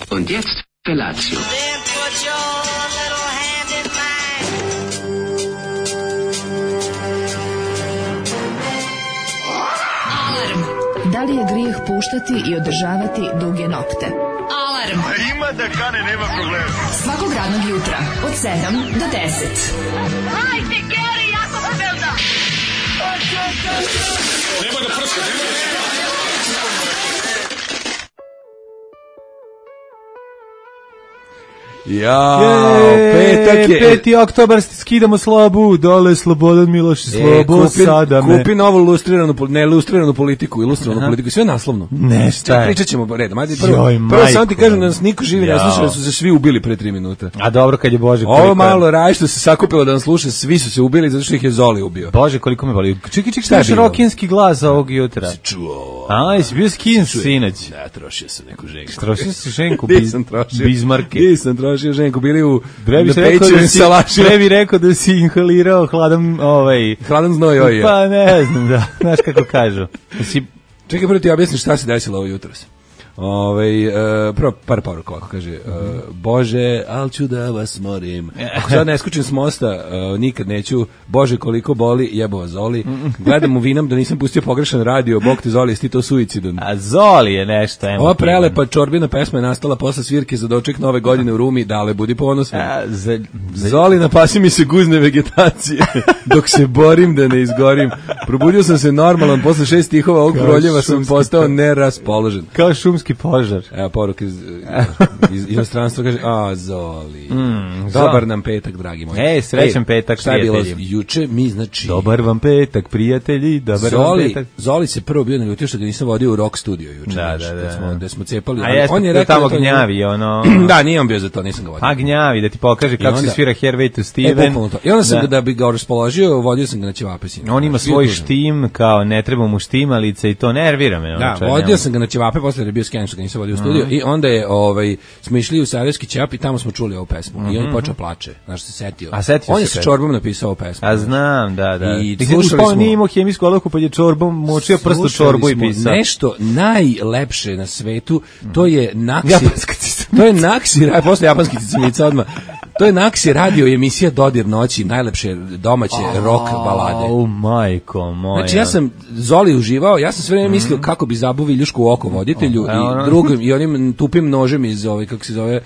Und jetzt Felatio. Then put your little hand in mine. Alarm. Da li je grijeh puštati i održavati duge nokte? Alarm. Ima da kane, nema problema. Svakog radnog jutra od 7 do 10. Hajde, Geri, jako se velda. Nema da prska, nema da prska. Ja, petak je. 5. oktobar, skidamo slabu, dole Slobodan Miloš, slobo sada me. Kupi novu ilustriranu politiku, politiku, sve naslovno. Nešto je. Pričat ćemo redom. Ajde, Joj, prvo samo ti majko. kažem da nas niko živi ne sluša, da su se svi ubili pre 3 minuta. A dobro kad je Bože koliko... Ovo malo raj što se sakupilo da nas sluša, svi su se ubili zato što ih je Zoli ubio. Bože koliko me boli. Čekaj, Šta je šta je bilo? rokinski glas ovog jutra? Čuo. A, jesi bio skin sinoć? Da, trošio sam neku ženku. Trošio si ženku Nisam trošio. Bizmarke. Nisam trošio ženku, bili u Bre bi rekao da si inhalirao hladan hladan znoj oj. Pa ne znam, da. Znaš kako kažu. Čekaj, prvo ti objasnim šta se desilo ovo jutros. Prvo par poruka ovako kaže Bože, al ću da vas morim. Ako sad ne skučim s mosta, nikad neću. Bože, koliko boli, jebo vas Zoli. Gledam u vinam da nisam pustio pogrešan radio. Bog te Zoli, jesi ti to suicidan? A Zoli je nešto emotivno. Ova prelepa čorbina pesma je nastala posle svirke za doček nove godine u Rumi. Dale, budi ponosan. Zoli, napasi mi se guzne vegetacije dok se borim da ne izgorim. Probudio sam se normalan, posle 6 stihova ovog proljeva sam postao neraspoložen. Kao šumski požar. Evo poruka iz inostranstva kaže, Zoli. Dobar nam petak, dragi moji. Srećan petak, šta je bilo prijatelji. juče? Mi, znači... Dobar vam petak, prijatelji, dobar vam petak. Zoli se prvo bio naljutio što ga nisam vodio u rock studio juče. Da smo cepali. A jeste, on je rekao tamo gnjavi, ono... Da, nije on bio za to, nisam ga vodio. A gnjavi, da ti pokaže kako se svira Herway to Steven. I onda sam ga, da bi ga raspoložio, vodio sam ga na ćevape. On ima svoj štim, kao ne treba mu štimalice i to nervira me. Da, vodio sam ga na ćevape, posle da je bio sken što ga nisam vodio u studio i onda je, smo išli u Sarajevski ćevap i tamo smo čuli ovu pesmu i on počeo plače, znaš se setio. On je sa čorbom napisao ovu pesmu. A znam, da. I slušali smo. Nije imao hemijsku olovku pa je čorbom močio prst u čorbu i pisao. Nešto najlepše na svetu, to je Naksi, posle japanskih cicamica odmah. To je Naksi radio emisija Dodir noći, najlepše domaće rock balade. Majko moja. Znači ja sam Zoli uživao, ja sam sve vreme mislio kako bi zabuvi ljušku u oko voditelju i drugim i onim tupim nožem iz kako se zove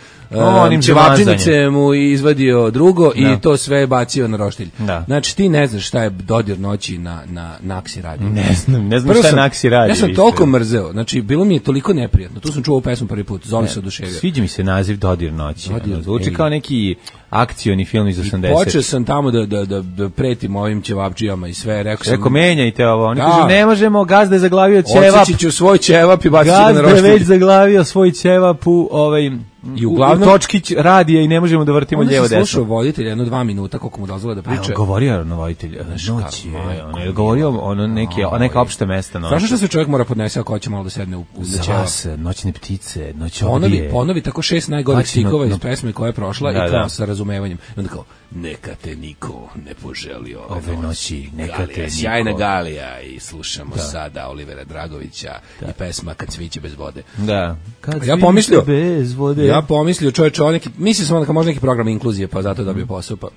ćevapčinice mu izvadio drugo i to sve bacio na roštilj. Znači ti ne znaš šta je Dodir noći na Naksi radio. Ne znam šta je Naksi radio. Ja sam toliko mrzeo, znači bilo mi je toliko neprijatno. Tu sam čuo ovu pesmu prvi put, Zoli se oduševio. Sviđa mi se naziv Dodir noći. Zvuči kao neki akcioni film iz 80. Počeo sam tamo da pretim ovim ćevapčijama i sve, rekao menjajte ovo. Oni kažu ne možemo, gazda je zaglavio ćevap. Odsjeći ću svoj ćevap i bacit ću ga na roštilj. Gazda je već zaglavio svoj ćevap i uglavnom točkić radija i ne možemo da vrtimo lijevo desno. On se slušao voditelj 1-2 minuta koliko mu dozvole da priča. Govorio na voditelj noći. Govorio neka opšte mesta. Znaš što se čovjek mora podnese ako hoće malo da sedne u ćevap? Noćne ptice, noć ovdje. Ponovi tako 6 najgorih stikova iz pesme koja je prošla i kao sa razumevanjem. I onda kao, neka te niko ne poželio ove noći, neka te niko. Sjajna Galija i slušamo sada Olivera Dragovića i pesma Kad sviće bez vode. Da. Ja pomislio čovječe, mislio sam da može neki program inkluzije, pa zato dobio posao, pa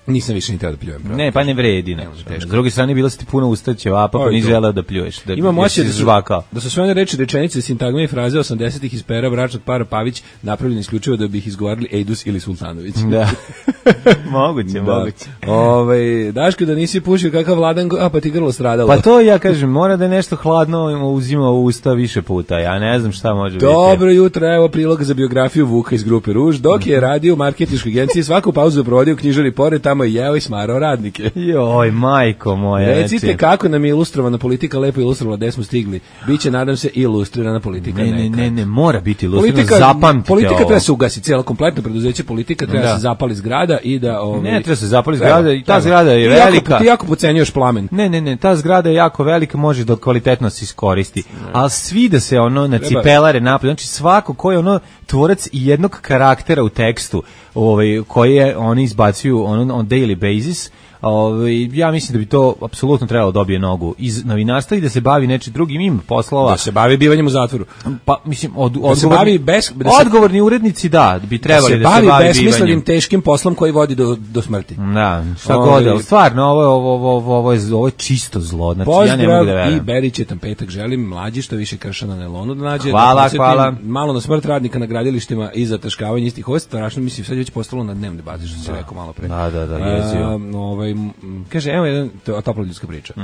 nisam više ni teo da pljujem. Ne, pa ne vredi. S druge strane, bilo si ti puno usta ćevapa, pa nisi želeo da pljuješ. Imam osjećaj da su sve one reči, rečenice, sintagme i fraze 80-ih iz pera bračnog para Pavić napravljeni isključivo da bi ih izgovarali Ejdus ili Sultanović. Da. Moguće. Daško, da nisi pušio kakav Vladan, pa ti grlo stradalo. Pa to ja kažem, mora da je nešto hladno uzima u usta više puta. Ja ne znam šta može biti. Dobro jutro, evo prilog za biografiju Vuka iz grupe Ruž. Dok je radio u marketinškoj agenciji, svaku pauzu provodio u knjižari pored, tamo je jeo i smarao radnike. Joj, majko moja. Recite kako nam je ilustrovana politika, lepo ilustrovala gde smo stigli. Biće, nadam se, ilustrirana politika. Ne, mora biti ilustrirana, zapamtite ovo. Politika treba se ugasiti, cijelo kompletno preduzeće politika treba se zapali zgrada i da... Ne, treba se zapali zgrada i ta zgrada je velika. Ti jako pocenjuješ plamen. Ne, ta zgrada je jako velika, može da kvalitetno se iskoristi. Ali svi da se na cipelare napred, znači svako ko je tvorac jednog karaktera u tekstu, koje oni izbacuju on daily basis, Ja mislim da bi to apsolutno trebalo dobije nogu iz novinarstva i da se bavi nečim drugim, ima poslova. Da se bavi bivanjem u zatvoru. Pa mislim odgovorni urednici bi trebali da se bavi besmislenim teškim poslom koji vodi do smrti. Da, šta god, ali stvarno ovo je čisto zlo. Znači ja ne mogu da verujem. I Berić je tam petak želim mlađi što više krša na nelonu da nađe. Hvala. Malo na smrt radnika na gradilištima i zataškavanje istih. Ovo je strašno, mislim sad je već postalo na dnevnoj bazi što se rekao malo pre. Da, jezio. Kaže, evo jedan topla ljudska priča.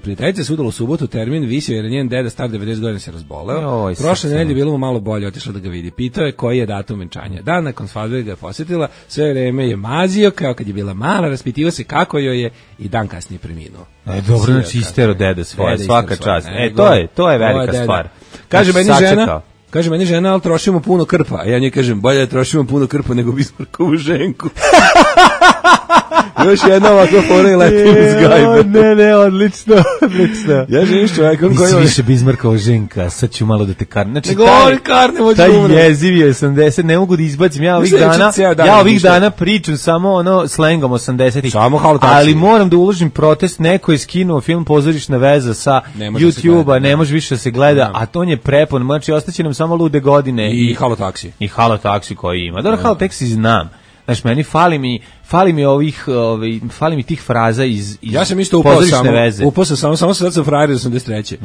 Prijateljica se udala u subotu, termin visio jer njen deda star 90 godina se razboleo. Prošle nedelje bilo mu malo bolje, otišla da ga vidi. Pitao je koji je datum venčanja. Dan nakon svadbe ga je posjetila, sve vreme je mazio, kao kad je bila mala, raspitivao se kako joj je i dan kasnije preminuo. Dobro, znači istero dede svoje, svaka čast. To je velika stvar. Kaže meni žena, ali trošimo puno krpa. A ja njoj kažem, bolje da trošimo puno krpa nego Bismarckovu ženku. Još jedna ovakva fora i letim iz gajbe. Ne, odlično. Ja živim s čovjekom koji... Nisi više Bismarckova ženka, sad ću malo da te karne. Znači, taj jeziv je 80, ne mogu da izbacim. Ja ovih dana pričam samo slengom 80-ih. Ali moram da uložim protest, neko je skinuo film Pozorišna veza sa YouTube-a, ne može više da se gleda, a to je prepon, znači ostaće nam samo lude godine. I Halo taksi. I Halo taksi koji ima. Dobro, Halo taksi znam. Znači, meni fali mi tih fraza iz ja sam isto upao samo sad sam frajer 83.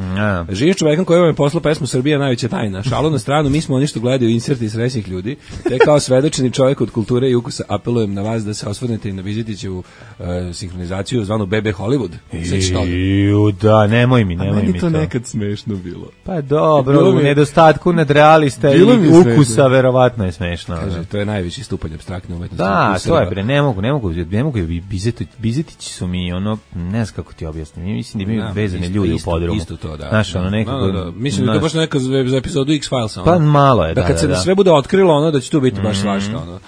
Živim čovekom koji vam je poslao pesmu Srbija najveća tajna. Šalu na stranu, mi smo oni što gledaju inserte iz srećnih ljudi. Te kao svedočeni čovjek od kulture i ukusa apelujem na vas da se osvrnete i na Vizitićevu sinhronizaciju zvanu BB Hollywood. Da, nemoj mi meni to nekad smešno bilo. Pa dobro, u nedostatku nadrealista i ukusa verovatno je smešno. Kaže, to je najviši stupanj apstraktne umetnosti. Da, to je bre, ne mogu Bizetići su mi ne znam kako ti objasnim, mislim da imaju vezane ljudi u podrumu. Isto to, da. Znaš, nekako... Mislim da je to baš neka za epizodu X-Filesa. Pa malo je, da. Kad se sve bude otkrilo, da će tu biti baš svašta,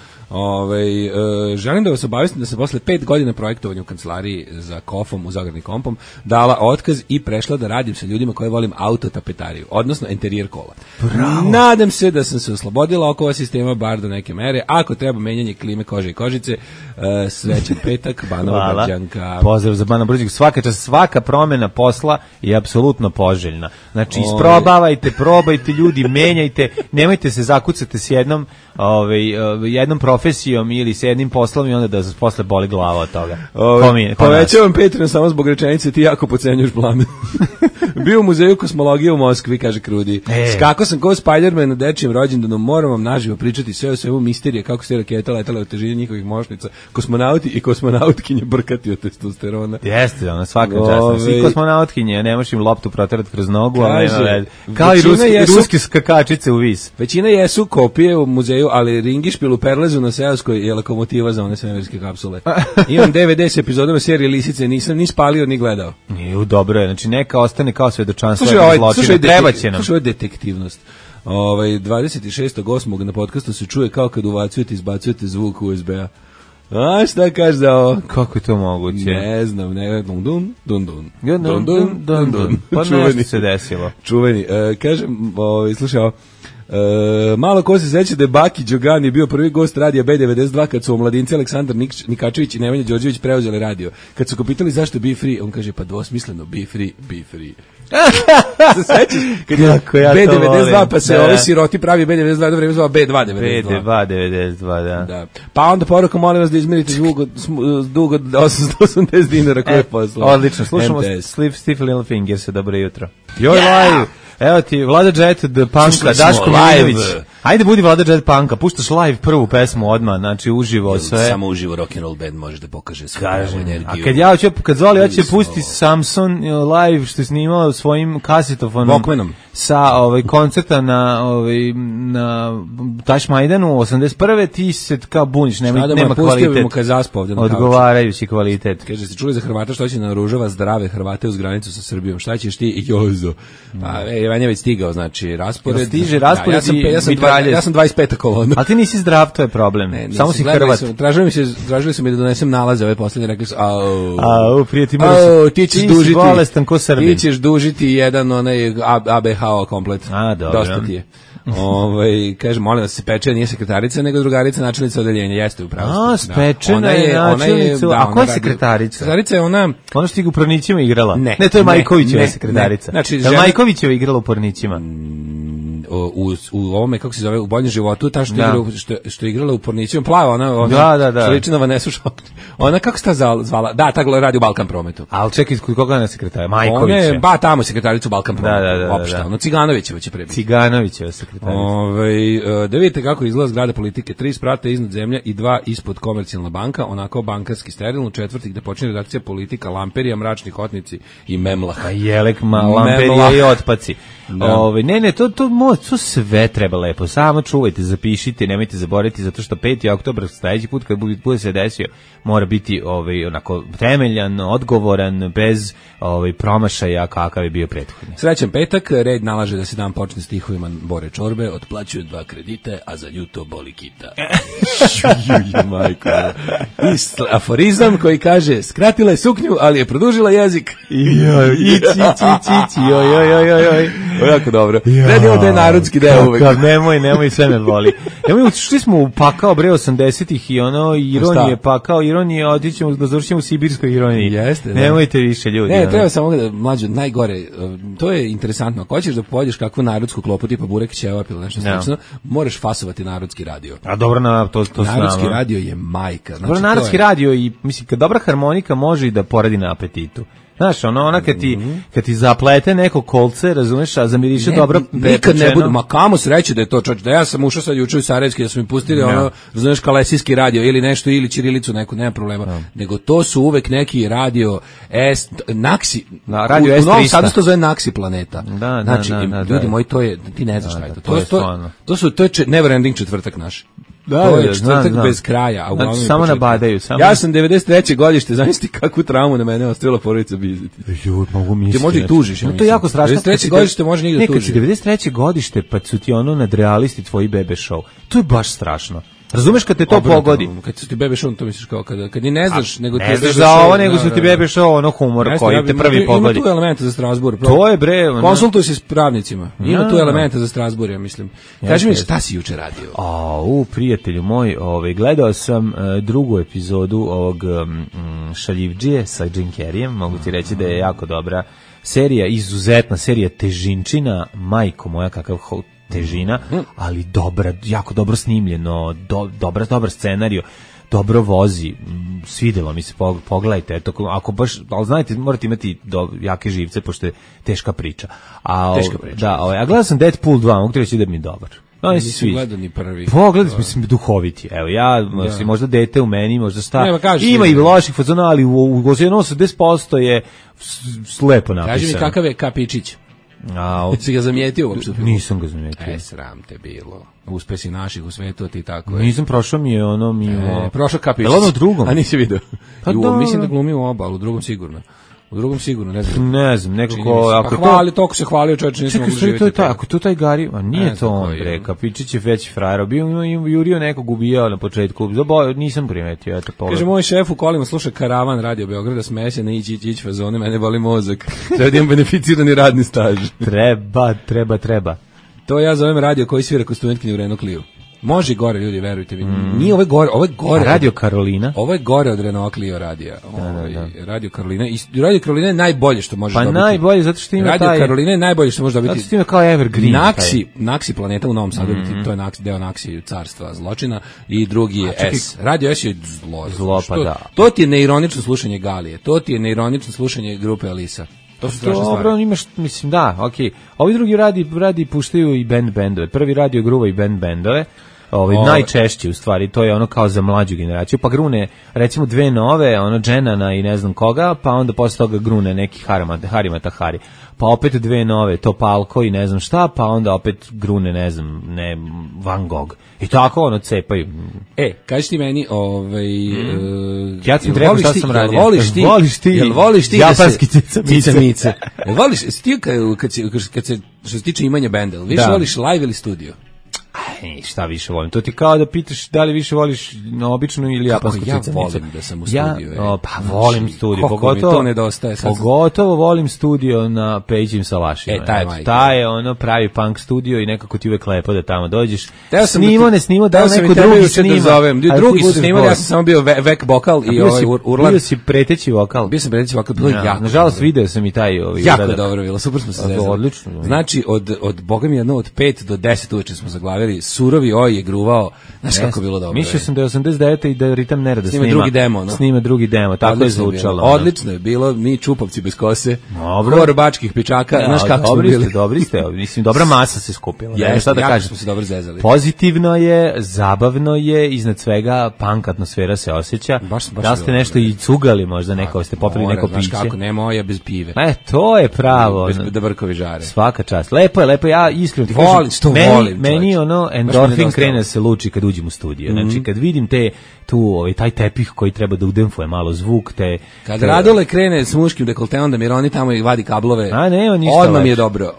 želim da vas obavestim da sam posle 5 godina projektovanja u kancelariji za Kofom u Zagradni Kompom dala otkaz i prešla da radim sa ljudima koje volim autotapetariju, odnosno interijer kola. Bravo. Nadam se da sam se oslobodila oko ova sistema bar do neke mere. Ako treba menjanje klime, kože i kožice, srećan petak, Banova Brđanka. Pozdrav za Banova Brđanka. Svaka promjena posla je apsolutno poželjna. Znači, isprobavajte, probajte ljudi, menjajte, nemojte se zakucati s jednom profesijom ili s jednim poslom i onda da se posle boli glava od toga. Povećavam Patreon samo zbog rečenice ti jako podcenjuješ plame. Bio u muzeju kosmologije u Moskvi, kaže Krudi. Skako sam kao Spider-Man na dečijem rođendanu, moram vam naživo pričati sve o svemu misterije, kako se raketa letala od težine njihovih mošnica, kosmonauti i kosmonautkinje brkati od testosterona. Jeste, svaka čast. Svi kosmonautkinje, ne možeš im loptu proterati kroz nogu, kao i ruske skakačice u vis. Većina jesu kopije u muzeju, ali Ringišpil u Perlezu na Seoskoj je lokomotiva za one svemirske kapsule. Imam DVD s epizodama serije Lisice, nisam ni spalio ni gledao. Dobro je, znači neka ostane kao svedočanstvo zločina, treba će nam. Slušaj, ovo je detektivnost. 26.8. na podcastu se čuje kao kad uvacujete i izbacujete zvuk USB-a. A šta kažeš za ovo? Kako je to moguće? Ne znam, dun. Pa nešto se desilo. Čuveni. Kažem, slušaj ovo. Malo ko se seća da je Baki Đogani bio prvi gost radija B92 kad su omladinci Aleksandar Nikačević i Nemanja Đorđević preuzeli radio. Kad su ga pitali zašto Be Free, on kaže pa dvosmisleno Be Free. Se sećaš? Kad je B92 pa se ovi siroti pravi B92 do vreme zvao B292. B292, da. Pa onda poruka, molim vas da izmerite dug od 880 dinara koje je poslao. Odlično, slušamo Steve Littlefinger, dobro jutro. Joj live! Evo ti, Vlada Jet od Punka, Daško Milinović. Ajde budi Vlada Jet Punka, puštaš live prvu pesmu odmah, znači uživo sve. Samo uživo rock'n'roll band može da pokaže svoju energiju. A kad Zoli hoće pustiti Samson live što je snimao svojim kasetofonom Walkmanom sa koncerta na Tašmajdanu 81. ti se kao buniš, nema kvalitet. Odgovarajući kvalitet. Kaže se čuli za Hrvata što će naoružava zdrave Hrvate uz granicu sa Srbijom. Šta ćeš ti i Jozo? Vanja već stigao, znači raspored. Stiže raspored ja sam 25. kolona. A ti nisi zdrav, to je problem. Samo si Hrvat. Tražili su mi da donesem nalaze ove poslednje, rekli su prijatelj, ti ćeš dužiti bolestan ko Srbin. Ti ćeš dužiti jedan onaj ABH komplet. Dobro. Dosta ti je. Kaže, molim vas, se peče, nije sekretarica, nego drugarica načelnica odeljenja. Jeste upravo. Spečena je načelnica. A koja je sekretarica? Sekretarica je ona što je u Pornićima igrala. Ne, to je Majkovićeva sekretarica. Znači, Majkovićeva igrala u Pornićima. U ovome, kako se zove, u Boljem životu, ta što je igrala u Pornićima, plava, ona što liči na Vanesu Šokni. Ona, kako se ta zvala? Da, ta radi u Balkan Prometu. Ali čekaj, koga je sekretar? Majković. Tamo sekretaricu Balkan Prometu. Opšta, Ciganovićeva će prebiti. Ciganovićeva sekretarica. Da vidite kako izgleda zgrada politike. 3 sprata iznad zemlje i 2 ispod Komercijalna banka, onako bankarski sterilno, 4. gde počinje redakcija politika, Lamperija, Mračni hotnici i Memlah. Jelek, Lamperija i otpaci. To sve treba lepo. Samo čuvajte, zapišite, nemojte zaboraviti, zato što 5. oktobar, sledeći put kad bude se desio, mora biti onako temeljan, odgovoran, bez promašaja kakav je bio prethodni. Srećan petak, red nalaže da se dan počne stihovima Bore Čorbe, otplaćuju 2 kredite, a za ljuto boli kita. Majko. I aforizam koji kaže, skratila je suknju, ali je produžila jezik. Ići. Jako dobro. Redimo da je narodski deo uvek. Nemoj, sve me boli. Šli smo u pakao bre 80-ih i ironije, pakao ironije, otićemo da završimo u sibirskoj ironiji. Jeste, nemojte više ljudi. Ne, treba samo da mlađe najgore. To je interesantno. Ako hoćeš da pojedeš kakvu narodsku klopu tipa burek ćevap ili nešto slično, moraš fasovati narodski radio. A dobro, to narodski radio je majka. Dobro, narodski radio i mislim kad dobra harmonika može i da poradi na apetitu. Znaš, ona kad ti zaplete neko kolce, razumeš, a zamiriše dobro nikad ne budu, ma kamo sreće da je to čovječ, da ja sam ušao sad juče u Sarajevski, da su mi pustili razumeš, kalesijski radio ili nešto, ili ćirilicu neku, nema problema, nego to su uvek neki radio Naksi, radio u Novom Sadu se to zove Naksi planeta. Znači, ljudi moji, to je, ti ne znaš šta je to. To je never ending četvrtak naš. To je četvrtak bez kraja. A znači, samo nabadaju. Ja sam 93. godište, zamisli kakvu traumu na mene ostavila porodica Bizetić. Mogu misliti. Ti možda i tužiš. To je jako strašno. 93. godište može njih da tuži. Nekad si 93. godište, pa su ti nadrealisti tvoji bebe show. To je baš strašno. Razumeš kad te to pogodi? Kad su ti bebe show, to misliš kao kad ni ne znaš, nego ti ne znaš za ovo, nego su ti bebe show, humor koji te prvi pogodi. Ima tu elementa za Strasbourg. To je bre. Konsultuj se s pravnicima. Ima tu elementa za Strasbourg, ja mislim. Kaži mi šta si juče radio? Prijatelju moj, gledao sam drugu epizodu ovog Šaljivdžije sa Jim Carreyem, mogu ti reći da je jako dobra serija, izuzetna serija Težinčina, majko moja kakav težina, ali dobra, jako dobro snimljeno, dobar scenarijo, dobro vozi, svidelo mi se, pogledajte, eto, ako baš, ali znajte, morate imati jake živce, pošto je teška priča. Teška priča. Da, a gledao sam Deadpool 2, mogu ti reći da mi je dobar. Nisam gledao ni prvi. Pogledaj, mislim, duhoviti. Evo, možda dete u meni, možda ima i loših fazona, ali u 80% je slepo napisano. Kaži mi kakav je Kapičić. Si ga zamijetio uopšte? Nisam ga zamijetio. Sram te bilo. Uspesi naših u svetu, ti tako je. Nisam, prošao mi je prošao Kapičić. Je li ono drugom? A nisi vidio? Mislim da glumi u oba, ali u drugom sigurno. U drugom sigurno, ne znam. Ne znam, nekako... Toliko se hvalio čovječ, nisam mogu živjeti. Ako to taj Gari... A nije to on, bre, Kapičić je već frajer. Bio jurio nekog ubijao na početku. Nisam primetio, eto pogled. Kaže, moj šef u kolima sluša Karavan Radio Beograda, smeje se na ići fazone, mene boli mozak. Treba da imam beneficirani radni staž. Treba. To ja zovem radio koji svira kod studentkinje u Renault Clio. Može gore, ljudi, verujte mi. Nije ovo je gore. Radio Karolina. Ovo je gore od Renault Clio radija. Radio Karolina. I Radio Karolina je najbolje što može dobiti. Pa najbolje, zato što ima Radio Karolina je najbolje što može dobiti. Zato što ima kao Evergreen. Naksi planeta u Novom Sadu, to je deo Naksi carstva zločina i drugi je S. Radio S je zlo. To ti je neironično slušanje Galije. To ti je neironično slušanje grupe Alisa. To su strašne stvari. Dobro, imaš, mislim, da, okej. Ovi drugi radi puštaju i bendove. Prvi radio gruva i bendove. Najčešće u stvari, to je ono kao za mlađu generaciju, pa grune recimo 2 nove, Dženana i ne znam koga, pa onda posle toga grune neki Harimata, pa opet 2 nove, to Palko i ne znam šta, pa onda opet grune, ne znam, Van Gogh. I tako cepaju. Kaži ti meni, ja ti rekao šta sam radio. Voliš ti japanski cica-mice? Voliš ti kad se što se tiče imanja benda, više voliš live ili studio? Šta više volim? To ti kao da pitaš da li više voliš običnu ili japansku cicanicu. Ja volim da sam u studiju. Pa volim studio, pogotovo to nedostaje. Pogotovo volim studio na Pejićim salašima. Taj je ono pravi punk studio i nekako ti uvek lepo da tamo dođeš. Ne snimo, da neko drugi snima. Drugi su snimali, ja sam samo bio vek vokal i urlan. Bio si preteći vokal. Bio sam preteći vokal, bilo je jako. Nažalost, video sam i taj jako dobro bilo, super smo se zezali. Odlično. Znači, od boga mi jedno od 5 do 10 uveče smo zaglavili, surovi oj je gruvao, znaš kako bilo dobro. Mislio sam da je 89. i da Ritam Nerada snima drugi demo, tako je zvučalo. Odlično je bilo, mi čupovci bez kose, hor bačkih pičaka, znaš kako smo bili. Dobri ste, mislim, dobra masa se skupila. Šta da kažem, smo se dobro zezali. Pozitivno je, zabavno je, iznad svega punk atmosfera se osjeća. Da ste nešto i cugali možda neko, ste popili neko piće. Znaš kako, ne moja bez pive. To je pravo. Bez Dobrkovi žare. Svaka čast. Lepo je, ja iskreno ti kažem, meni ono endorfin krene se luči kad uđem u studio. Znači, kad vidim taj tepih koji treba da udemfuje malo zvuk, kad Radule krene s muškim dekolteom da Mironi tamo i vadi kablove, odmah mi je dobro.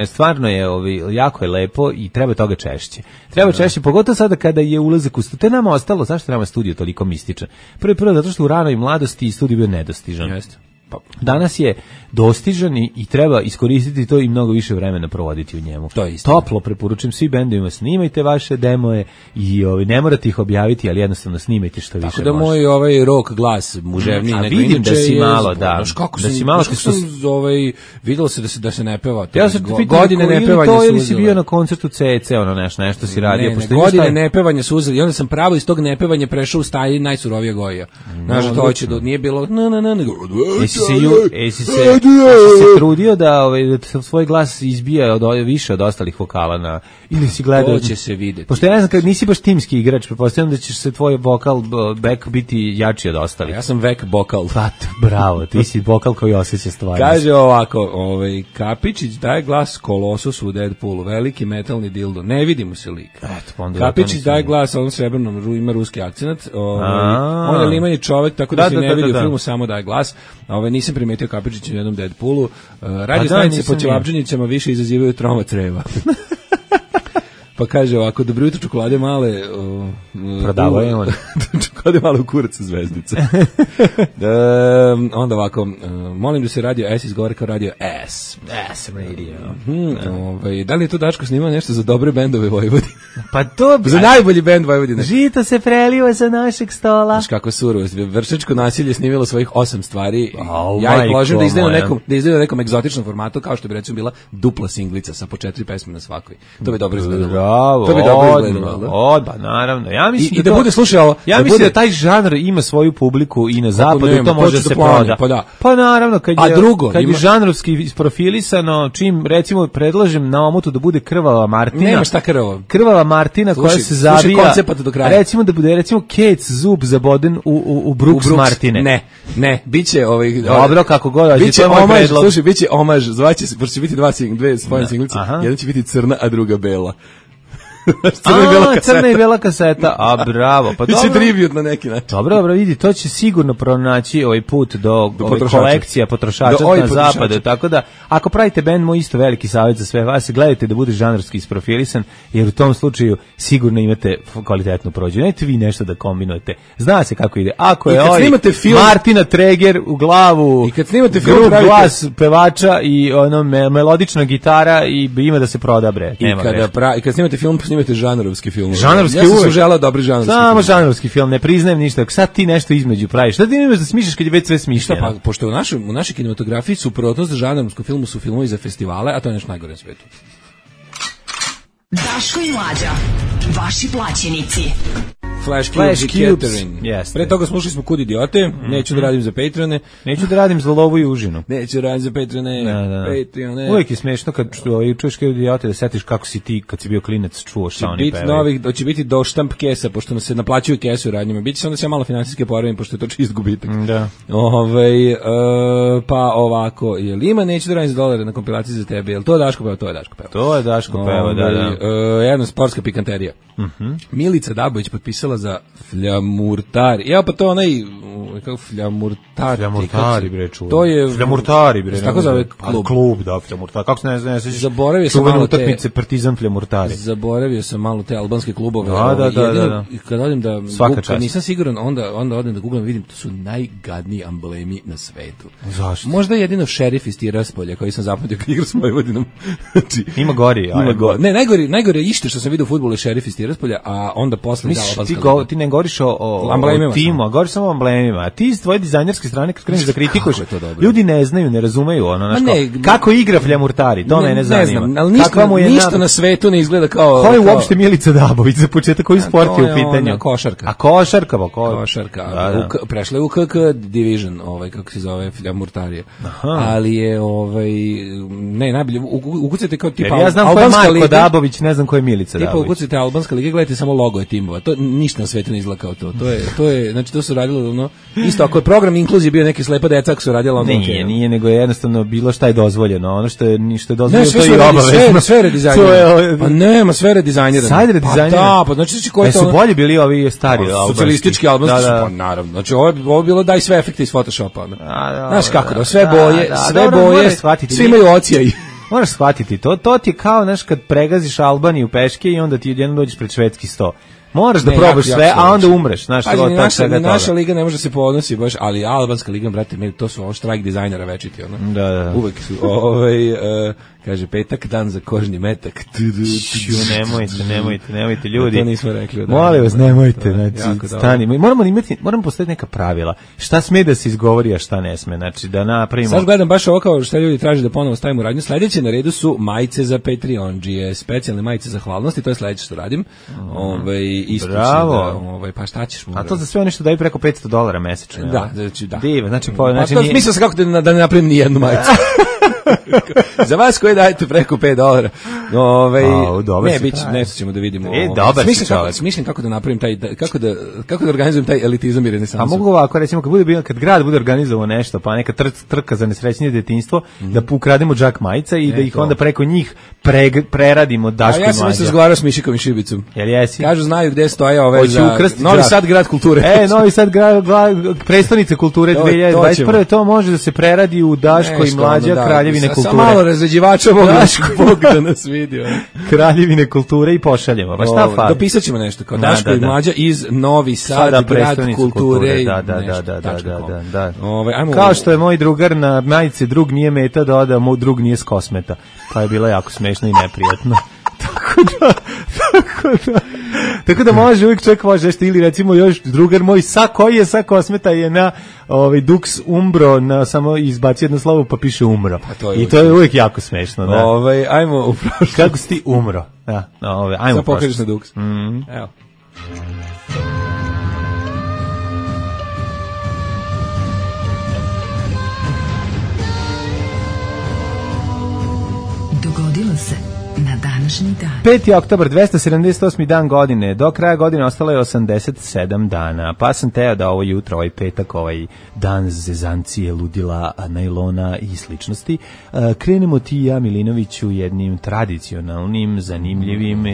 Stvarno je, jako je lepo i treba toga češće. Treba češće, pogotovo sada kada je ulazak u studio. To je nama ostalo, zašto nama studio toliko mističan? Prvo, zato što u ranoj mladosti studio bio nedostižan. Jeste. Danas je dostižan i treba iskoristiti to i mnogo više vremena provoditi u njemu. To je isto. Toplo preporučujem svi bendovima, snimajte vaše demoje i ne morate ih objaviti, ali jednostavno snimajte što više može. Tako da moj rock glas muževniji nego inače. Vidim da si malo, da. Da si malo, videlo se da se ne peva. Ja sam te pitao, godine nepevanja su ili si bio na koncertu CC, nešto si radio. Godine nepevanja su uzeli i onda sam pravo iz tog nepevanja prešao u staji najsurovije Goja. Znaš, to hoće da nije bilo Jesi se trudio da svoj glas izbija više od ostalih vokala ili si gledao? To će se vidjeti. Pošto ja ne znam, kad nisi baš timski igrač, pretpostavljam da će se tvoj vokal back biti jači od ostalih. Ja sam vek vokal. Bravo, ti si vokal koji osjeća stvari. Kaže ovako, Kapičić daje glas Kolosusu u Deadpoolu, veliki metalni dildo, ne vidi mu se lik. Kapičić daje glas ovom srebrnom, ima ruski akcenat, on je limani čovek, tako da se ne vidi u filmu, samo daje glas. Nisam primetio Kapičića u jednom Deadpoolu. Radio stanice po Ćevapđenicama više izazivaju troma creva. Pa kaže ovako, dobro jutro, čokolade male. Prodavao je on. Čokolade male u kuracu zvezdice. Onda ovako, molim da se radio S izgovara kao radio S. S radio. Da li je to Daško snimao nešto za dobre bendove Vojvodine? Pa to... za najbolji bend Vojvodine. Žito se preliva sa našeg stola. Znaš kako surovo. Vršačko nasilje snimilo svojih 8 stvari. Ja ih ložim da izdaju na nekom egzotičnom formatu, kao što bi recimo bila dupla singlica sa po 4 pesme na svakoj. To bi dobro izgledalo. To bi dobro izgledalo. Naravno. Ja mislim da bude slušao. Ja mislim da taj žanr ima svoju publiku i na zapadu i to može se prodati. Pa naravno, kad je žanrovski isprofilisano, čim recimo predlažem na omotu da bude Krvava Martina. Nema šta krvavo. Krvava Martina koja se zabija. Recimo da bude Kec zub zaboden u Brooks Martine. Ne, biće dobro kako god, biće omaž, slušaj, biće omaž, zvaće se, pošto će biti dve spojene singlice, jedna će biti crna, a druga bela. Crna i bela kaseta, a bravo. Pa biće tribut na neki način. Dobro, vidi, to će sigurno pronaći ovaj put do kolekcija potrošača na zapadu, tako da ako pravite bend, moj isto veliki savjet za sve vas, gledajte da bude žanrski isprofilisan, jer u tom slučaju sigurno imate kvalitetnu prođu. Nećete vi nešto da kombinujete. Zna se kako ide. Ako je Martina Treger u glavu, i kad snimate film, glas pevača i melodična gitara i ima da se proda, bre. I kad snimate film, snimate žanrovski film. Žanrovski ja sam želeo dobri žanrovski film. Samo žanrovski film, ne priznajem ništa. Sad ti nešto između praviš. Šta ti imaš da smišljaš kad je već sve smišljeno? Pa, pošto u našoj kinematografiji suprotnost žanrovskom filmu su filmovi za festivale, a to je nešto najgore na svetu. Daško i Mlađa, vaši plaćenici. Flash Cubes. Pre toga slušali smo Kud idiote, neću da radim za Patreone. Neću da radim za lovu i užinu. Neću da radim za Patreone. Patreone. Uvijek je smešno kad čuješ Kud idiote da setiš kako si ti kad si bio klinac čuo šta oni pevaju. Hoće biti do štamp kesa, pošto nam se naplaćuju kesu u radnjima. Biće se onda se malo finansijske poravim, pošto je to čist gubitak. Da. Pa ovako, jel ima neću da radim za $1 na kompilaciji za tebe? Jel to Daško peva? To je Daško peva. To je Daško peva, da. Jedna sportska pikanterija. Milica Dabović potpisala glasala za Fljamurtari. Evo pa to onaj kako Fljamurtari bre čuo. To je Fljamurtari bre. Tako zove klub da Fljamurtari. Kako se ne znam, zaboravio sam malo utakmice Partizan Fljamurtari. Zaboravio sam malo te albanske klubove. Da. Kad odim da Google, nisam siguran, onda odem da googlam, vidim to su najgadniji amblemi na svetu. Zašto? Možda jedino šerif iz Tiraspolja koji sam zapamtio kad igra s Vojvodinom. Znači, ima gori. Ne, najgore ište što sam vidio u fudbalu je šerif iz Tiraspolja, a onda posle ti ne govoriš o timu, a govoriš samo o amblemima. A ti s tvoje dizajnerske strane kad kreneš da kritikuješ, ljudi ne znaju, ne razumeju ono, kako igra Fljamurtari, to mene zanima. Ne znam, ali ništa na svetu ne izgleda kao... Ko je uopšte Milica Dabović za početak, koji sport je u pitanju? Košarka. A košarka. Prešla je u KK Division, kako se zove Fljamurtarije. Ali je, ne, najbolje, ukucajte kao tipa ja znam ko je Marko Dabović, ne znam ko je Milica Dabović. Tipa ukucajte albanska liga, gledajte samo logo je timova. To ništa na svetu ne izgleda kao to. To je, znači to su radilo isto ako je program inkluzije bio neki slepa deca ako su radila ono. Nije, nego je jednostavno bilo šta je dozvoljeno. Ono što je dozvoljeno to je i obavezno. Sve redizajnirano. Pa nema sve redizajnirano. Sad redizajnirano. Pa znači koji to su bolji bili ovi stari socijalistički albanski, pa naravno. Znači ovo bilo daj sve efekte iz Photoshopa. Znaš kako da sve boje, svi imaju ocijaj. Moraš shvatiti, to ti je kao, znaš, kad pregaziš Albaniju peške i onda ti jednom dođeš pred švedski sto. Moraš da probaš sve, a onda umreš, znaš, naša liga ne može se ponosi baš, ali albanska liga, brate, to su ovo štrajk dizajnera večiti, ono. Da. Uvek su, kaže, petak, dan za kožni metak. Nemojte, ljudi. To nismo rekli. Molim vas, nemojte, znači, stani. Moramo postaviti neka pravila. Šta sme da se izgovori, a šta ne sme, znači, da napravimo. Sad gledam baš ovo kao što ljudi traže da ponovo stavimo radnju. Sledeće na redu su majice za Patreon, specijalne majice zahvalnosti, to je sledeće što radim. Bravo. Pa šta ćeš mu? A to za sve ono što daju preko $500 mesečno. Da. Diva, znači mislio sam kako da ne napravim ni jednu majicu. Za vas koji dajete preko $5. Nešto ćemo da vidimo. Smišljam kako da napravim kako da organizujem taj elitizam i renesansu. A mogu ovako, recimo, kad grad bude organizovao nešto, pa neka trka za nesrećnije detinjstvo, da ukrademo džak majica i da ih onda preko njih preradimo Daško i Mlađa. Ja sam se razgovarao s Mišikom i Šibicom. Jel jesi? Kažu, znaju gde stoje ove za Novi Sad grad kulture. Novi Sad prestonice kulture 2021. To može da se preradi u Daško i Mlađa, Kraljevine kulture. Sa malo razređivača Bog da nas vidio. Kraljevine kulture i pošaljemo. Pa šta fali? Dopisat ćemo nešto kao Daško i Mlađa iz Novi Sad grad kulture. Da. Kao što je moj drugar na majici drug nije meta doda, moj drug nije s kosmeta. Pa je bilo jako smešno i neprijatno. Tako da može, uvijek čovjek može nešto, ili recimo još drugar moj koji je sa kosmeta je na Dux Umbro, samo izbaci jedno slovo pa piše umro. I to je uvijek jako smešno. Da. Ajmo u prošlost. Kako si ti umro? Ajmo sad pokažeš na Dux. Evo. Dogodilo se na današnji dan. 5. oktobar, 278. dan godine. Do kraja godine ostalo je 87 dana. Pa sam teo da ovo jutro, ovaj petak, ovaj dan zezancije, ludila, najlona i sličnosti, krenemo ti i ja, Milinoviću, jednim tradicionalnim, zanimljivim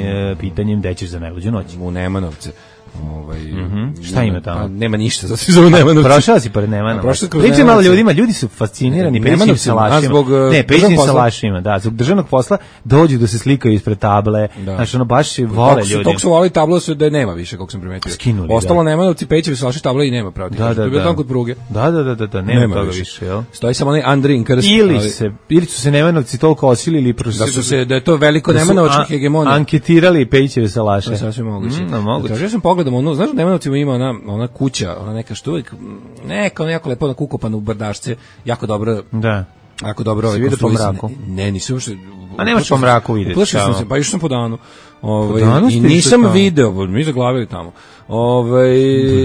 pitanjem gde ćeš za najluđu noć. U Nemanovce. Šta ima tamo? Pa nema ništa, zato se zove Nemanovci. Prošao si pored Nemanovca. Priče malo ljudima, ljudi su fascinirani pećim salašima. Pećim salašima, da, zbog državnog posla dođu da se slikaju ispred table. Znači, ono baš vole ljudi. Tog su volili tablo da nema više, kako sam primetio. Skinuli, ostalo Nemanovci, Pećevi salaši tabla i nema, pravdi. To je bilo tamo kod pruge. Da, nema toga više, jel? Stoji samo onaj Andrin krst. Ili su se Nemanovci toliko osilili da je to veliko Nemanovačka hegemonija. Anketirali Pećeve salaše. To je sasvim moguće. Ja sam pogledam, znaš, u Nemanovcima ima ona kuća, ona neka što uvijek, jako lepo ukopana u brdašce, jako dobro. Da. Ako dobro ovaj vidi po mraku. Ne, nisam uopšte. A nemaš po mraku videti. Uplašio sam se, pa išao sam po danu. I nisam video, mi zaglavili tamo.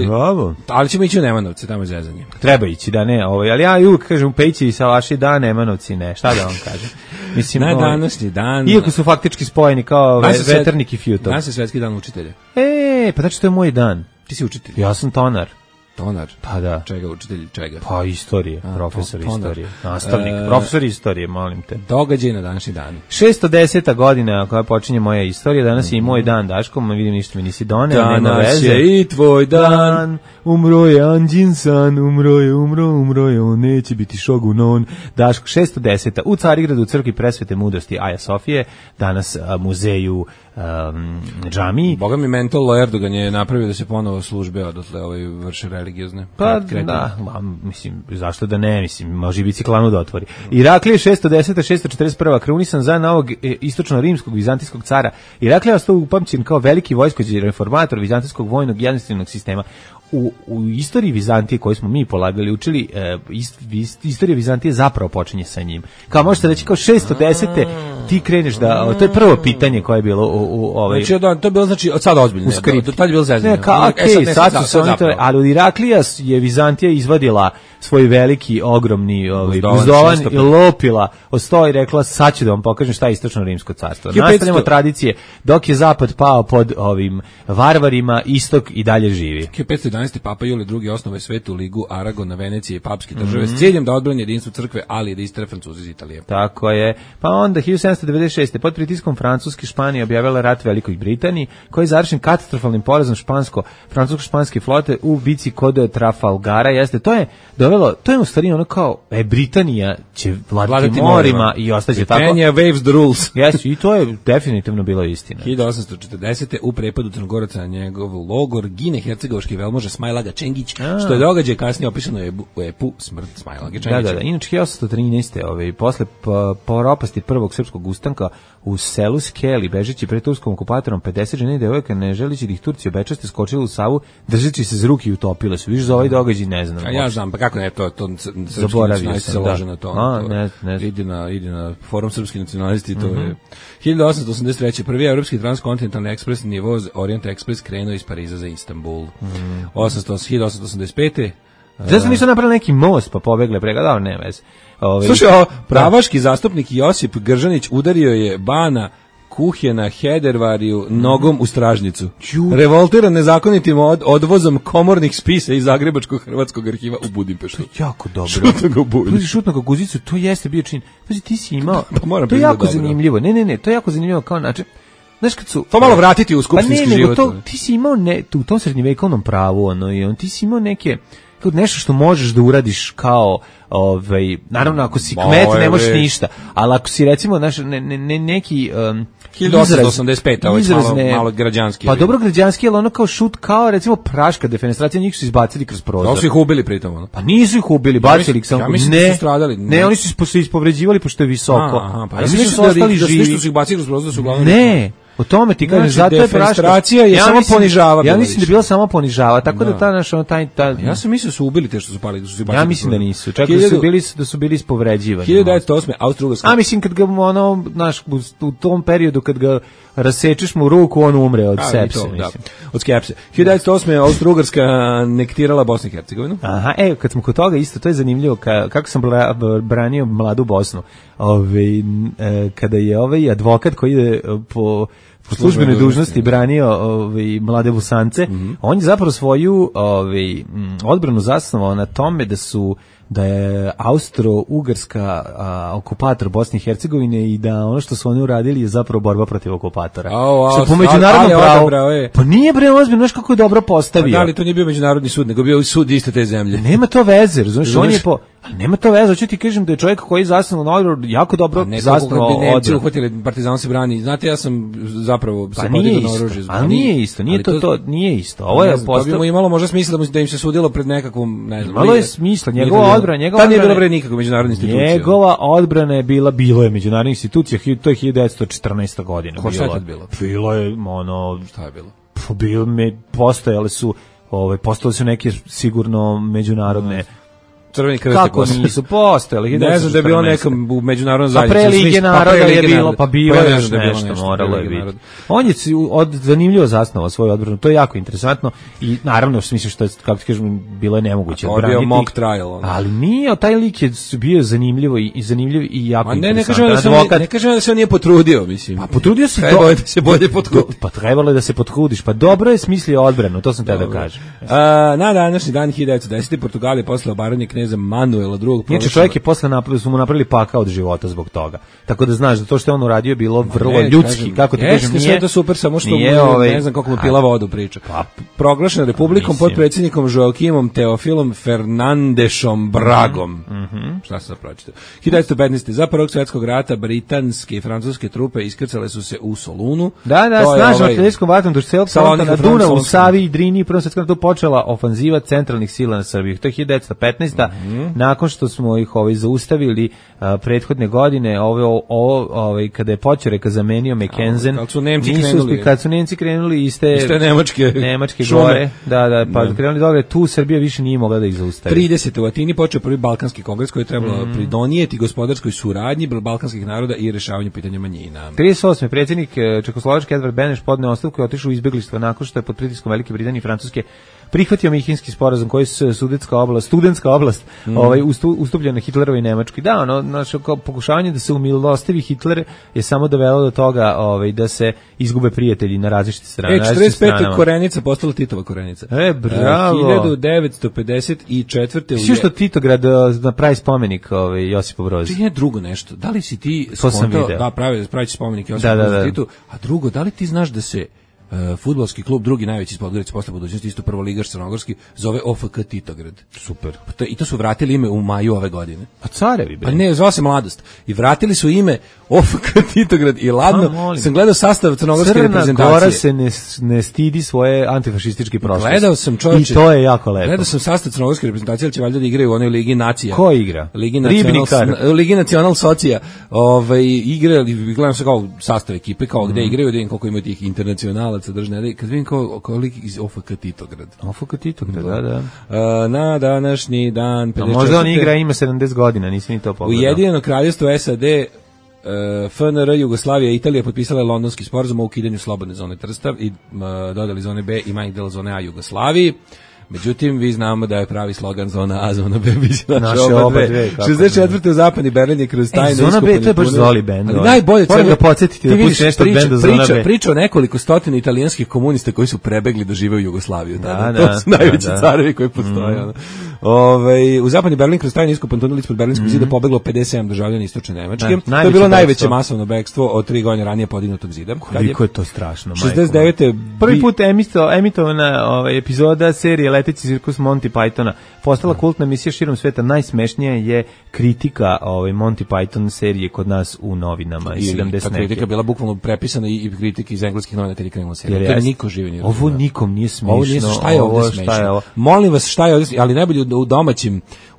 Bravo. Ali ćemo ići u Nemanovce, tamo je zezanje. Treba ići, da ne, ali ja uvijek kažem Peći i salaši da, Nemanovci ne. Šta da vam kažem? Mislim, na današnji dan. Iako su faktički spojeni kao veternik i Fjutov. Danas je svetski dan učitelja. Pa znači to je moj dan. Ti si učitelj. Ja sam tonar. Tonar? Pa da. Čega, učitelj čega? Pa istorije, profesor istorije. Nastavnik, profesor istorije, molim te. Događaj na današnji dan. 610. godina koja počinje moja istorija, danas je i moj dan, Daško, vidim ništa mi nisi doneo, nema veze. Danas je i tvoj dan. Umro je Anđin san, umro je, on neće biti šogunon. Daško, 610. U Carigradu, u crkvi Presvete mudrosti Aja Sofije, danas muzeju džamiji. Boga mi mental Erdogan je napravio da se ponovo službe odatle vrše religiozne. Pa da, mislim, zašto da ne, mislim, može i biciklanu da otvori. Iraklije 610. 641. krunisan za novog istočno-rimskog vizantijskog cara. Iraklija ostao upamćen kao veliki vojskođi reformator vizantijskog vojnog jednostavnog sistema. U istoriji Vizantije koju smo mi polagali, učili, istorija Vizantije zapravo počinje sa njim. Kao možete reći, kao 610. ti kreneš da, to je prvo pitanje koje je bilo u ovaj... Znači, to je bilo, znači, od sada ozbiljno. U skriptu. Do tad je bilo zezanje. Ne, kao, sad su se oni to... Ali od Iraklija je Vizantija izvadila svoj veliki, ogromni buzdovan i lopila od stola i rekla, sad ću da vam pokažem šta je istočno rimsko carstvo. Nastavljamo tradicije, dok je zapad pao pod ovim varvarima, istok i dalje živi. 1511. Papa Julije II. Osnovao je Svetu ligu Aragona, Venecije i papske države s ciljem da odbrani jedinstvo crkve, ali i da istere Francuzi iz Italije. Tako je. Pa onda 1796. pod pritiskom Francuske Španija objavila rat Velikoj Britaniji, koji je završen katastrofalnim porazom francusko-španske flote u bici kod Trafalgara. Jeste, to je u stvari ono kao Britanija će vladati morima i ostaće tako. Britannia waves the rules. Jeste, i to je definitivno bilo istina. 1840. u prepadu Crnogoraca na njegov logor gine hercegovački velmoža Smajlaga Čengić, što je događaj kasnije opisano u epu Smrt Smajlage Čengića. Da. Inače 1813. Posle propasti prvog srpskog ustanka u selu Skeli, bežeći pred turskom okupatorom, 50 žena i devojaka, ne želeći da ih Turci obečaste, skočili u Savu, držeći se za ruke i utopile su. Viš za ovaj događaj ne znam. A ja znam, pa kako ne, to zaboravio sam, da. Na to. Ne. Idi na forum srpski nacionalisti, to je 1883. prvi evropski transkontinentalni ekspresni voz Orient Express krenuo iz Pariza za Istanbul. 1885. Da sam ništa napravili neki most pa pobegle prega, ne vez. Slušaj, pravaški zastupnik Josip Gržanić udario je Bana Kuhjena Hedervariju nogom u stražnicu. Revoltiran nezakonitim odvozom komornih spisa iz Zagrebačkog hrvatskog arhiva u Budimpeštu. To je jako dobro. Šutno ga guzicu, to jeste bio čin. Pazi, ti si imao, to je jako zanimljivo. Ne, to je jako zanimljivo kao način. Znaš kad su... To malo vratiti u skupštinski život. Pa ti si imao u tom srednjevekovnom pravu, ti si imao nešto što možeš da uradiš kao, naravno ako si kmet ne možeš ništa, ali ako si recimo neki 1885, ovo je malo građanski. Pa dobro građanski, ali ono kao šut, kao recimo praška defenestracija, njih su izbacili kroz prozor. Da su ih ubili pritom, ono? Pa nisu ih ubili, bacili ih samo. Ja mislim da su stradali. Ne, oni su se ispovređivali pošto je visoko. Pa ja mislim da su ostali živi. Što su ih bacili kroz prozor, da su uglavnom... Ne, o tome ti kažem, zato je defenestracija je samo ponižava. Ja mislim da je bila samo ponižava, tako da ta naša ja sam mislio su ubili te što su pali, da su se bacili. Ja mislim da nisu, čak da su bili ispovređivani. 1908. Austro-Ugarska. A mislim kad ga u tom periodu kad ga rasečeš mu ruku, on umre od sepse, mislim. Od skepse. 1908. Austro-Ugarska anektirala Bosnu i Hercegovinu. Aha, kad smo kod toga isto, to je zanimljivo kako sam branio mladu Bosnu. Kada je ovaj advokat koji ide po službenoj dužnosti branio mlade Bosance, on je zapravo svoju odbranu zasnovao na tome da je Austro-Ugarska okupator Bosne i Hercegovine i da ono što su oni uradili je zapravo borba protiv okupatora. Što po međunarodnom pravu... Pa nije bre ozbiljno, znaš kako je dobro postavio. Pa da li to nije bio međunarodni sud, nego bio sud iste te zemlje. Nema to veze, razumiješ, on je nema to veze, hoću ti kažem da je čovjek koji je zasnovao na odbranu jako dobro zasnovao odbranu. Nemci uhvatili, Partizan se brani. Znate, ja sam zapravo se podigao na oružje. Ali nije isto, nije isto. Ovo je to bi mu imalo možda smisla da im se sudilo pred nekakvom, ne znam. Malo je smisla, njegova odbrana, tad nije bilo pred nikakve međunarodne institucije. Njegova odbrana je bilo je međunarodna institucija, to je 1914. godina. Šta je tad bilo? Bilo je šta je bilo? Postojale su neke sigurno međunarodne Crveni krst. Kako nisu postojali? Ne znam da je bilo nekom u međunarodnom zajednici. Pa pre Lige naroda je bilo, pa bilo je nešto, moralo je biti. On je zanimljivo zasnovao svoju odbranu, to je jako interesantno i naravno u smislu što je, kako ti kažem, bilo je nemoguće odbraniti. To je bio mock trial. Ali nije, taj lik je bio zanimljiv i jako interesantan. Ne kažem da se on nije potrudio, mislim. Pa potrudio se da se bolje potrudi. Pa trebalo je da se potrudiš, pa dobro je smislio odbranu, to sam te da kažem. Na današnji dan 1910. Portugalije posle obaranje kneza Manuela II. Znači čovjek je posle su mu napravili pakao od života zbog toga. Tako da znaš da to što je on uradio je bilo vrlo ljudski, kako ti kažem, nije. Sve to super, samo što ne znam koliko mu pila vodu priča. Proglašen republikom pod predsjednikom Joaquimom Teofilom Fernandešom Bragom. Šta se pročitao? 1915. Za Prvog svjetskog rata britanske i francuske trupe iskrcale su se u Solunu. Da, snažno artiljerijskom vatrom duž celog fronta na Dunavu, Savi i Drini i Prvom svjetskom ratu počela ofanziva centralnih sila na Srbiju. To je 1915. Nakon što smo ih zaustavili prethodne godine, kada je Poćoreka zamenio Mackenzen, kad su Nemci krenuli iz te Nemačke gore, pa krenuli dole, tu Srbija više nije mogla da ih zaustavi. 30. u Atini počeo prvi Balkanski kongres koji je trebalo pridonijeti gospodarskoj suradnji balkanskih naroda i rešavanju pitanja manjina. 38. predsjednik Čekoslovačke Edvard Beneš podneo ostavku i otišao u izbeglištvo nakon što je pod pritiskom Velike Britanije i Francuske prihvatio Minhenski sporazum koji je studentska oblast ustupljena Hitlerovoj i Nemačkoj. Da, pokušavanje da se umilostivi Hitler je samo dovelo do toga da se izgube prijatelji na različite strane. 45. Korenica postala Titova Korenica. Bravo. 1954. Svi što Titograd napravi spomenik Josipu Brozu. Čini drugo nešto. Da li si ti skontao da pravi spomenik Josipu Brozu Titu, a drugo, da li ti znaš da se fudbalski klub, drugi najveći iz Podgorice posle budućnosti, isto prvoligaš crnogorski, zove OFK Titograd. Super. I to su vratili ime u maju ove godine. A carevi bre. Pa ne, zvao se Mladost. I vratili su ime OFK Titograd i ladno sam gledao sastav crnogorske reprezentacije. Crna Gora se ne stidi svoje antifašističke prošlosti. Gledao sam, čovječe. I to je jako lepo. Gledao sam sastav crnogorske reprezentacije, ali će valjda da igraju u onoj Ligi nacija. Ko igra? Ligi Nacional Socija. Igrali, gledam se kao sastav ekipe, kao gde igraju, da vidim koliko ima tih internacionalaca držne. Kad vidim kao lik iz OFK Titograd. OFK Titograd, da. Na današnji dan... Možda on igra, ima 70 godina, nisi ni to pogledao. Ujedinjeno kraljevstvo SAD, FNR, Jugoslavija i Italija potpisale Londonski sporazum o ukidanju slobodne zone Trstav i dodali zone B i manjeg dela zone A Jugoslaviji. Međutim, vi znamo da je pravi slogan zona A, zona B, biće naše oba dve. 64. u zapadni Berlin je kroz tajne iskopane tunele. Zona B, to je baš Zoli bend. Ali najbolje... Moram ga podsjetiti da pusti nešto od benda Zona B. Priča o nekoliko stotina italijanskih komunista koji su prebegli da žive u Jugoslaviju. To su najveći carevi koji postoje. U zapadni Berlin kroz tajne iskopane tunele ispod Berlinskog zida pobeglo 57 državljana istočne Nemačke. To je bilo najveće masovno bekstvo od 3 godine ranije podignutog zida. Koliko je to strašno, majko. 69. Prvi put emitovana epizoda serije Leteći cirkus Monty Pythona postala kultna emisija širom sveta. Najsmešnija je kritika Monty Python serije kod nas u novinama iz 70. Ta kritika bila bukvalno prepisana i kritika iz engleskih novina kad je krenula serija. To je niko živi nije. Ovo nikom nije smešno. Šta je ovdje smešno? Molim vas, šta je ovdje smešno? Ali najbolje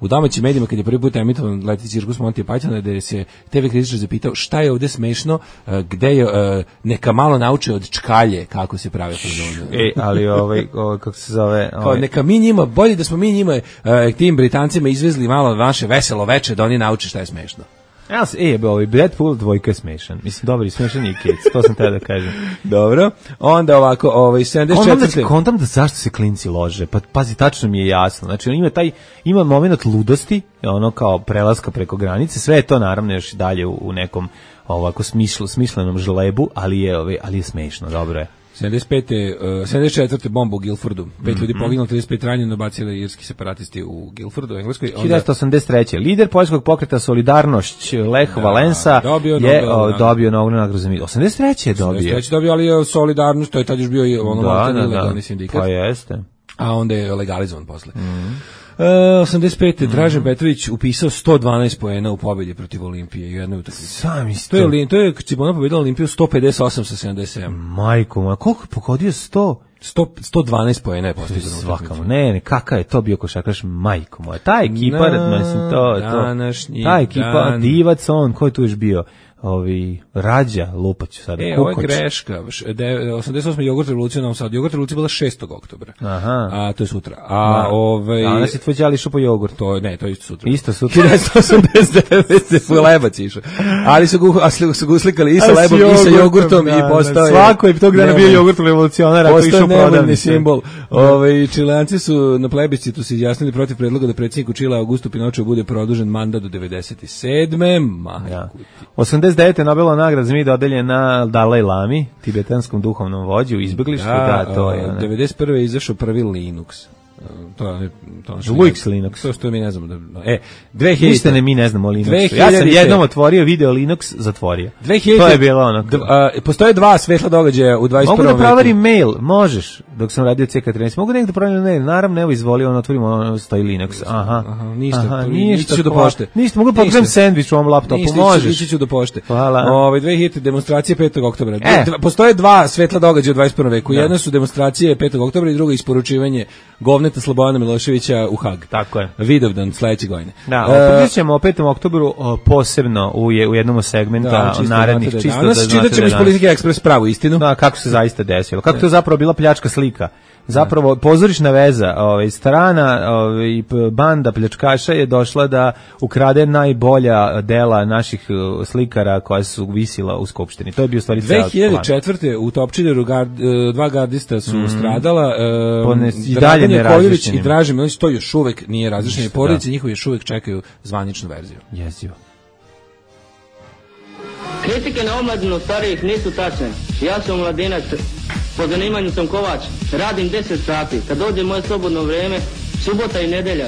u domaćim medijima kad je prvi put emitovan Leteći cirkus Monty Pythona, da se TV kritičar zapitao šta je ovdje smešno, gde je neka malo nauče od čkalje kako se prave fazone. Ali kako se zove, neka mi njima, bolje da smo mi njima tim Britancima izvezli malo vaše veselo veče da oni nauče šta je smešno. Deadpool 2 je smešan. Mislim, dobar i smešan je Kids, to sam tada da kažem. Dobro, onda ovako, 74. Kontam da zašto se klinci lože, pa pazi, tačno mi je jasno. Znači, on ima moment ludosti, kao prelaska preko granice, sve je to naravno još dalje u nekom ovako smislenom žlebu, ali je smešno, dobro je. 74. bomba u Guildfordu. 5 ljudi poginulo, 35 ranjeno, bacili irski separatisti u Guildfordu, u Engleskoj. 1983. Lider poljskog pokreta Solidarnošć Lech Valensa je dobio Nobelu nagradu za mir. 83. je dobio. 83. dobio, ali je Solidarnošć, to je tad još bio ilegalni sindikat. Pa jeste. A onda je legalizovan posle. 85. Dražen Petrović upisao 112 poena u pobjedi protiv Olimpije u jednoj utakmici. To je Cibona pobjedila Olimpiju 158 sa 77. Majko moja, koliko je pogodio 112 poena je postigao. Svakamo, ne, kakav je to bio košarkaš, majko moja. Ta ekipa, ta ekipa, Divac, on, ko je tu još bio? Rađa Lupaću sada. Ovo je greška. 88. jogurt revolucija u Novom Sadu. Jogurt revolucija bila 6. oktobra. Aha. A to je sutra. Danas je tvoj đali išao po jogurt. To je isto sutra. Isto sutra. 1989. Lebac išao. Ali su ga uslikali i sa lebom i sa jogurtom i postao je... Svako je tog dana bio jogurt revolucionar, ako išao prodavni simbol. Čileanci su na plebiscitu se izjasnili protiv predloga da predsjedniku Čilea Augustu Pinocheu bude produžen mandat do 97. 89. Nobelova nagrada za mir dodeljena Dalaj Lami, tibetanskom duhovnom vođu, izbeglištvu, to je. 91. je izašao prvi Linux. Linux Linux. To što mi ne znamo. 2000. Ništa mi ne znamo o Linuxu. Ja sam jednom otvorio video Linux, zatvorio. 2000. To je bilo ono. Postoje dva svetla događaja u 21. veku. Mogu da proverim mail, možeš, dok sam radio CK13. Mogu nekdo da proverim mail, naravno, evo izvolio, otvorimo, stoji Linux. Aha, ništa ću do pošte. Ništa, mogu da pokrenem sendvič u ovom laptopu, možeš. Ništa ću do pošte. Hvala. 2000. demonstracije 5. oktobra. Postoje dva svetla događaja u 21. veku. Jedna su demonstracije 5. oktobra i druga isporučivanje govneta Slobodana Miloševića u Hag. Tako je. Vidovdan sledeće godine. Da, pričat ćemo o 5. oktobru posebno u jednom segmenta narednih čisto da znate. Čitat ćemo iz Politike Ekspres pravu istinu. Da, kako se zaista desilo. Kako to zapravo bila pljačka slika. Zapravo pozorišna veza, strana banda pljačkaša je došla da ukrade najbolja dela naših slikara koja su visila u Skupštini. To je bio stvari ceo plan. 2004. u Topčideru dva gardista su stradala. I dalje ne različenim. I Dražen Milić, to još uvek nije različenje. Porodice njihovi još uvek čekaju zvaničnu verziju. Jezivo. Kritike na omladinu starijih nisu tačne. Ja sam mladinac, po zanimanju sam kovač, radim 10 sati. Kad dođe moje slobodno vrijeme, subota i nedelja,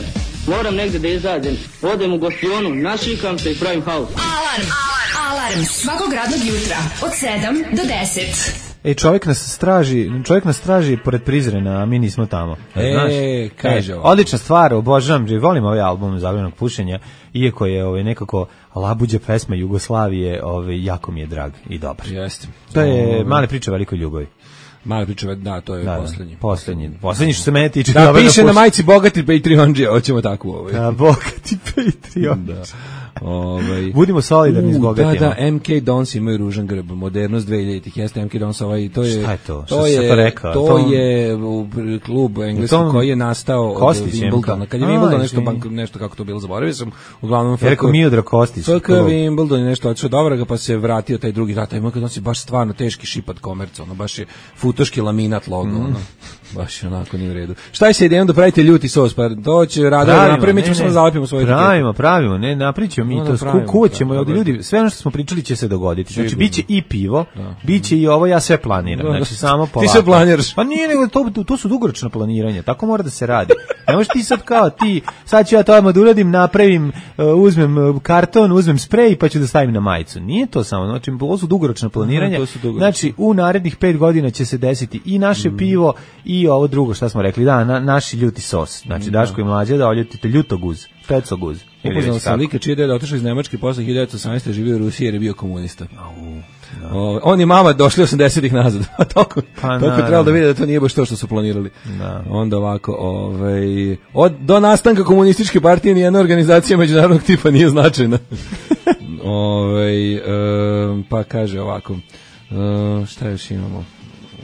moram negdje da izađem. Odem u gostionu, našikam se i pravim haus. Alarm svakog radnog jutra od 7 do 10. Čovjek nas straži pored Prizrena, a mi nismo tamo. Kaže ovo. Odlična stvar, obožavam, volim ovaj album Zabranjenog pušenja, iako je nekako labuđa pesma Jugoslavije, jako mi je drag i dobar. Jeste. To je male priče o velikoj ljubavi. Male priče, da, to je poslednji. Poslednji što se mene tiče. Da, piše na majici bogati Patreonđija, hoćemo tako. Da, bogati Patreonđija. Budimo solidarni s bogatima. Da, MK Dons imaju ružan grb, modernost 2000-ih, jeste MK Dons, to je... Šta je to? Što se to rekao? To je klub engleski koji je nastao od Wimbledona. Kad je Wimbledon nešto kako to bilo, zaboravio sam, uglavnom... Ja rekao Miodra Kostić. FK Wimbledon je nešto odšao dobro, pa se vratio taj drugi rata. MK Dons je baš stvarno teški šipad komerca, baš je futoški laminat logo, baš onako nije u redu. Šta je se idejom da pravite ljuti sos, pa to će raditi, napravimo, mi ćemo samo zalepimo svoje etiketu. Pravimo, ne, napričamo mi to, kuvaćemo ovdje ljudi, sve ono što smo pričali će se dogoditi. Znači, biće i pivo, biće i ovo, ja sve planiram, znači samo polako. Ti sve planiraš? Pa nije, nego to su dugoročna planiranja, tako mora da se radi. Ne možeš ti sad kao ti, sad ću ja to odmah da uradim, napravim, uzmem karton, uzmem sprej, pa ću da stavim na majicu. Nije to samo, znači, ovo su dugoročna planiranja, znači, u narednih 5 godina će se desiti i naše pivo i ovo drugo, šta smo rekli, naši ljuti sos. Znači, Daško i Mlađa da oljutite ljutoguz, pecoguz. Upoznao sam lika čiji deda otišao iz Nemačke posle 1918. živio u Rusiji jer je bio komunista. On i mama došli 80-ih nazad. Toliko trebalo da vide da to nije baš to što su planirali. Onda ovako, do nastanka komunističke partije nijedna organizacija međunarodnog tipa nije značajna. Pa kaže ovako, šta još imamo?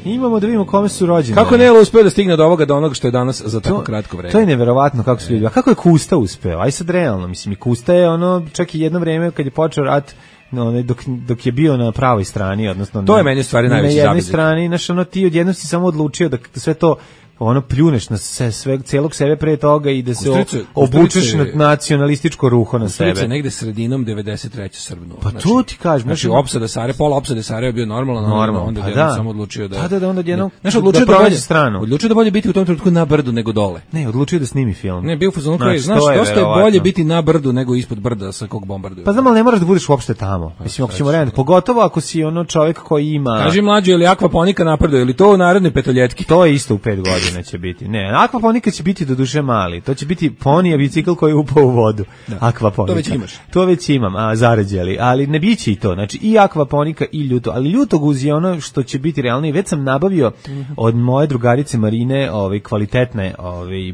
Imamo da vidimo kome su rođeni. Kako Nelo uspeo da stigne do onoga što je danas za tako kratko vreme. To je neverovatno kako su ljudi. A kako je Kusta uspeo? Aj sad realno, mislim, i Kusta je čak i jedno vreme kad je počeo rat, dok je bio na pravoj strani, odnosno to je meni stvari najveći zabezek. Na jednoj strani, ti odjednom si samo odlučio da sve to pljuneš na celog sebe pre toga i da se obučeš na nacionalističko ruho na sebe. Kustrica negde sredinom 93. Srbnu. Pa to ti kažem. Znači, opsada Sare, pola opsade Sare je bio normalno, onda je samo odlučio da... Da, onda jednom da prođe stranu. Odlučio da bolje biti u tom trenutku na brdu nego dole. Ne, odlučio da snimi film. Ne, bio u fazonu koji, znaš, dosta je bolje biti na brdu nego ispod brda sa kog bombarduju. Pa znam, ali ne moraš da budeš uopšte tamo. Mislim, ako ćemo rediti, pogotovo ako si čovjek koji ima... Kaži mlađe, ili akvaponika napreduje, ili to u narednoj petoljetki? To je isto u 5 godina će biti. Ne, akvaponika će biti do duše mali. To će biti ponija bicikl koji je upao u vodu. Akvaponika. To već imaš. To već imam, zarađeli. Ali ne biće i to. Znači i akvaponika i ljuto. Ali ljutoguz je ono što će biti realnije. Već sam nabavio od moje drugarice Marine kvalitetne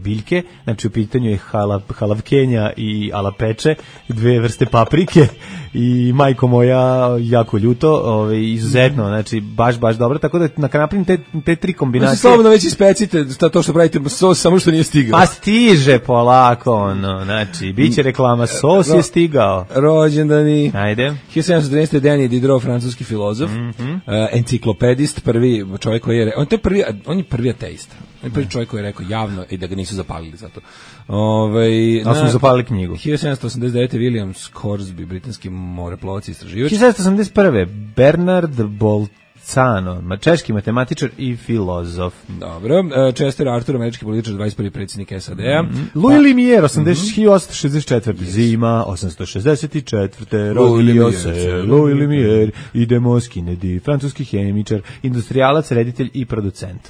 biljke. Znači u pitanju je halavkenja i alapeče, 2 vrste paprike i majko moja jako ljuto, izuzetno, znači baš dobro, tako da napravim te tri kombinacije. Slobodno već ispecite to što pravite sos, samo što nije stigao. Pa stiže polako, znači, bit će reklama, sos je stigao. Rođendani. Ajde. 1713. Denis Diderot, francuski filozof, enciklopedist, prvi čovjek koji je, on je prvi ateist. On je prvi čovjek koji je rekao javno i da ga nisu zapalili zato. Da su zapalili knjigu. 1789. William Scoresby, britanski moreplovac i istraživač. 1781. Bernard Bolzano, češki matematičar i filozof. Dobro. Chester Arthur, američki političar, 21. predsjednik SAD-a. Louis Lumière, 1864. Zima, 864. Rodio se Louis Lumière i de Kennedy, francuski hemičar, industrijalac, reditelj i producent.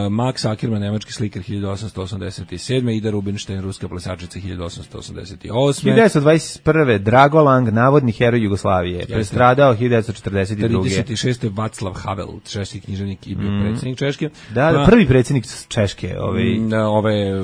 Max Ackerman, nemački slikar, 1887. Ida Rubinstein, ruska plesačica, 1888. 1921. Drago Lang, navodni heroj Jugoslavije, prestradao 1942. 36. Václav Havel, češki književnik i bio predsjednik Češke. Da, prvi predsjednik Češke,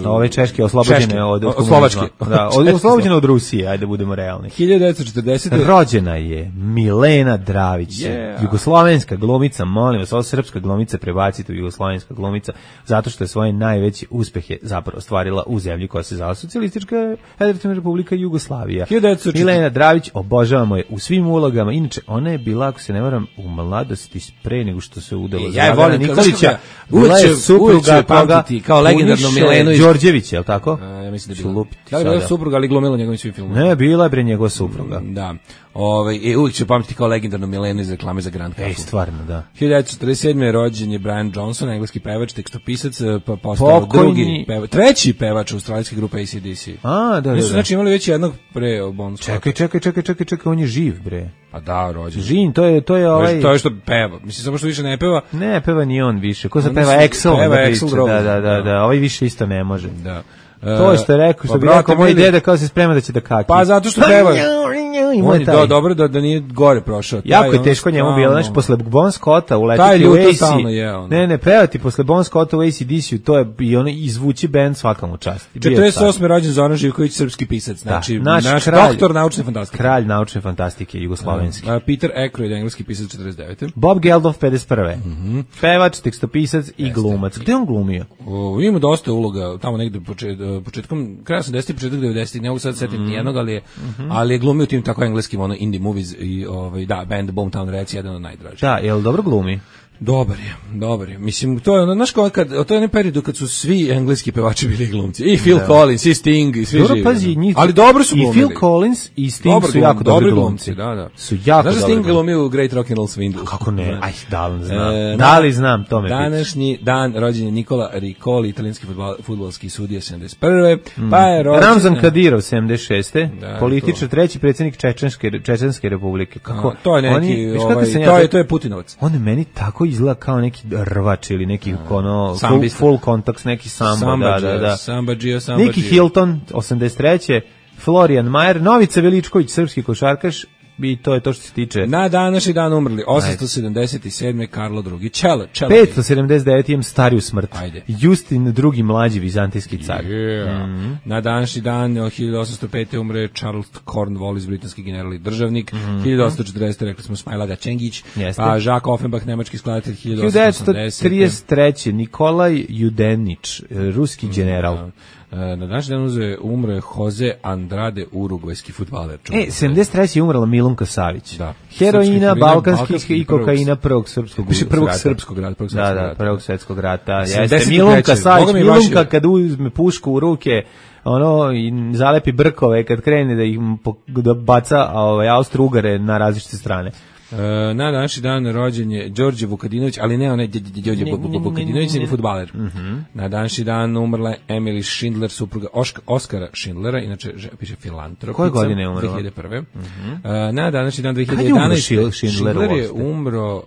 ove Češke oslobođene od Slovačke. Da, oslobođene od Rusije, ajde budemo realni. 1940. Rođena je Milena Dravić, jugoslovenska glumica, molim vas, ovo srpska glumica prebacite u jugoslovenska glumica, zato što je svoje najveće uspehe zapravo ostvarila u zemlji koja se zvala Socijalistička Federativna Republika Jugoslavija. Milena Dravić, obožavamo je u svim ulogama, inače ona je bila, ako se ne varam, u mladosti pre nego što se udala za Dragana Nikolića, bila je supruga toga kao legendarno Milenu Đorđević, je li tako? Ja mislim da je bila. Da li je bila supruga, ali glumila njegovim svim filmima? Ne, bila je bre njegova supruga. Da. Uvijek ću pamtiti kao legendarnu Milenu iz reklame za Grand Cafe. Stvarno, da. 1947. rođen je Brian Johnson, engleski pevač, tekstopisac, pa postao treći pevač australijske grupe AC/DC. Da. Znači imali već jednog pre Bon Scotta. Čekaj, on je živ, bre. Pa da, rođen. Žin, to je ovaj... To je što peva. Mislim, samo što više ne peva. Ne, peva ni on više. Ko se peva Axl? Peva Axl. Da. Ovaj više isto ne može. Da. To što je rekao, što bi rekao moj deda kao se sprema da će da kaki. Pa zato što peva. On je dobro da nije gore prošao. Jako je teško njemu bilo, znači posle Bon Scotta uletiti u AC. Ne, pevati posle Bon Scotta u AC/DC, to je i ono izvući bend svakamu čast. 48. rođen Zoran Živković, srpski pisac, znači naš doktor naučne fantastike. Kralj naučne fantastike jugoslovenski. Peter Aykroyd, engleski pisac, 49. Bob Geldof, 51. Pevač, tekstopisac i glumac. Gde on glumio? Ima dosta uloga, tamo negde početkom, kraja 80-ih, početak 90-ih, ne mogu sad setim nijednog, ali je glumio tim tako engleskim indie movies i band Boomtown Rats, jedan od najdražih. Da, jel dobro glumi? Dobar je. Mislim, to je ono, znaš kao to je onaj period kad su svi engleski pevači bili glumci. I Phil Collins, i Sting, i svi živi. Pazi, ali dobro su glumili. I Phil Collins i Sting su jako dobri glumci. Da. Su jako dobri. Znaš Sting glumio u Great Rock and Roll Swindle? Kako ne? Aj, da li znam, to me današnji dan rođen je Nikola Riccoli, italijanski fudbalski sudija, 71. Pa je rođen Ramzan Kadirov, 76. Političar, treći predsjednik Čečenske republike. Kako? To je neki, to je Putinovac. On je meni tako izgleda kao neki rvač ili neki full contact, neki sambo, da. Niki Hilton, 83. Florian Mayer, Novica Veličković, srpski košarkaš, i to je to što se tiče. Na današnji dan umrli 877. Karlo II. Čele. 579. imam stariju smrt. Justin II. mlađi vizantijski car. Na današnji dan 1805. umre Charles Cornwallis, britanski general i državnik. 1840. rekli smo Smajlaga Čengić. Pa Jacques Offenbach, nemački skladatelj. 1933. Nikolaj Judenić, ruski general. Na današnji dan umre Jose Andrade, urugvajski fudbaler. 73. je umrla Milunka Savić. Heroina, balkanskih i kokaina prvog srpskog rata. Prvog srpskog rata. Da, prvog svjetskog rata. Jeste Milunka Savić, Milunka kad uzme pušku u ruke, i zalepi brkove kad krene da baca Austro-Ugare na različite strane. Na današnji dan rođen je Đorđe Vukadinović, ali ne onaj Đorđe Vukadinović, nego fudbaler. Na današnji dan umrla Emily Schindler, supruga Oskara Schindlera, inače piše filantropica. Koje godine je umrla? 2001. Na današnji dan 2011. Schindler je umro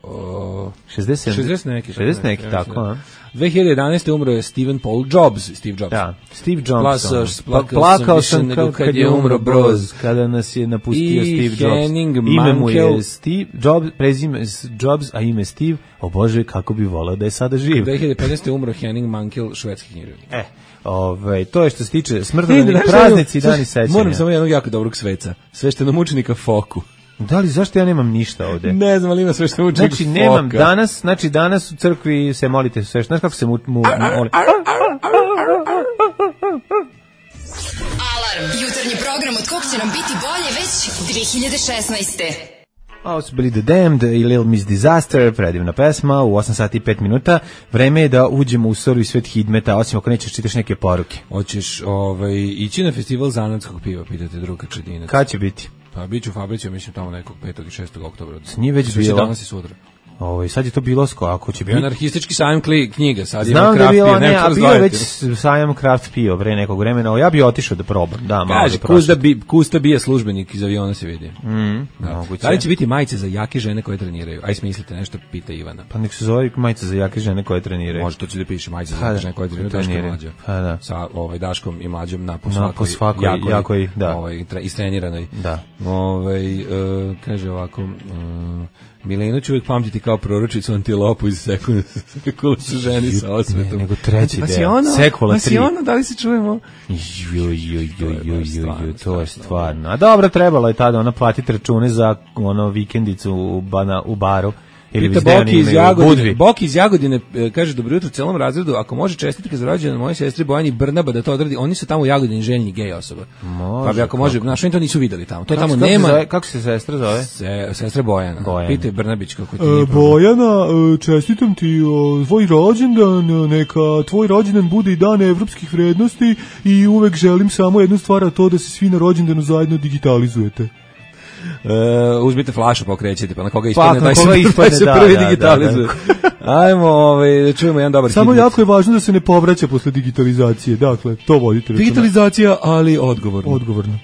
60 neki, tako. 2011. umro je Steve Jobs. Da, Steve Jobs. Plakao sam kad je umro Broz, kada nas je napustio Steve Jobs. Ime mu je Steve Jobs, prezime Jobs, a ime Steve. O Bože, kako bi voleo da je sada živ. 2015. umro Henning Mankell, švedski književnik. To je što se tiče smrtonosnih praznici i dani sećanja. Moram samo jednog jako dobrog sveca. Sveštenomučenika Foku. Da li, zašto ja nemam ništa ovde? Ne znam, ali ima sve što uči. Znači, nemam danas u crkvi se molite sve. Znaš kako se moli? Alarm, jutarnji program od kog će nam biti bolje već 2016. Ovo su bili The Damned i Little Miss Disaster, predivna pesma, u 8 sati i 5 minuta. Vreme je da uđemo u survi svet hidmeta, osim ako nećeš čitaš neke poruke. Hoćeš ići na festival zanatskog piva, pitate druga Čedinac. Kad će biti? Pa bit ću u Fabrici, mislim tamo nekog 5. i 6. oktobra. Nije već bilo. Danas i sutra. Sad je to bilo ako će biti. Anarhistički sajam knjiga, sad ima Znam craft pivo. Ne, a bio je već sajam craft pivo pre nekog vremena. Ja bih otišao da probam. Da, kaže, Kusta bije službenik iz aviona se vidi. Da li će biti majice za jake žene koje treniraju? Aj smislite nešto, pita Ivana. Pa nek se zove majice za jake žene koje treniraju. Može to će da piše majice za jake žene koje treniraju. Da. Sa Daškom i Mlađom na po svakoj jakoj, da. Istreniranoj. Da. Kaže ovako, Milenu ću uvijek pamtiti kao proročicu antilopu iz sekula su ženi sa osvetom. Nego treći deo. Sekula 3. Da li se čujemo? To je stvarno. A dobro, trebalo je tada ona platiti račune za vikendicu u baru. Pita Boki iz Jagodine, kaže dobro jutro celom razredu, ako može čestitke za rođendan moje sestri Bojani Brnaba da to odradi, oni su tamo u Jagodini željni gej osoba. Pa bi ako može, znaš, oni to nisu videli tamo. To tamo nema. Kako se sestra zove? Sestra Bojana. Pitaj Brnabić kako ti Bojana, čestitam ti tvoj rođendan, neka tvoj rođendan bude i dan evropskih vrednosti i uvek želim samo jednu stvar, a to da se svi na rođendanu zajedno digitalizujete. Uzmite flašu pa okrećete, pa na koga ispadne, taj se prvi digitalizuje. Ajmo, da čujemo jedan dobar hit. Samo jako je važno da se ne povraća posle digitalizacije, dakle, to vodite računa. Digitalizacija, ali odgovorno. Odgovorno.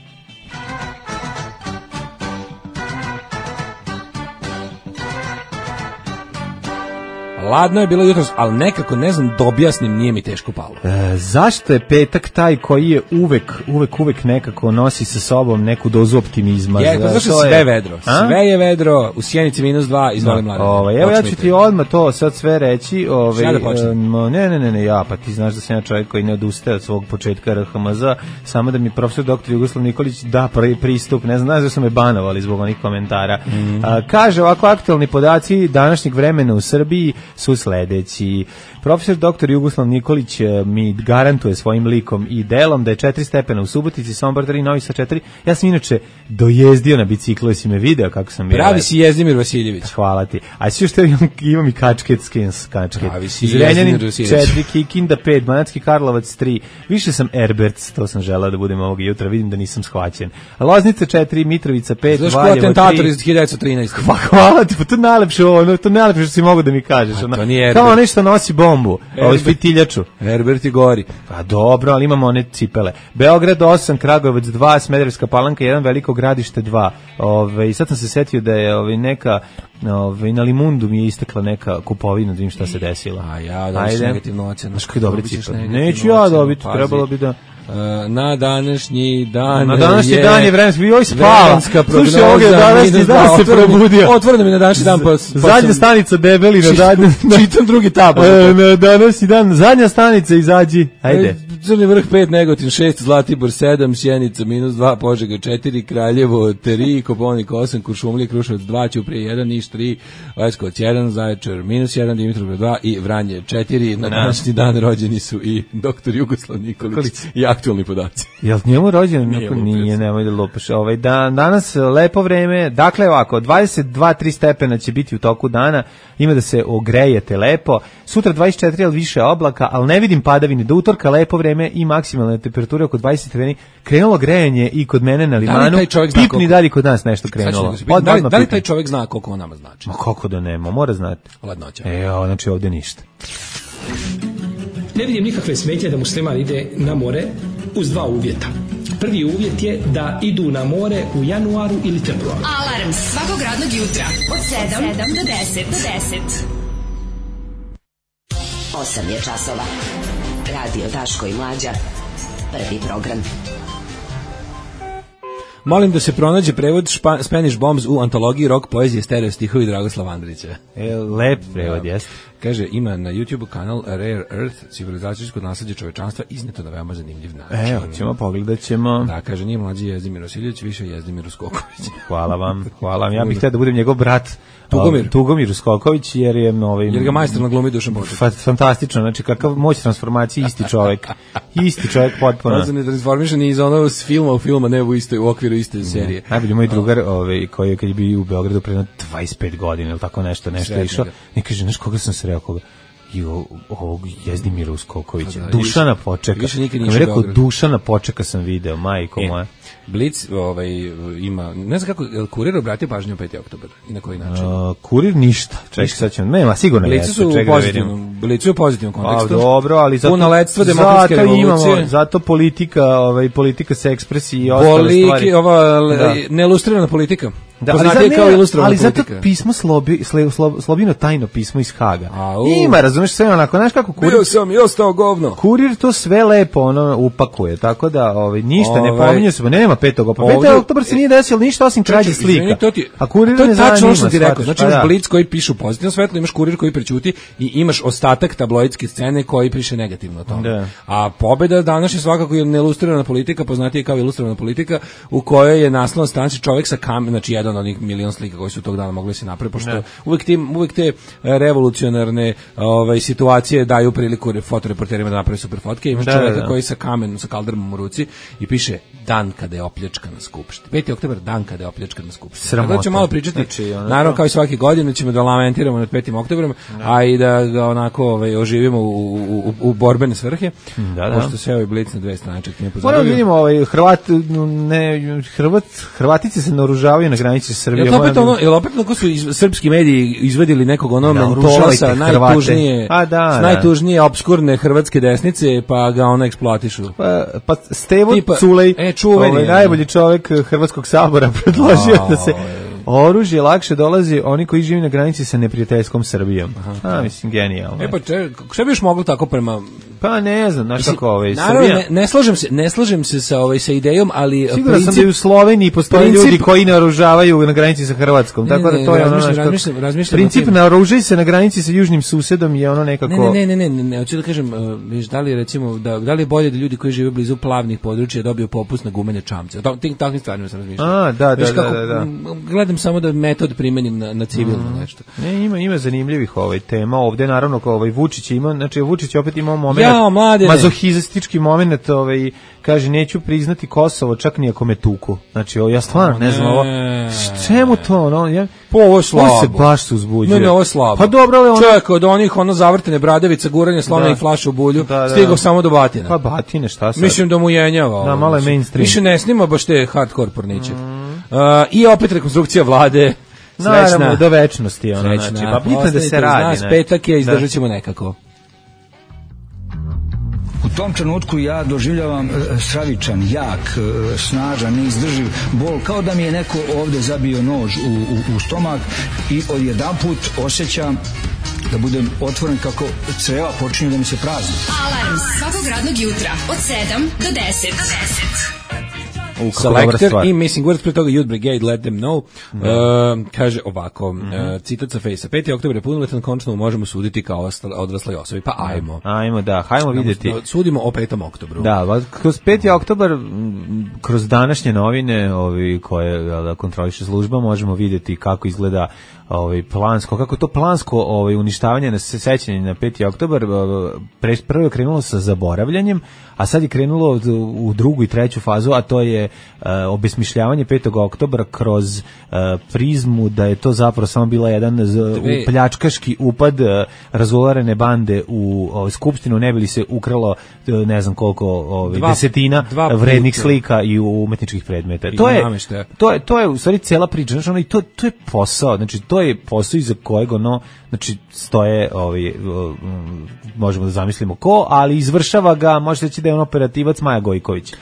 Ladno je bilo jutros, ali nekako, ne znam, da objasnim, nije mi teško palo. Zašto je petak taj koji je uvek nekako nosi sa sobom neku dozu optimizma? Zato što sve vedro. Sve je vedro, u Sjenici -2, izvoli Mladen. Evo ja ću ti odmah to sad sve reći. Ne, pa ti znaš da sam ja čovjek koji ne odustaje od svog početka RHMZ, samo da mi profesor dr. Jugoslav Nikolić da pristup, ne znam da su me banovali zbog onih komentara. Kaže ovako, aktualni podaci današnjeg vremena u Srbiji su sledeći. Profesor dr. Jugoslav Nikolić mi garantuje svojim likom i delom da je 4 stepena u Subotici, Sombor 3, Novi Sad 4. Ja sam inače dojezdio na biciklu, jesi me video kako sam bio. Pravi si Jezdimir Vasiljević. Hvala ti. A sve što imam i kačket. Pravi si Jezdimir Vasiljević. 4, Kikinda 5, Banatski Karlovac 3. Više sam Erberts, to sam želeo da budem ovog jutra, vidim da nisam shvaćen. Loznica 4, Mitrovica 5, Znaš ko atentator iz 1913. Hvala ti, pa to najlepše što si mogu da mi kažeš. Kao nešto nosi bombu, ovo fitiljaču. Herbert i gori. Pa dobro, ali imamo one cipele. Beograd 8, Kragujevac 2, Smederevska Palanka 1, Veliko Gradište 2. Sad sam se setio da je neka na Limundu mi je istekla neka kupovina, da vidim šta se desilo. A ja dobiš negativnu ocenu. Znaš koji dobri cipele? Neću ja dobiti, trebalo bi da... Na današnji dan je vremenski, joj spava. Slušaj, ovdje je današnji dan se probudio. Otvoreno mi na današnji dan. Zadnja stanica debeli na zadnji. Čitam drugi tab. Na današnji dan, zadnja stanica izađi. Ajde. Crni vrh 5, Negotin 6, Zlatibor 7, Sjenica -2, Požega 4, Kraljevo 3, Koponik 8, Kuršumlija, Kruševac 2, Ćuprije 1, Niš 3, Leskovac 1, Zaječar -1, Dimitrovgrad 2 i Vranje 4. Na današnji dan rođeni su i dr. Jugoslav Nikolić i aktualni podaci. Jel njemu rođen? Nije, nemoj da lupaš. Danas lepo vreme, dakle ovako, 22-3 stepena će biti u toku dana, ima da se ogrejete lepo, sutra 24, ali više oblaka, ali ne vidim padavine, do utorka lepo vreme i maksimalne temperature oko 20 stepeni, krenulo grejanje i kod mene na Limanu, pipni dalje kod nas nešto krenulo. Da li taj čovjek zna koliko on nama znači? Ma kako da nema, mora znati. Ladnoća. Znači ovdje ništa. Ne vidim nikakve smetnje da musliman ide na more uz 2 uvjeta. Prvi uvjet je da idu na more u januaru ili februaru. Alarm svakog radnog jutra od 7 do 10. 8 je časova. Radio Daško i Mlađa. Prvi program. Molim da se pronađe prevod Spanish Bombs u antologiji rock poezije stereo stihovi Dragoslava Andrića. Lep prevod, jeste. Kaže, ima na YouTube kanal Rare Earth, civilizacijsko nasleđe čovečanstva, izneto na veoma zanimljiv način. Evo, pogledat ćemo. Da, kaže, nije mlađi Jezdimir Vasiljević, više Jezdimir Uskoković. Hvala vam. Ja bih htio da budem njegov brat Tugomir Uskoković, jer je jer ga majstor na glumi Dušan Boček. Fantastično, znači kakav moć transformacije, isti čovjek potpuno. On se ne transformišan iz onog filma, ne u okviru iste serije. Najbolji moj drugar, koji je kad je bio u Beogradu pre 25 godina, ili tako nešto išao, ne kaže, znaš koga sam sreo, koga? I ovog Jezdimira Uskokovića, Dušana Počeka. Kad mi rekao Dušana Počeka sam video, majko moja. Blic ima, ne znam kako, je li Kurir obratio pažnju 5. oktobar i na koji način? Kurir ništa, čekaj sad ćemo, nema, sigurno jeste, čekaj da vidimo. Blicu je u pozitivnom kontekstu. Dobro, ali zato politika se ekspresiji i ostale stvari. Neilustrirana politika. Da, ali zato pismo Slobino tajno pismo iz Haga. Ima, razumeš, sve onako, znaš kako Kurir... Bio sam i ostao govno. Kurir to sve lepo upakuje, tako da ništa ne pominje se, nema 5. oktobra. 5. oktobar se nije desilo ništa osim krađe slika. A Kurir ne zanima. To je tačno što ti rekao. Znači imaš Blic koji pišu pozitivno svetlo, imaš Kurir koji prećuti i imaš ostatak tabloidske scene koji piše negativno o tome. A pobeda danas je svakako neilustrirana politika, poznatije kao ilustrirana politika, u kojoj je naslovna stranica čovjek sa kamerom, znači jedan od onih milion slika koji su tog dana mogli se napraviti, pošto uvek te revolucionarne situacije daju priliku fotoreporterima da naprave super fotke. Imaš čovjeka koji sa kamenom, sa kaldermom u ruci i piše dan kada je opljačkana Skupština. 5. oktobar, dan kada je opljačkana Skupština. Tako da ćemo malo pričati, naravno kao i svake godine ćemo da lamentiramo nad 5. oktobrom, a i da ga onako oživimo u borbene svrhe, pošto se ovaj Blic na dve strane čak nije pozaravio. Moramo vidimo, Hrvatice se naoružavaju na granici Srbije. Jel opet onako su srpski mediji izvedili nekog mentolasa, najtužnije obskurne hrvatske desnice, pa ga eksploatišu. Pa Stevo Culej, najbolji čovjek Hrvatskog sabora, predložio da se oružje lakše dolazi oni koji žive na granici sa neprijateljskom Srbijom. Mislim, genijalno. Šta bi još moglo tako prema... Pa ne znam, znaš kako Srbija... Ne slažem se sa idejom, ali... Siguran sam da i u Sloveniji postoje ljudi koji naoružavaju na granici sa Hrvatskom. Tako da to je princip naoružaj se na granici sa južnim susedom je ono nekako... Ne, hoću da kažem, da li recimo, da li je bolje da ljudi koji žive blizu plavnih područja dobiju popust na gumenje čamce? O takvim stvarima sam razmišljao. Da. Gledam samo da metod primenim na civilno nešto. Ne, ima zanimljivih tema. Ovde naravno kao Vučić ima, znači Vučić opet ima moment mazohistički moment, kaže neću priznati Kosovo čak ni ako me tuku. Znači ja stvarno ne znam ovo. Čemu to ovo je slabo. Ovo se baš se uzbuđuje. Ne, ovo je slabo. Pa dobro, ali čovjek od onih zavrtene bradavica, guranje slona i flaša u bulju, stigao samo do batina. Pa batine, šta sad? Mislim da mu jenjava. Da, malo je mainstream. Više ne snima baš te hardcore porniće. I opet rekonstrukcija vlade. Naravno, do večnosti. Znači, pa bitno da se radi. Petak je, izdržat ćemo nekako. U tom trenutku ja doživljavam stravičan, jak, snažan, neizdrživ bol, kao da mi je neko ovde zabio nož u stomak i odjedanput osjećam da budem otvoren kako creva počinju da mi se prazni. Alarm svakog radnog jutra od 7 do 10. Selector i Missing Words, pre toga Youth Brigade, Let Them Know. Kaže ovako, citat sa Fejsa: 5. oktobar je punoletan, končno možemo suditi kao odrasloj osobi. Pa hajmo vidjeti. Sudimo o 5. oktobru. Da, kroz 5. oktobar, kroz današnje novine koje kontroliše služba, možemo vidjeti kako izgleda kako to plansko uništavanje na sećanje na 5. oktobar. Prvo je krenulo sa zaboravljanjem, a sad je krenulo u drugu i treću fazu, a to je obesmišljavanje 5. oktobra kroz prizmu da je to zapravo samo bila jedan pljačkaški upad razolarene bande u Skupštinu, ne bi li se ukralo ne znam koliko desetina vrednih slika i umetničkih predmeta. To je u stvari cijela priča, znači to je posao, znači to je posao iza kojeg znači stoje možemo da zamislimo ko, ali izvršava ga, možete reći da je operativac Maja Gojković.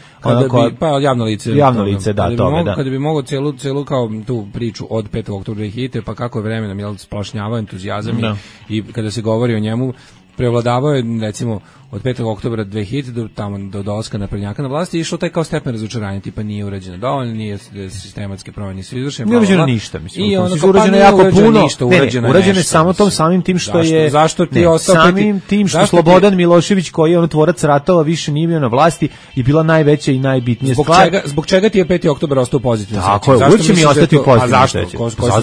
Pa javno lice, kada bi mogao celu kao tu priču od 5. oktobra i hite, pa kako je vremenom splašnjavao entuzijazam i kada se govori o njemu, prevladavao je recimo od 5. oktobra 2000 do tamo do dolaska naprednjaka na vlasti išlo taj kao stepen razočaranja, tipa nije urađeno dovoljno, nije sistematske promjene su izvršene. Nije urađeno ništa, mislim. I ono urađeno jako puno. Urađeno je samo tom samim tim što je zašto ti ostao samim tim što Slobodan Milošević koji je tvorac ratova više nije bio na vlasti i bila najveća i najbitnija stvar. Zbog čega ti je 5. oktobar ostao pozitivan? Tako je, uvijek će mi ostati pozitivan.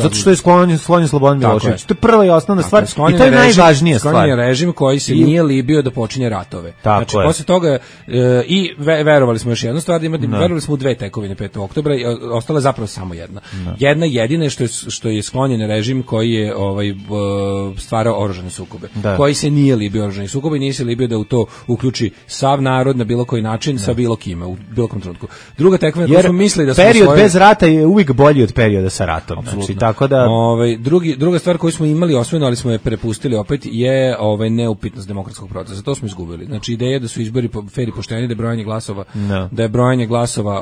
Zato što je sklonjen Slobodan Milošević. To je prva i osnovna stvar i to je najvažnija stvar. Sklonjen je režim koji se nije libio da počinje ratove. Znači, posle toga i verovali smo još jednu stvar, verovali smo u dve tekovine 5. oktobra i ostala je zapravo samo jedna. Jedna jedina što je sklonjen režim koji je stvarao oružane sukobe. Koji se nije libio oružanih sukoba i nije se libio da u to uključi sav narod na bilo koji način sa bilo kime u bilo kom trenutku. Druga tekovina koju smo mislili da smo period bez rata je uvijek bolji od perioda sa ratom. Znači, tako da druga stvar koju smo imali osvojeno, ali smo je prepustili opet je neupitnost demokratskog procesa. To smo izgubili. Znači ideja da su izbori fer i pošteni, da je brojanje glasova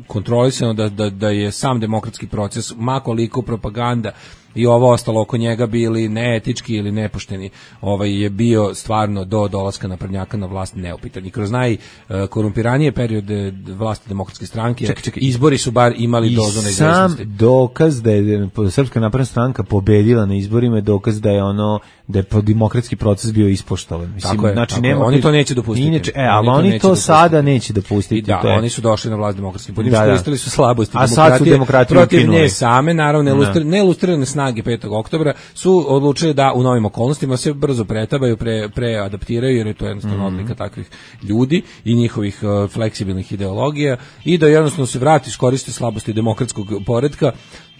kontrolisano, da je sam demokratski proces ma koliko propaganda i ovo ostalo oko njega bili neetički ili nepošteni, je bio stvarno do dolaska naprednjaka na vlast neupitan. I kroz najkorumpiranije periode vlasti demokratske stranke izbori su bar imali dozu neizvesnosti. I sam dokaz da je Srpska napredna stranka pobedila na izborima je dokaz da je da je demokratski proces bio ispoštovan. Mislim, znači oni to neće dopustiti. Ali oni to sada neće dopustiti. Da, oni su došli na vlast demokratskim putem, iskoristili su slabosti demokratije protiv nje same, naravno neilustrirane snage 5. oktobra su odlučili da u novim okolnostima se brzo pretabaju, preadaptiraju, jer je to jednostavno odlika takvih ljudi i njihovih fleksibilnih ideologija i da jednostavno se vrati, iskoriste slabosti demokratskog poretka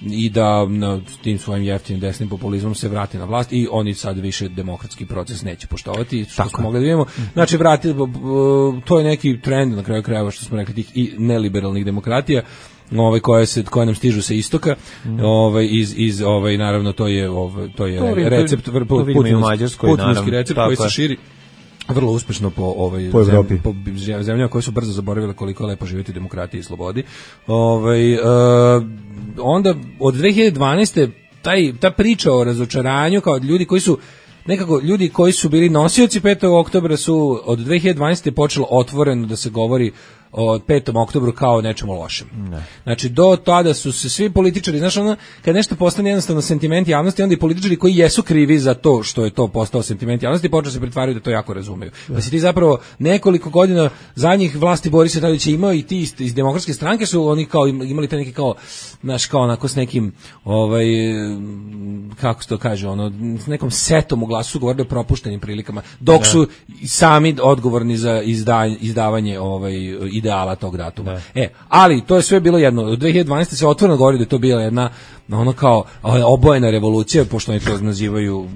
i da s tim svojim jeftinim desnim populizmom se vrati na vlast i oni sad više demokratski proces neće poštovati, što smo mogli da vidimo. Znači, to je neki trend na kraju krajeva, što smo rekli, tih i neliberalnih demokratija, koje nam stižu sa istoka, iz naravno to je recept putinski recept koji se širi vrlo uspešno po Evropi, po zemljama koje su brzo zaboravile koliko je lepo živjeti u demokratiji i slobodi. Onda od 2012. ta priča o razočaranju kao ljudi koji su nekako ljudi koji su bili nosioci 5. oktobra su od 2012. počelo otvoreno da se govori o 5. oktobru kao nečemu lošem. Znači, do tada su se svi političari, znaš, kad nešto postane jednostavno sentiment javnosti, onda i političari koji jesu krivi za to što je to postao sentiment javnosti, počeo se pretvaraju da to jako razumeju. Pa si ti zapravo nekoliko godina zadnjih vlasti Borisa Tadića imao i ti iz demokratske stranke su oni kao imali te neke kao, znaš, kao onako s nekim, kako se to kaže, s nekom setom u glasu su govorili o propuštenim prilikama, dok su sami odgovorni za izdavanje ideala tog datuma. Ali to je sve bilo jedno. Od 2012. se otvoreno govori da je to bila jedna kao obojena revolucija, pošto oni to nazivaju,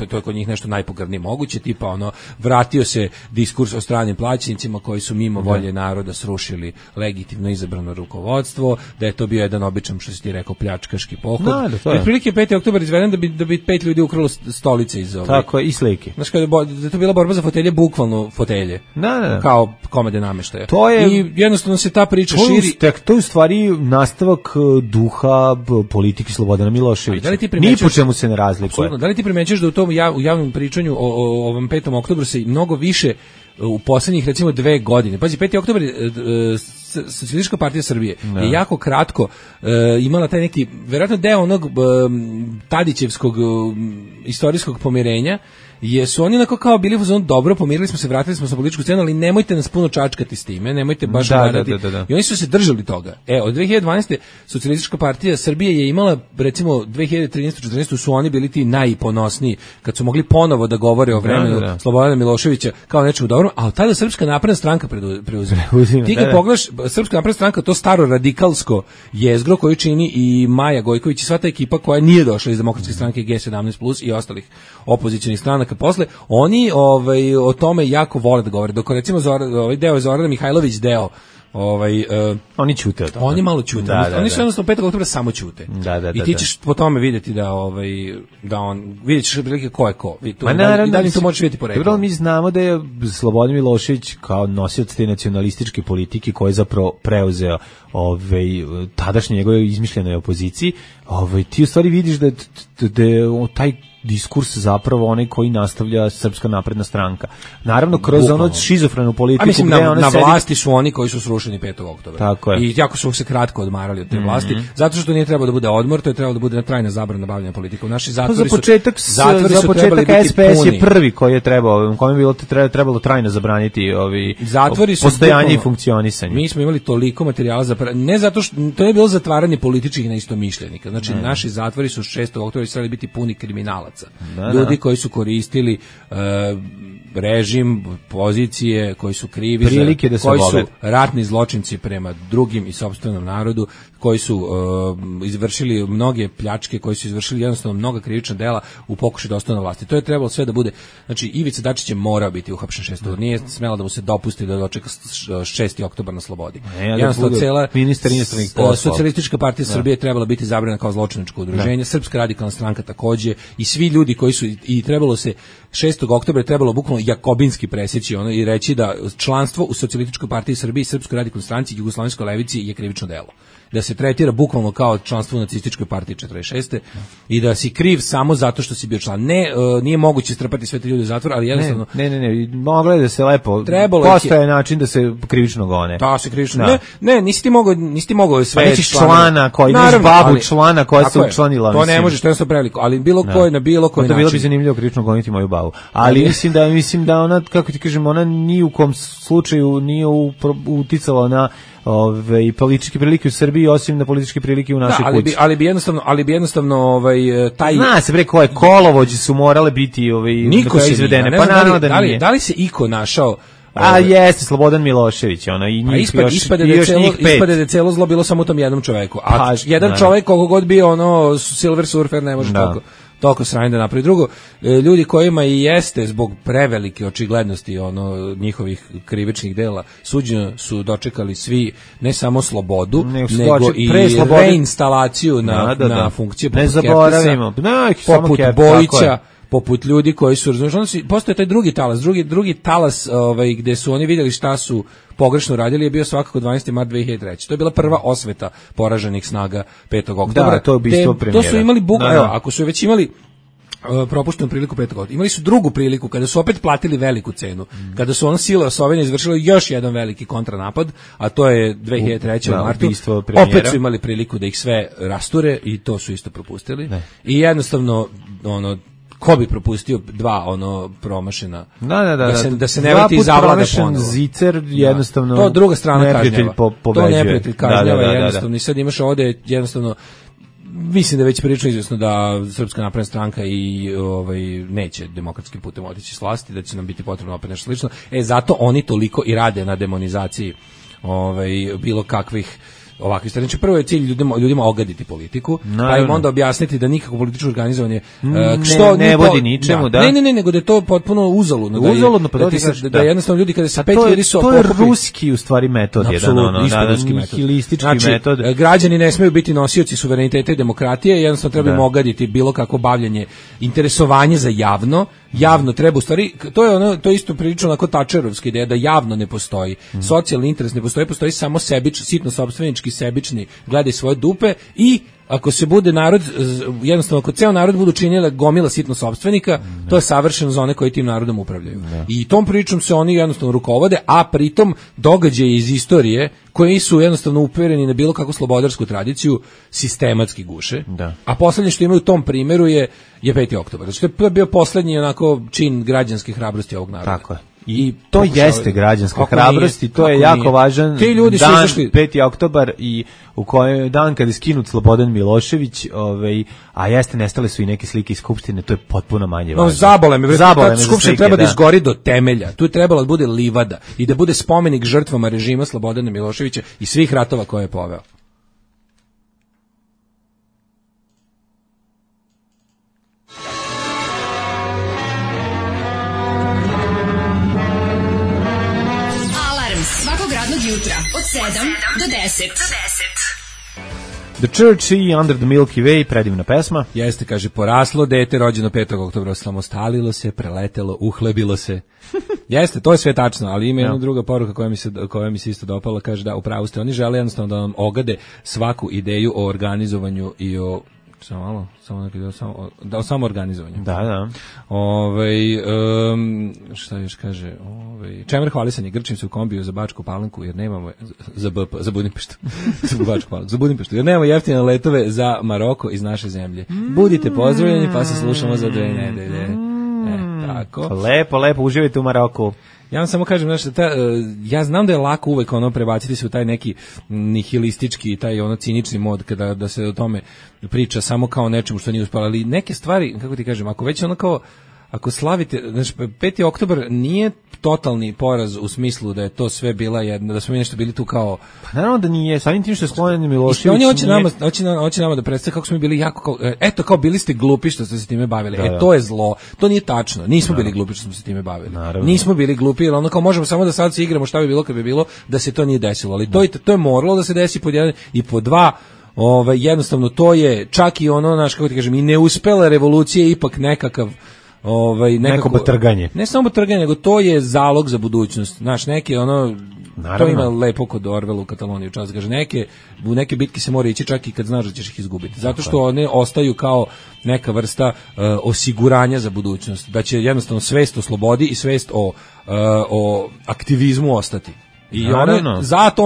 to je kod njih nešto najpogrdnije moguće, tipa vratio se diskurs o stranim plaćenicima koji su mimo volje naroda srušili legitimno izabrano rukovodstvo, da je to bio jedan običan, što si ti rekao, pljačkaški pohod. Otprilike 5. oktobar izveden da bi 5 ljudi ukralo stolice iz ove. Tako je, i slike. Znaš, da je to bila borba za fotelje, bukvalno fotelje. Kao komade nameštaja. I jednostavno se ta priča širi. To je u stvari nastavak duha politike Slobodana Miloševića. Ni po čemu se ne razlikuje. Da li ti primećuješ da u tom u javnom pričanju o ovom 5. oktobru se mnogo više u poslednjih recimo 2 godine. Pazi, 5. oktobar Socijalistička partija Srbije je jako kratko imala taj neki, vjerojatno deo onog Tadićevskog istorijskog pomirenja, jesu oni onako kao bili dobro, pomirili smo se, vratili smo se na političku scenu, ali nemojte nas puno čačkati s time, nemojte baš gledati. I oni su se držali toga. Od 2012. Socijalistička partija Srbije je imala, recimo 2013-14 su oni bili ti najponosniji, kad su mogli ponovo da govore o vremenu Slobodana Miloševića kao nečemu dobrom, a od tada Srpska napredna stranka preuzima. Ti kad pogledaš, Srpska napredna stranka, to staro radikalsko jezgro koju čini i Maja Gojković i sva ta ekipa koja nije došla iz demokratske stranke G17+ i ostalih opozicionih stranaka posle, oni o tome jako vole da govore. Dok recimo ovaj deo je Zorana Mihajlović deo oni ćute od toga. Oni malo ćute. Oni su jednostavno 5. oktobra samo ćute. I ti ćeš po tome vidjeti da on vidjet ćeš prilike ko je ko. I dalje to možeš vidjeti po redu. Dobro, mi znamo da je Slobodan Milošević kao nosioc te nacionalističke politike koji je zapravo preuzeo tadašnje njegove izmišljenoj opoziciji, ti u stvari vidiš da taj diskurs zapravo onaj koji nastavlja Srpska napredna stranka. Naravno, kroz ono šizofrenu politiku. Mislim, na vlasti su oni koji su srušeni 5. oktobra. Tako je. I jako su se kratko odmarali od te vlasti, zato što nije trebalo da bude odmor, to je trebalo da bude trajna zabrana bavljanja politikom. Naši zatvori za početak SPS je prvi koji je trebao, kome je trebalo trajno zabraniti postojanje i funkcionisanje. Mi smo imali toliko materijala za ne zato što to je bilo zatvaranje političkih neistomišljenika. Znači, naši zatvori su 6. oktobra trebali biti puni kriminalaca. Ljudi koji su koristili režim, pozicije, koji su krivi, koji su ratni zločinci prema drugim i sopstvenom narodu, koji su izvršili mnoge pljačke, koji su izvršili jednostavno mnoga krivična dela u pokušaju da ostane na vlasti. To je trebalo sve da bude, znači Ivica Dačić je morao biti uhapšen 6. Nije smelo da mu se dopusti da dočeka 6. oktobar na slobodi. Jednostavno cela ministar inostranih poslova. Socijalistička partija Srbije je trebala biti zabranjena kao zločinačko udruženje, Srpska radikalna stranka takođe i svi ljudi koji su i trebalo se 6. oktobra je trebalo bukvalno jakobinski presjeći i reći da članstvo u Socijalističkoj partiji Srbije i Srpskoj radikalnoj stranci i Jugoslovenskoj levici je krivično delo. Da se tretira bukvalno kao članstvo u nacističkoj partiji 46. i da si kriv samo zato što si bio član. Nije moguće strpati sve te ljude u zatvor, ali jednostavno... Ne, moglo je da se lepo... Postoje način da se krivično gone. Da, se krivično... Ne, nisi ti mogao sve... Pa nećeš člana koji imaš babu člana koja se učlanila. To ne možeš, to je preveliko, ali bilo koji na bilo koji način. To bilo bi zanimljivo krivično goniti moju babu. Ali mislim da ona, kako ti kažem, ona ni u kom slučaju nije uticala na političke prilike u Srbiji, osim na političke prilike u našoj kući. Ali bi jednostavno taj... Zna se bre koje kolovođe su morale biti niko se izvedene. Pa naravno da nije. Da li se iko našao... jeste, Slobodan Milošević, i njih ispade da je celo zlo bilo samo u tom jednom čoveku. A jedan čovek, koliko god bio Silver Surfer, ne može toliko sranje da napravi. Drugo, ljudi kojima i jeste zbog prevelike očiglednosti njihovih krivičnih dela suđeno su dočekali svi ne samo slobodu, nego i reinstalaciju na funkcije poput Bojića, poput ljudi koji su, postoje taj drugi talas gde su oni vidjeli šta su pogrešno radili, je bio svakako 12. mart 2003. To je bila prva osveta poraženih snaga 5. oktobra. Da, to je ubistvo premijera. To su imali ako su već imali propuštenu priliku 5. oktobra. Imali su drugu priliku kada su opet platili veliku cenu. Kada su sile osovine izvršile još jedan veliki kontranapad, a to je 2003. u martu. Opet su imali priliku da ih sve rasture i to su isto propustili. I jednostavno ko bi propustio dva promašena da se ne vrati zavlada ponovo. Zicer jednostavno to druga strana kažnjava. To neprijatelj kažnjava jednostavno. I sad imaš ovde jednostavno, mislim da je već prilično izvjesno da Srpska napredna stranka i neće demokratskim putem otići s vlasti, da će nam biti potrebno opet nešto slično. Zato oni toliko i rade na demonizaciji bilo kakvih ovakvih stvari. Znači, prvo je cilj ljudima ogaditi politiku, pa im onda objasniti da nikako političko organizovanje ne vodi ničemu, Ne, nego da je to potpuno uzaludno. Da jednostavno ljudi kada se pet ljudi su to je ruski u stvari metod, nihilistički metod. Građani ne smeju biti nosioci suvereniteta i demokratije, jednostavno treba im ogaditi bilo kako bavljenje, interesovanje za javno treba u stvari, to je isto prilično onako Tačerovska ideja da javno ne postoji, socijalni interes ne postoji samo sitno sopstvenički, sebični, gledaj svoje dupe i ako se bude narod, jednostavno ako ceo narod budu činjela gomila sitno sopstvenika, to je savršeno za one koji tim narodom upravljaju. I tom pričom se oni jednostavno rukovode, a pritom događaji iz istorije koji su jednostavno upereni na bilo kakvu slobodarsku tradiciju sistematski guše. A poslednje što imaju u tom primjeru je 5. oktobar. Znači to je bio poslednji onako čin građanske hrabrosti ovog naroda. Tako je. I to jeste građanska hrabrost i to je jako važan dan, 5. oktobar i u kojem dan kada je skinut Slobodan Milošević, a jeste nestale su i neke slike iz Skupštine, to je potpuno manje važno. Zabole me, Skupština treba da izgori do temelja, tu je trebalo da bude livada i da bude spomenik žrtvama režima Slobodana Miloševića i svih ratova koje je poveo. Jutra od 7 do 10. The Church i Under the Milky Way, predivna pesma. Jeste, kaže, poraslo dete, rođeno 5. oktobra, samostalilo se, preletelo, uhlebilo se. Jeste, to je sve tačno, ali ima jedna druga poruka koja mi se isto dopala, kaže da upravo ste, oni žele jednostavno da vam ogade svaku ideju o organizovanju i o Samo neki da samo organizovanje. Da. Šta još kaže? Čemer hvalisanje, grčim se u kombiju za Bačku Palanku jer nemamo za Budimpeštu. za Budimpeštu. Jer nemamo jeftine letove za Maroko iz naše zemlje. Budite pozdravljeni, pa se slušamo za 2 nedelje. Tako. Lepo, uživajte u Maroku. Ja vam samo kažem, ja znam da je lako uvek prebaciti se u taj neki nihilistički, taj cinični mod da se o tome priča samo kao nečemu što nije uspjelo, ali neke stvari, kako ti kažem, ako već ako slavite, znači 5. oktobar nije totalni poraz u smislu da je to sve bila jedna, da smo mi nešto bili tu kao... Pa naravno da nije, samim tim što je sklonjen Milošević... I hoće nama da predstave kako smo mi bili jako... kao bili ste glupi što ste se time bavili. To je zlo. To nije tačno. Nismo bili glupi što smo se time bavili. Naravno. Nismo bili glupi, jer kao možemo samo da sad se igramo šta bi bilo kad bi bilo da se to nije desilo. Ali to je moralo da se desi pod 1 i pod 2. Jednostavno to je čak i kako ti kažem, i neuspela revolucija ipak nekakav neko batrganje. Ne samo batrganje, nego to je zalog za budućnost. Znaš, neki Naravno. To ima lepo kod Orwella u Kataloniji čas kaže, u neke bitke se mora ići čak i kad znaš da ćeš ih izgubiti. Zato što one ostaju kao neka vrsta osiguranja za budućnost. Da će jednostavno svest o slobodi i svest o aktivizmu ostati. I zato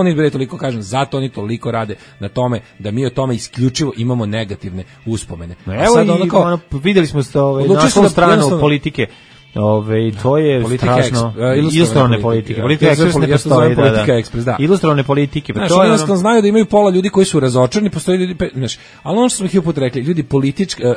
oni toliko rade na tome da mi o tome isključivo imamo negativne uspomene. Evo vidjeli smo našu stranu politike. To je strašno. Ilustrovane politike. Politika ekspres ne postoji. Ilustrovane politike. To jednostavno znaju da imaju pola ljudi koji su razočarani, postoji ljudi, ali ono što smo ih uput rekli, ljudi,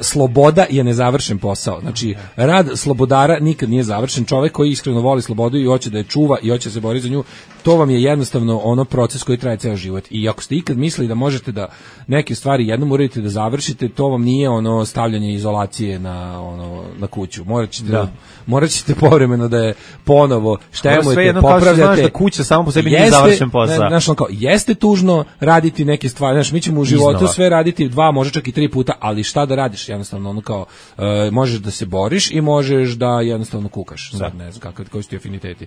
sloboda je nezavršen posao. Znači, rad slobodara nikad nije završen. Čovjek koji iskreno voli slobodu i hoće da je čuva i hoće da se bori za nju, to vam je jednostavno proces koji traje ceo život. I ako ste ikad mislili da možete da neke stvari jednom uradite da završite, to vam nije stavljanje izolacije na kuću. Morat ćete povremeno da je ponovo štemujete, popravljate. Znaš da kuća samo po sebi nije završen posao. Jeste tužno raditi neke stvari. Znaš, mi ćemo u životu sve raditi 2, može čak i 3 puta, ali šta da radiš? Jednostavno, možeš da se boriš i možeš da jednostavno kukaš. Sad ne znam koji su ti afiniteti.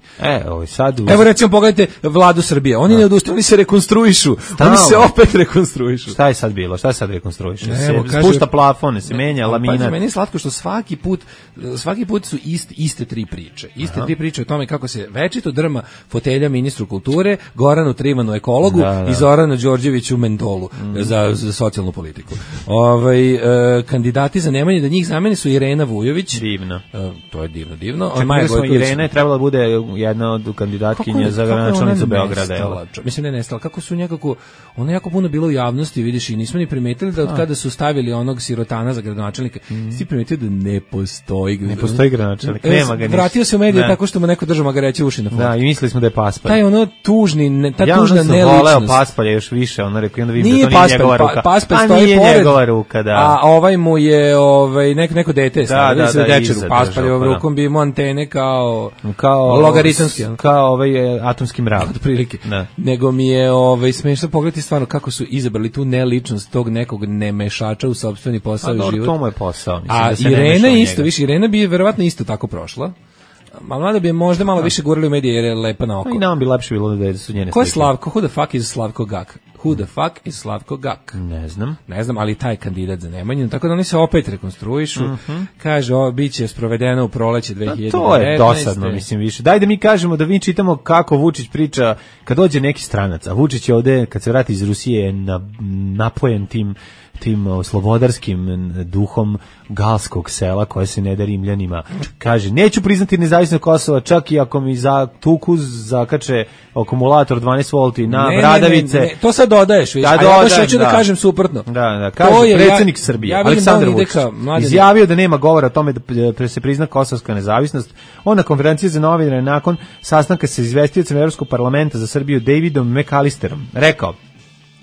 Evo recimo, pogledajte Vladu Srbije. Oni ne odustaju, oni se rekonstruišu. Oni se opet rekonstruišu. Šta je sad bilo? Šta se sad rekonstruiše? Spušta plafone, se menja laminat. Meni je slatko što svaki put su iste 3 priče. Iste 3 priče o tome kako se večito drma fotelja ministru kulture, Goranu Trivanu ekologu i Zoranu Đorđeviću mentolu za socijalnu politiku. Kandidati za Nemanje da njih zameni su Irena Vujović. Divno. To je divno. Irena je trebala da bude jedna od kandidatkinja za gradonačelnicu Beograda. Mislim da je nestala. Kako su nekako, ono jako puno bilo u javnosti, vidiš, i nismo ni primetili da od kada su stavili onog sirotana za gradonačelnika, si primetili da ne postoji gradonačelnik. Vratio se u medije tako što mu neko držao magareće uši na fotu. Da, i mislili smo da je Paspalj. Taj tužna neličnost. Ja voleo Paspalja još više, rekao, i onda vidim da to nije njegova ruka. Paspalj stoji pored. Njegova ruka, da. A ovaj mu je neko dete. Paspaljevom rukom bi imao antene kao logaritamski. Kao atomski mrak. Otprilike. Nego mi je smešno pogledati stvarno kako su izabrali tu neličnost tog nekog nemešača u sopstveni posao i život. To mu je posao. A Irena isto, Irena bi verovatno isto tako prošla. Malo bi možda malo više gurali u medije jer je lepa na oko. I nam bi lepše bilo da su njene slike. Ko je Slavko? Who the fuck is Slavko Gak? Who the fuck is Slavko Gak? Ne znam, ali taj kandidat za Nemanjinu, tako da oni se opet rekonstruišu. Kaže, bit će sprovedeno u proleće 2019. To je dosadno, mislim, više. Daj da mi kažemo, da mi čitamo kako Vučić priča kad dođe neki stranac, a Vučić je ovde, kad se vrati iz Rusije, napojen tim slobodarskim duhom galskog sela koje se ne da Rimljanima. Kaže, neću priznati nezavisnost Kosova čak i ako mi za tuku zakače akumulator 12 volti na bradavice. Ne. To sad dodaješ, viš, ali ja hoću da kažem suprotno. Da, kaže predsjednik Srbije, Aleksandar Vučić, izjavio da nema govora o tome da se prizna kosovska nezavisnost. On na konferenciji za novinare nakon sastanka sa izvestiocem Evropskog parlamenta za Srbiju Davidom McAllisterom rekao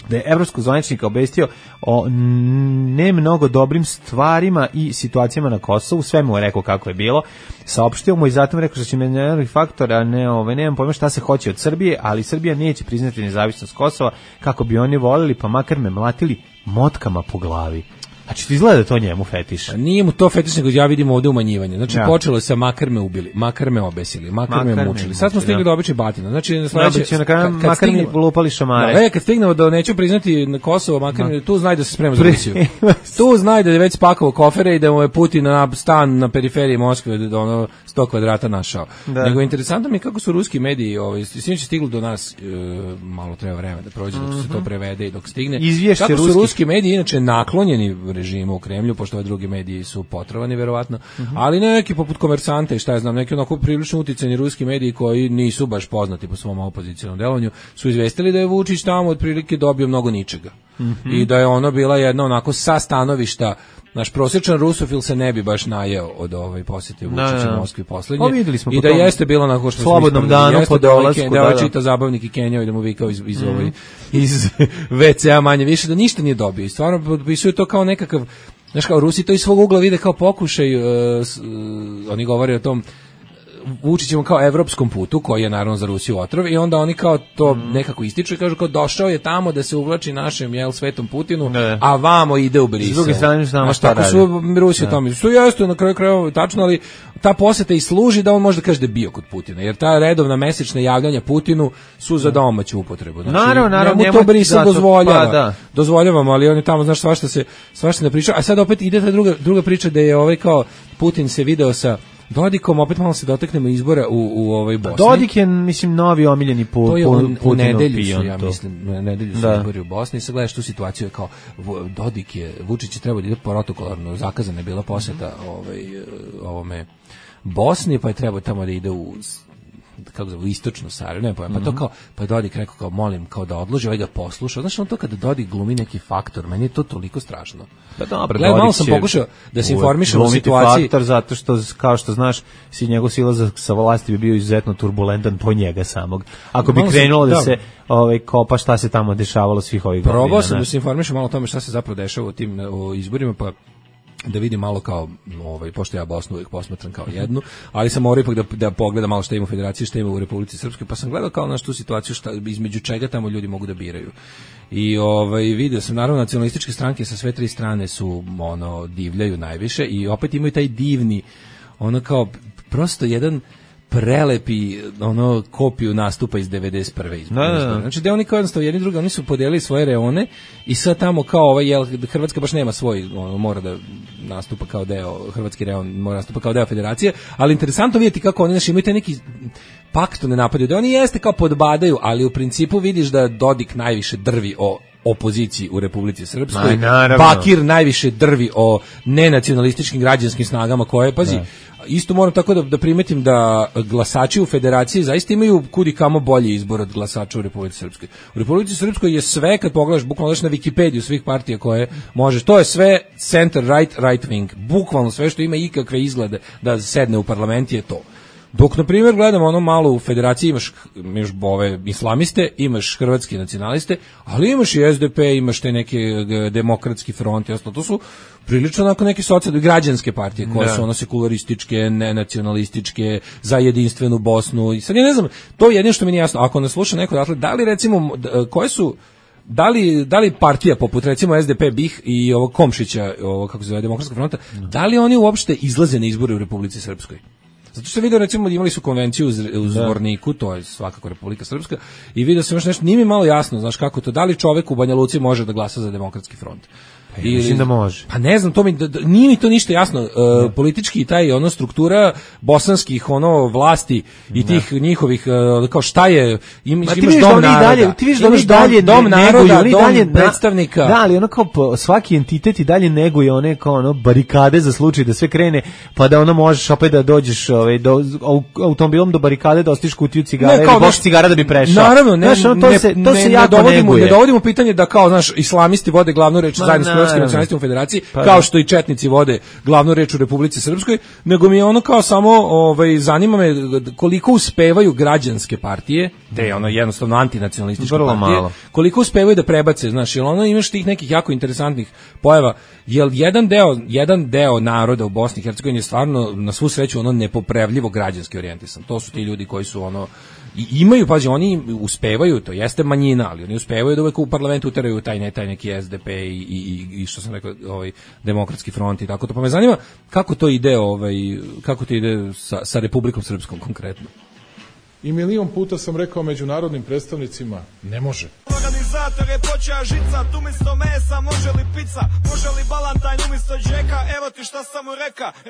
da je evropskog zvaničnika obavestio o ne mnogo dobrim stvarima i situacijama na Kosovu, sve mu je rekao kako je bilo, saopštio mu i zatim rekao što će međunarodni faktor, a nemam pojma šta se hoće od Srbije, ali Srbija neće priznati nezavisnost Kosova kako bi oni volili, pa makar me mlatili motkama po glavi. Znači ti izgleda to njemu fetiš. Nije mu to fetiš, nego ja vidim ovde umanjivanje. Znači počelo je sa makar me ubili, makar me obesili, makar me mučili. Sad smo stigli do obične batine. Znači sledeće makar mi lupali šamare. Kad stignemo da neću priznati na Kosovo, makar tu znaj da se sprema za Rusiju. Tu znaj da je već spakovao kofere i da mu je Putin na stan na periferiji Moskve da ono 100 kvadrata našao. Nego interesantno mi je kako su ruski mediji, sinoć stiglo do nas, malo treba vremena da prođe dok se to prevede i dok stigne. Kako su ruski mediji inače naklonjeni režimu u Kremlju, pošto ove drugi mediji su potrovani verovatno, ali neki poput Komersanta i šta ja znam, neki onako prilično uticajni ruski mediji koji nisu baš poznati po svom opozicionom delovanju, su izvestili da je Vučić tamo otprilike dobio mnogo ničega. I da je ono bila jedna onako sa stanovišta, naš prosječan rusofil se ne bi baš najeo od posjete Vučića u Moskvi poslednje. I da jeste bilo onako što slobodnom danu po dolasku, da čita zabavnik i Kenjao i da mu vikao iz WC-a manje više, da ništa nije dobio. I stvarno potpisuju to kao nekakav, znaš, kao Rusi to iz svog ugla vide kao pokušaj, oni govore o tom Vučićevom kao evropskom putu, koji je naravno za Rusiju otrov, i onda oni kao to nekako ističu i kažu kao došao je tamo da se uvlači našem svetom Putinu, a vamo ide u Brisel. S druge strane znamo šta radi. Su Rusi tome. Što jeste na kraju krajeva tačno, ali ta poseta i služi da on može da kaže da je bio kod Putina, jer ta redovna mesečna javljanja Putinu su za domaću upotrebu. Znači, naravno, njemu to Brisel dozvoljava. Dozvoljavamo, ali on je tamo, znaš, svašta ne priča. A sad opet ide ta druga priča da je kao Putin se video sa Dodikom, opet malo se dotaknemo izbora u Bosni. Dodik je, mislim, novi omiljeni u nedelju su, ja mislim, nedelju su izbori u Bosni. I sad gledaš tu situaciju kao Dodik je, Vučić je trebao da ide protokolarno, zakazana je bila poseta ovome Bosni, pa je trebao tamo da ide u istočnu Sarajevo, ne pojem, pa to kao, pa je Dodik rekao kao molim, kao da odloži, ovaj ga posluša. Znaš, on to kada Dodik glumi neki faktor, meni je to toliko strašno. Pa dobro, malo sam pokušao da se informišem o situaciji. Faktor zato što, kao što znaš, njegov silazak sa vlasti bi bio izuzetno turbulentan po njega samog. Ako bi krenulo da se kopa šta se tamo dešavalo svih ovih godina. Probao sam da se informišem malo o tome šta se zapravo dešava u tim izborima, pa da vidim malo kao, pošto ja Bosnu uvijek posmatram kao jednu, ali sam morao ipak da pogledam malo šta ima u Federaciji, šta ima u Republici Srpskoj, pa sam gledao kao na tu situaciju između čega tamo ljudi mogu da biraju. I vidio sam, naravno, nacionalističke stranke sa sve tri strane su, divljaju najviše i opet imaju taj divni, kao, prosto jedan prelepi kopiju nastupa iz 91. izbora. Znači da oni kao jednostavno jedni drugi, oni su podelili svoje reone i sad tamo kao Hrvatska baš nema svoj, mora da nastupa kao deo, hrvatski reon mora nastupa kao deo federacije, ali interesantno vidjeti kako oni imaju taj neki pakt ne napadaju, da oni jeste kao podbadaju, ali u principu vidiš da Dodik najviše drvi o opoziciji u Republici Srpskoj, Bakir najviše drvi o nenacionalističkim građanskim snagama koje, pazi, isto moram tako da primetim da glasači u Federaciji zaista imaju kudi kamo bolji izbor od glasača u Republici Srpskoj. U Republici Srpskoj je sve, kad pogledaš, bukvalno na Wikipediju svih partija koje možeš, to je sve center right, right wing, bukvalno sve što ima ikakve izglede da sedne u parlament je to. Dok, na primjer, gledamo malo u Federaciji, imaš ove islamiste, imaš hrvatske nacionaliste, ali imaš i SDP, imaš te neke demokratski front i ostalo. To su prilično onako neke socijalne građanske partije koje su sekularističke, nenacionalističke, za jedinstvenu Bosnu. I sad ja ne znam, to je jedino što mi nije jasno. Ako nas sluša neko odatle, da li recimo, koje su, da li partija poput recimo SDP, BiH i ovog Komšića, kako se zove, Demokratskog fronta, da li oni uopšte izlaze na izbore u Republici Srpskoj? Zato što vidio, recimo, imali su konvenciju u Zvorniku, to je svakako Republika Srpska, i vidio sam još nešto, nije mi malo jasno, znaš kako to, da li čovek u Banja Luci može da glasa za Demokratski front? Mislim da može. Pa ne znam, nije mi to ništa jasno. Politički i taj struktura bosanskih vlasti i tih njihovih, kao šta je, imaš dom naroda. Ti viš da oni dalje dom naroda, dom predstavnika. Da, ali kao svaki entitet i dalje neguje one kao barikade za slučaj da sve krene, pa da možeš opet da dođeš automobilom do barikade, da ostiš kutiju cigara ili boš cigara da bi prešao. Naravno, ne dovodimo pitanje da kao, znaš, islamisti vode glavnu reč zajedno s hrvatskim nacionalistima u Federaciji, kao što i četnici vode glavnu reč u Republici Srpskoj, nego mi je kao samo zanima me koliko uspevaju građanske partije, te jednostavno antinacionalističke partije, koliko uspevaju da prebace, znaš, jel imaš tih nekih jako interesantnih pojava, jel jedan deo naroda u Bosni i Hercegovini je stvarno na svu sreću nepopravljivo građanski orijentisan. To su ti ljudi koji su I imaju, pađe, oni uspevaju, to jeste manjina, ali oni uspevaju da uvek u parlamentu uteraju taj neki SDP i što sam rekao, Demokratski front i tako to. Pa me zanima kako to ide, kako to ide sa Republikom Srpskom konkretno. I milion puta sam rekao međunarodnim predstavnicima, ne može. Organizator je počeo žicat, umjesto mesa može li pizza, može li balantajn umjesto džeka, evo ti šta sam mu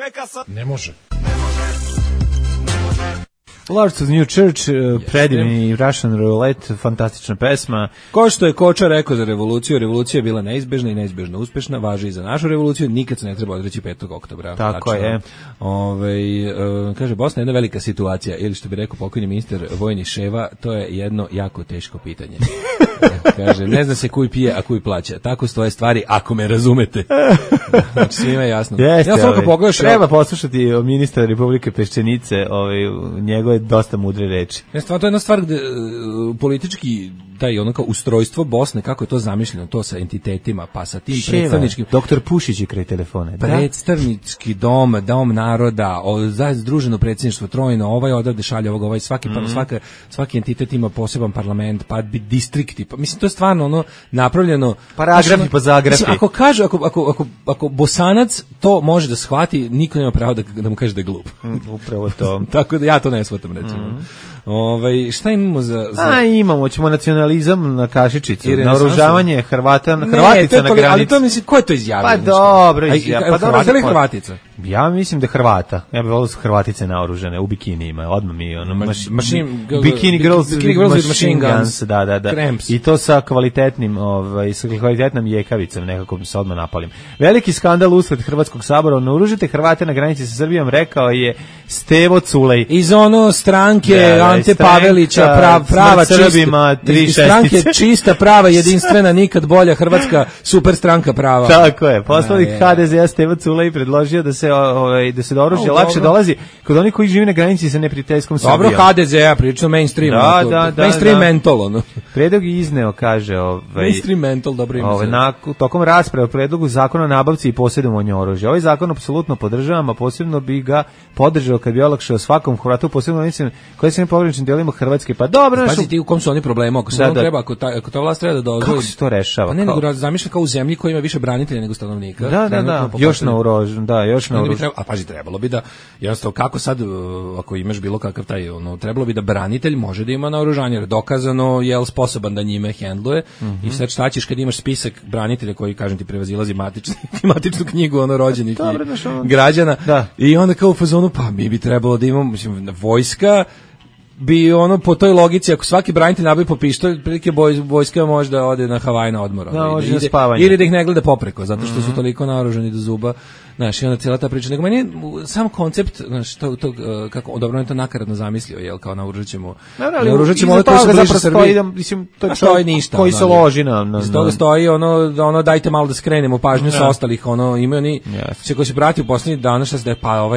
reka sad. Ne može. Lords of New Church, predivni Russian Roulette, fantastična pesma. Ko što je Koča rekao za revoluciju, revolucija je bila neizbežna i neizbežno uspešna, važi i za našu revoluciju, nikad se ne treba odreći 5. oktobra. Tako je. Kaže, Bosna je jedna velika situacija, ili što bi rekao pokojni ministar vojni Ševa, to je jedno jako teško pitanje. Kaže, ne zna se kuj pije, a kuj plaća. Tako stoje stvari, ako me razumete. Znači, svima je jasno. Jeste, treba poslušati ministra Republike Peščenice, njegove dosta mudre reči. To je jedna stvar gde politički taj ono kao ustrojstvo Bosne, kako je to zamišljeno, to sa entitetima, pa sa tim predstavničkim... Doktor Pušić je kraj telefone. Predstavnički dom naroda, združeno predsjedništvo trojno, ovaj odavde šalje ovog, ovaj svaki entitet ima poseban parlament, pa distrikti, pa mislim to je stvarno ono napravljeno... Paragrafi po zagrafi. Ako kaže, ako Bosanac to može da shvati, niko nema pravo da mu kaže da je glup. Upravo to. Tako da ja to ne shvatam, recimo. Šta imamo za... Imamo, ćemo nacionalizam na kašičicu, naoružavanje Hrvatica na granici. Ali to mislim, ko je to izjavio? Pa dobro izjavio. Hrvata ili Hrvatica? Ja mislim da je Hrvata. Ja bih volio su Hrvatice naoružane u bikinijima, odmah mi Bikini Girls with Machine Guns, da. Cramps. I to sa kvalitetnim, sa kvalitetnom jekavicom, nekako mi se odmah napalim. Veliki skandal usled Hrvatskog sabora, naoružite Hrvate na granici sa Srbijom, rekao je Stevo Culej. Iz stranke Ante Pavelića, prava Srbima, stranke čista, prava, jedinstvena, nikad bolja Hrvatska super stranka prava. Tako je. Poslanik HDZ-a Stevo Culej predložio da se do oružja lakše dolazi kod onih koji žive na granici sa neprijateljskom Srbijom. Dobro, HDZ-a, prilično mainstream. Mainstream mental, ono. Predlog je izneo, kaže... Mainstream mental, dobro ima se. Tokom rasprave o predlogu zakona o nabavci i posjedovanju oružja. Ovaj zakon apsolutno podržavam, a posebno bi ga podržao kad bi olakšao svakom Hrvatu, posebno onim koji se ne pograničnim delima Hrvatske. Pa dobro, pazi ti u kom su oni problemu, ako se treba, ako ta vlast treba da dozvoli. Kako se to rešava? Pa ne, nego zamišlja kao u zemlji koja ima više branitelja nego stanovnika. Da. Još na oružju, A pazi, trebalo bi da, jednostavno, kako sad, ako imaš bilo kakav taj, trebalo bi da branitelj može da ima naoružanje, jer dokazano je sposoban da njime hendluje. I sad šta ćeš kad imaš spisak branitelja koji, kažem ti, prevazilazi matičnu knjigu rođenih građana. I onda kao u fazonu, pa mi bi trebalo da imamo, mislim, vojska bi po toj logici, ako svaki branitelj nabavi po pištolj, prilike vojska možda ode na Havaj na odmor. Ili da ih ne gleda popreko, zato što su toliko naoružani do zuba. Znaš, i onda cijela ta priča. Nego meni sam koncept, znaš, kako, dobro, on je to nakaradno zamislio, jel, kao naoružat ćemo ono koji su bliže Srbiji. Mislim, to je čovjek koji se loži na... Iz toga stoji dajte malo da skrenemo pažnju sa ostalih, imaju oni, koji se prati u posljednjih dana, šta se da je, pa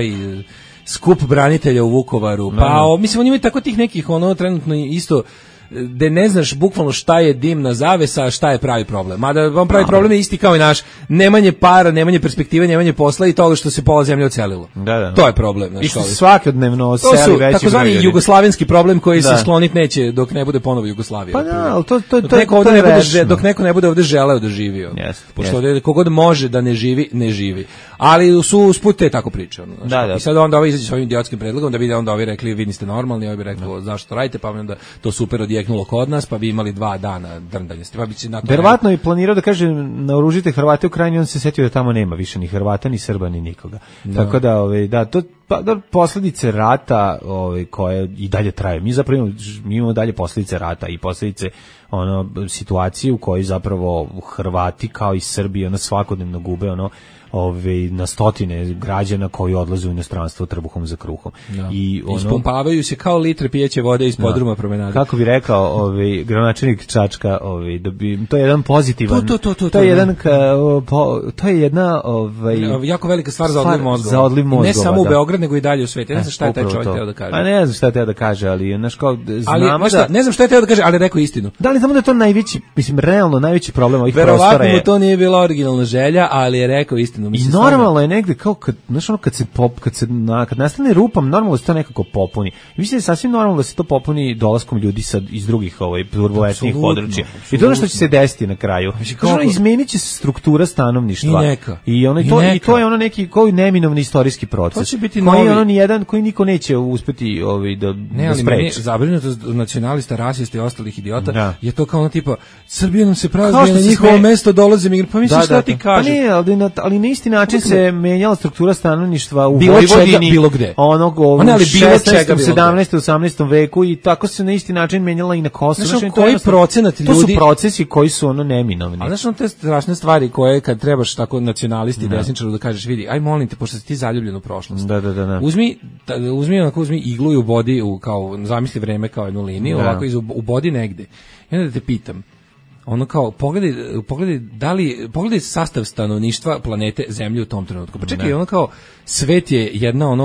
skup branitelja u Vukovaru, mislim, oni imaju tako tih nekih, trenutno isto, da ne znaš bukvalno šta je dimna zavesa, a šta je pravi problem. Mada vam pravi problem je isti kao i naš, nemanje para, nemanje perspektive, nemanje posla i toga što se pola zemlje ocelilo. To je problem. I što se svakodnevno seli veći broj. Takozvani jugoslavenski problem koji se skloniti neće dok ne bude ponovo Jugoslavija. Pa da, ali to dok neko ne bude ovde želeo da živi. Pošto ovde kogod može da ne živi, ne živi. Ali su usput te tako priče. I sad onda ovaj izađe s ovim idiotskim predlogom da bi onda ovi rekli vi niste normalni, ovi bi rekli zašto radite, pa onda to super odjeknulo kod nas, pa bi imali 2 dana drndanje. Pa bi se na to verovatno je planirao da kaže naoružite Hrvate u Krajini, on se setio da tamo nema više ni Hrvata, ni Srba, ni nikoga. Tako da, to posljedice rata koje i dalje traju. Mi zapravo imamo dalje posljedice rata i posljedice situacije u kojoj zapravo Hrvati kao i Srbi svakodnevno gube na stotine građana koji odlaze u inostranstvo trbuhom za kruhom. I ispumpavaju se kao litre pijeće vode iz podruma promenade. Kako bi rekao gradonačelnik Čačka, to je jedan pozitivan. To je jedan to je jedna jako velika stvar za odliv mozgova. Ne samo u Beograd, nego i dalje u svijetu. Ne znam šta je taj čovjek hteo da kaže. A ne znam šta je hteo da kaže, ali ne znam šta je hteo da kaže, ali rekao istinu. Da li znamo da je to najveći, mislim realno najveći problem ovih prostora je. Verovatno mu to nije bila originalna želja, ali je rekao istinu. jeftino. I normalno je negde kao kad kad nastane rupa, normalno se to nekako popuni. Mislim da je sasvim normalno da se to popuni dolaskom ljudi iz drugih turbulentnih područja. I to je ono što će se desiti na kraju. Izmenit će se struktura stanovništva. I to je ono neki koji neminovni istorijski proces. To će biti novi. Koji niko neće uspeti da spreči. Zabrinutost nacionalista, rasista i ostalih idiota je to kao ono tipa Srbija nam se prazni, na njihovo mesto dolaze migranti. Pa misliš šta ti kažeš? Pa ne, ali na isti način se menjala struktura stanovništva u Vojvodini. Bilo gde. Onog 16., 17., 18. veku i tako se na isti način menjala i na Kosovu. Znači, koji procenat ljudi... To su procesi koji su neminovni. A znaš, te strašne stvari koje kad trebaš tako nacionalisti, desničaru da kažeš, vidi, aj molim te, pošto si ti zaljubljen u prošlost. Da. Uzmi iglu i ubodi, kao, zamisli vreme kao jednu liniju, ovako ubodi negde. I onda te pitam, ono kao, pogledaj sastav stanovništva planete Zemlje u tom trenutku. Pa čekaj, ono kao, svet je jedna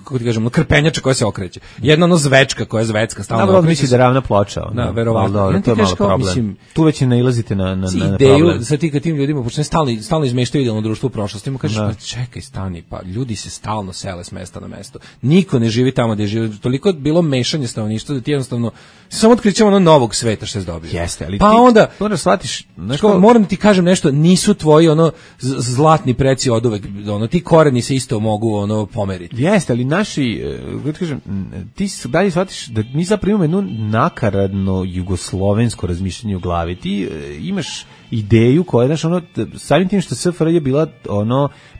kako ti kažem, krpenjača koja se okreće. Jedna zvečka koja je zvecka, stalno okreće. Misli da je ravna ploča. Da, verovatno. To je malo problem. Tu već nailazite na ideju, problem. sad ti kad tim ljudima počne stalno izmeštaju idealno društvo u prošlosti, mu kažeš, pa čekaj, stani, pa ljudi se stalno sele s mesta na mesto. Niko ne živi tamo gde živi. Toliko je bilo mešanje stanovništva da ti jednostavno samo otkrićemo novog sveta što se dobije. Jeste, ali pa onda moraš shvatiš, moram ti kažem nešto, nisu tvoji zlatni preci oduvek, ti koreni se isto mogu pomeriti. Jeste, ali naši, kažem, ti dalje shvatiš da mi zapravo imamo jedno nakaradno jugoslovensko razmišljanje u glavi. Ti imaš ideju koja, znaš, samim tim što SFRJ je bila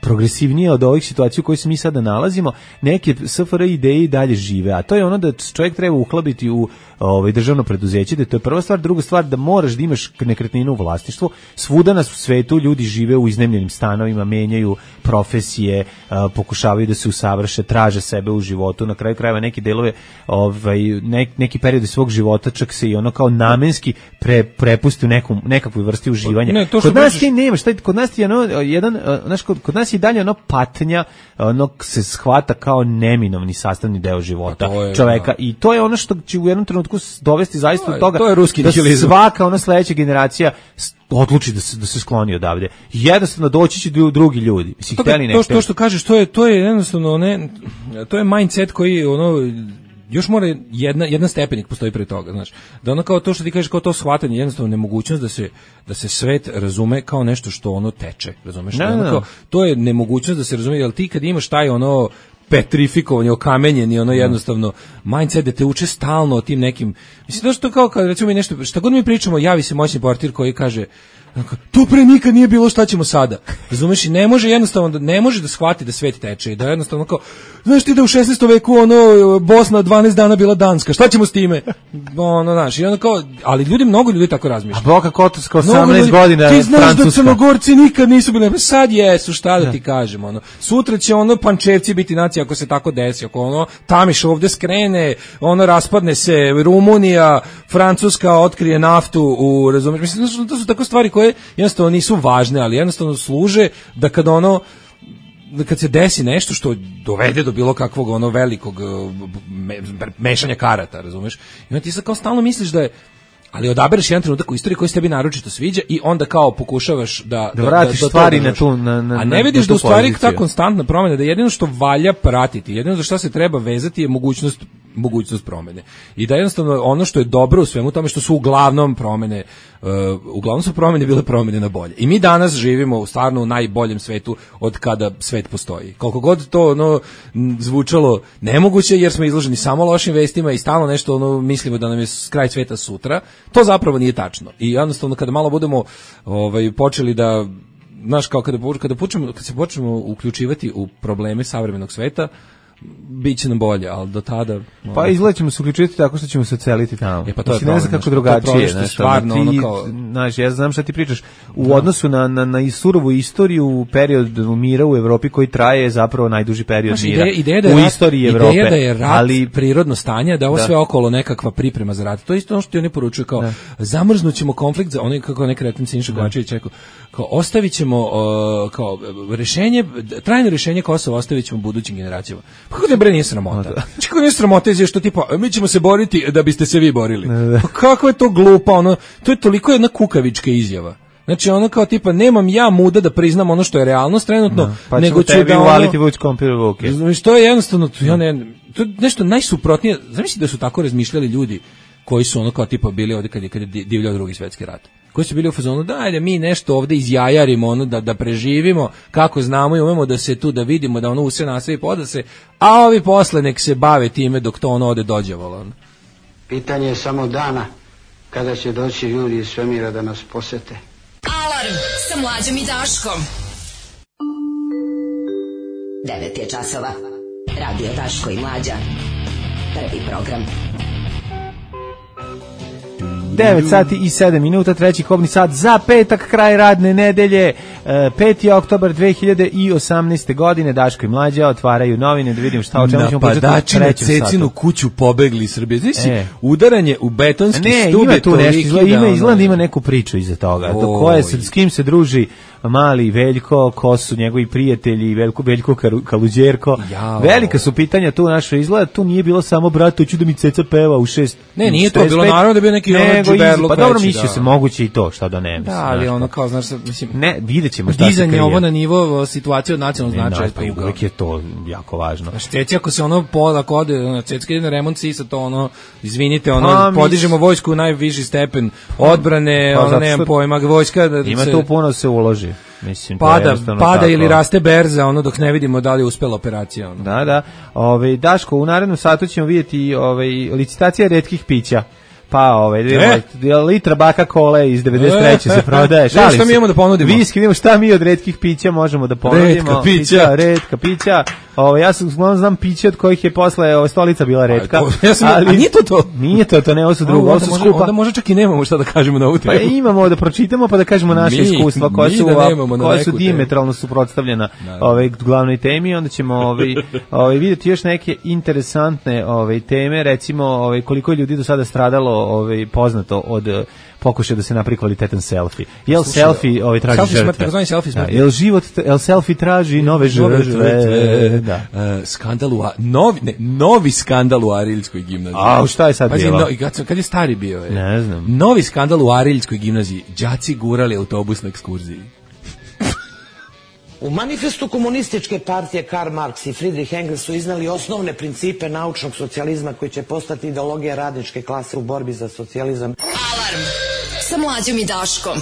progresivnija od ovih situacija u kojoj se mi sada nalazimo, neke SFRJ ideje i dalje žive, a to je da čovjek treba uhlabiti u državno preduzeće, da to je prva stvar. Druga stvar, da moraš da imaš nekretninu u vlasništvu. Svuda nas u svetu ljudi žive u iznajmljenim stanovima, menjaju profesije, pokušavaju da se usavrše, traže sebe u životu, na kraju krajeva neki delove, neki periodi svog života čak se i kao namenski prepusti u nekakvoj vrsti uživanja. Kod nas ti nemaš, kod nas je kod nas je dalje patnja, se shvata kao neminovni sastavni deo života čoveka i to je ono što će u jednom trenutku dovesti zaista do toga da svaka sledeća generacija odluči da se skloni odavde. Jednostavno doći će drugi ljudi. To što kažeš, to je jednostavno to je mindset koji još mora jedna stepenik postoji pre toga, znaš. Da kao to što ti kažeš, kao to shvatanje, jednostavno nemogućnost da se svet razume kao nešto što teče, razumeš? To je nemogućnost da se razume, jer ti kad imaš taj petrifikovanje, okamenjeni, jednostavno mindset da te uče stalno o tim nekim, mislim da što kao kad recimo mi nešto, šta god mi pričamo, javi se moćni portir koji kaže to pre nikad nije bilo, šta ćemo sada? Razumeš, i ne može da shvati da svet teče i da jednostavno kao, znaš ti da u 16. veku Bosna 12 dana bila Danska, šta ćemo s time? Znaš, i kao, ali mnogo ljudi tako razmišlja. A Boka Kotorska 18 godina Francuska. Ti znaš da Crnogorci nikad nisu bili, sad jesu, šta da ti kažem, sutra će Pančevci biti nacija ako se tako desi, ako Tamiš ovde skrene, raspadne se Rumunija, Francuska otkrije naftu razumeš, mislim, to su tako stvari koje jednostavno nisu važne, ali jednostavno služe da kad se desi nešto što dovede do bilo kakvog velikog mešanja karata, razumeš? I onda ti sad kao stalno misliš da je, ali odabereš jedan trenutak u istoriji koji se tebi naročito sviđa i onda kao pokušaš da vratiš stvari na tu a ne vidiš da u stvari ta konstantna promjena, da jedino što valja pratiti, jedino za šta se treba vezati je mogućnost promjene. I da jednostavno ono što je dobro u svemu tome što su uglavnom su promjene bile promjene na bolje. I mi danas živimo stvarno u najboljem svetu od kada svet postoji. Koliko god to zvučalo nemoguće jer smo izloženi samo lošim vestima i stalno nešto mislimo da nam je kraj sveta sutra, to zapravo nije tačno. I jednostavno kada malo budemo počeli da, znaš, kao kad se počnemo uključivati u probleme savremenog sveta, biće nam bolje, ali do tada pa izgleda ćemo se uključiti tako što ćemo se celiti tamo. Pa to je ne znam kako drugačije, stvarno znaš, ja znam šta ti pričaš u odnosu na surovu istoriju, period mira u Evropi koji traje zapravo najduži period mira u istoriji Evrope. Ideja da je rat prirodno stanje, da ovo sve okolo nekakva priprema za rat. To je isto ono što ti oni poručuju kao zamrznućemo konflikt, kako neki retim Siniša Kovačević rekao, kao ostavit ćemo kao rešenje, trajno rešenje Kosova ostavit ćemo budućim generacijama. Pa kako bre nije sramota? Kako nije sramota je što tipa mi ćemo se boriti da biste se vi borili. Pa kako je to glupa, to je toliko jedna kukavička izjava. Znači ono kao tipa nemam ja muda da priznam ono što je realnost trenutno, pa nego ću da uvaliti vuć kompir u ruke. Znači to je jednostavno to je nešto najsuprotnije. Zamisli da su tako razmišljali ljudi koji su ono kao tipa bili ovde kad je divljao Drugi svjetski rat. Koji su bili u fazonu da ajde mi nešto ovde izjajarimo ono da preživimo kako znamo i umemo da se tu da vidimo da ono u sve nastavi poda se, a ovi posle nek se bave time dok to ono ode dođevalo. Pitanje je samo dana kada će doći ljudi iz svemira da nas posete. Alarm sa Mlađom i Daškom. 9 je časova. Radio Daško i Mlađa. Prvi program. 9 sati i 7 minuta, treći kobni sat za petak, kraj radne nedelje, 5. oktobar 2018. godine. Daško i Mlađa otvaraju novine da vidimo šta o čemu ćemo početi. Napadači na Cecinu kuću pobegli iz Srbije. Znači, udaranje u betonski stub. Ima tu nešto, ima neku priču iza toga. S kim se druži mali Veljko, ko su njegovi prijatelji, Veljko Kaluđerko. Velika su pitanja tu našoj izgleda, tu nije bilo samo brat, hoću da mi Ceca peva u 6. Ne, nije to bilo, naravno da je bio neki džuberluk. Pa dobro, mislio se moguće i to, šta da ne mislim. Da, ali ono kao, znaš, mislim, ne, vidjet ćemo šta se krije. Dizanje ovo na nivo situacije od nacionalnog značaja. Pa uvijek je to jako važno. Znaš, Ceci, ako se ono ako ode, Cecka ide na remont sisa, to ono, izvinite, ono, podižemo vojsku u najviši stepen odbrane, ono, nemam pojma, vojska. Ima tu puno se uloži. Mislim, pada ili raste berza, ono dok ne vidimo da li je uspela operacija. Ono. Da. Daško, u narednom satu ćemo vidjeti licitacija retkih pića. Pa litra baka kole iz 93. se prodaje. Šta mi imamo da ponudimo? Viski, vidimo šta mi od retkih pića možemo da ponudimo. Retka pića. Ja znam piće od kojih je posle stolica bila retka. A nije to? Nije to, ne, ovo su drugo, ovo su skupa. Onda možda čak i nemamo šta da kažemo na ovu temu. Pa imamo da pročitamo pa da kažemo naše iskustva koja su diametralno suprotstavljena glavnoj temi. Onda ćemo vidjeti još neke interesantne teme, recimo koliko ljudi do sada stradalo poznato od pokušaj da se napravi kvalitetan selfie. Jel selfie traži žrtve? Jel selfie traži nove žrtve? Da. Novi skandal u Ariljskoj gimnaziji. A šta je sad bilo? Kad je stari bio? Ne znam. Novi skandal u Ariljskoj gimnaziji. Đaci gurali autobus na ekskurziji. U manifestu komunističke partije Karl Marx i Friedrich Engels su iznali osnovne principe naučnog socijalizma koji će postati ideologija radničke klase u borbi za socijalizam. Alarm sa Mlađom i Daškom.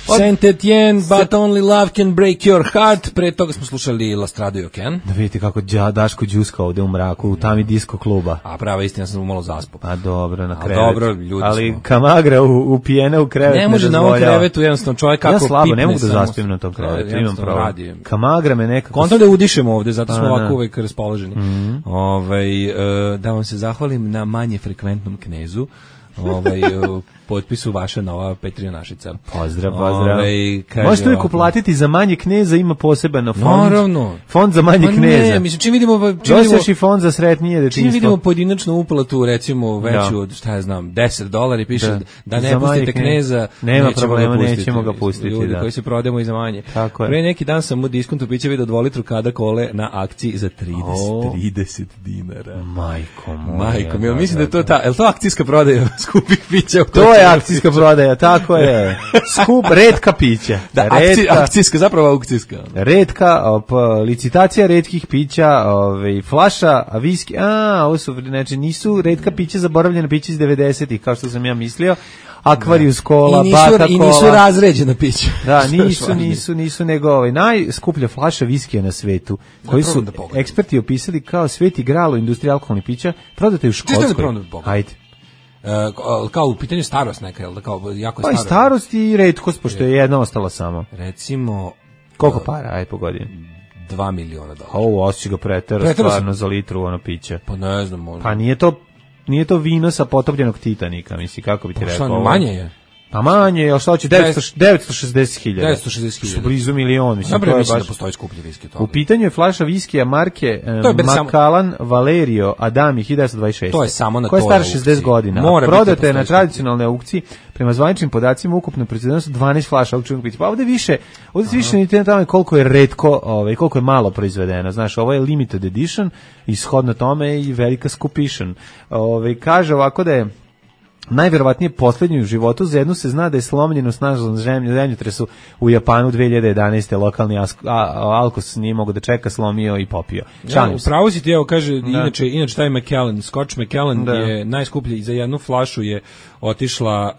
Saint Etienne, but only love can break your heart. Pre toga smo slušali La Strada i Okean. Da vidite kako Daško džuska ovde u mraku, u tami disko kluba. A prava istina, sam malo zaspo. A dobro, na krevet. Dobro, ljudi ali smo. Kamagra upijene u krevet ne može na ovom krevetu, jednostavno čovjek kako pipne. Ja slabo, ne mogu da zaspim na tom krevetu, imam pravo. Kamagra me nekako... Kontra da udišemo ovde, zato smo ovako uvek raspoloženi. Da vam se zahvalim na manje frekventnom Knezu. Potpisu vaša nova Petrionašica. Pozdrav. Možete uvijek uplatiti za manje Kneza, ima poseban fond. Naravno. Fond za manje Kneza. Ne, mislim, čim vidimo i fond za sretnije detinjstvo. Čim vidimo pojedinačnu uplatu, recimo veću od, šta ja znam, $10 piše da ne pustite Kneza. Nema problema, nećemo ga pustiti. Ljudi koji se prodajemo i za manje. Pre neki dan sam u diskontu piće vidio 2 litru kada kole na akciji za 30 dinara. Majko, mislim da je to je to akcijska prodaja skupih pića? To je akcijska prodaja, tako je. Retka pića. Da, akcijska, zapravo aukcijska. Retka, licitacija retkih pića, flaša, viski, ovo su, znači, nisu retka pića, zaboravljena pića iz 90-ih, kao što sam ja mislio. Akvarijus kola, baka kola. I nisu razređena pića. Da, nisu nego najskuplja flaša viskija na svetu, koji su eksperti opisali kao sveti gral u industriji alkoholnih pića, prodate u Škotskoj. Hajde. Kao u pitanju starost neka, jel da kao jako starost? Pa i starost i retkost, pošto je jedna ostala samo. Recimo... Koliko para, aj po godini? $2 miliona. Osjeća ga pretera stvarno za litru ono piće. Pa ne znam. Pa nije to vino sa potopljenog Titanika, misli, kako bi ti rekao. Pa manje je. Pa manje, ali šta hoće, 960.000. 960.000. Što blizu milion, mislim. Dobro, mislim da postoji skuplji viski. U pitanju je flaša viskija marke Macallan Valerio Adami 1926. To je samo na koja je stara 60 godina. Prodate je na tradicionalnoj aukciji, prema zvaničnim podacima, ukupno proizvedeno su 12 flaša aukcijnog pića. Pa ovde više niti na tome koliko je retko, koliko je malo proizvedeno. Znaš, ovo je limited edition, ishodno tome i velika skupišan. Kaže ovako da je najverovatnije poslednju u životu. Za jednu se zna da je slomljeno snažno zemljotresu u Japanu 2011. Lokalni Alkos nije mogo da čeka, slomio i popio. Upravo si ti, evo kaže, inače taj Macallan, Scotch Macallan je najskuplji, za jednu flašu je otišla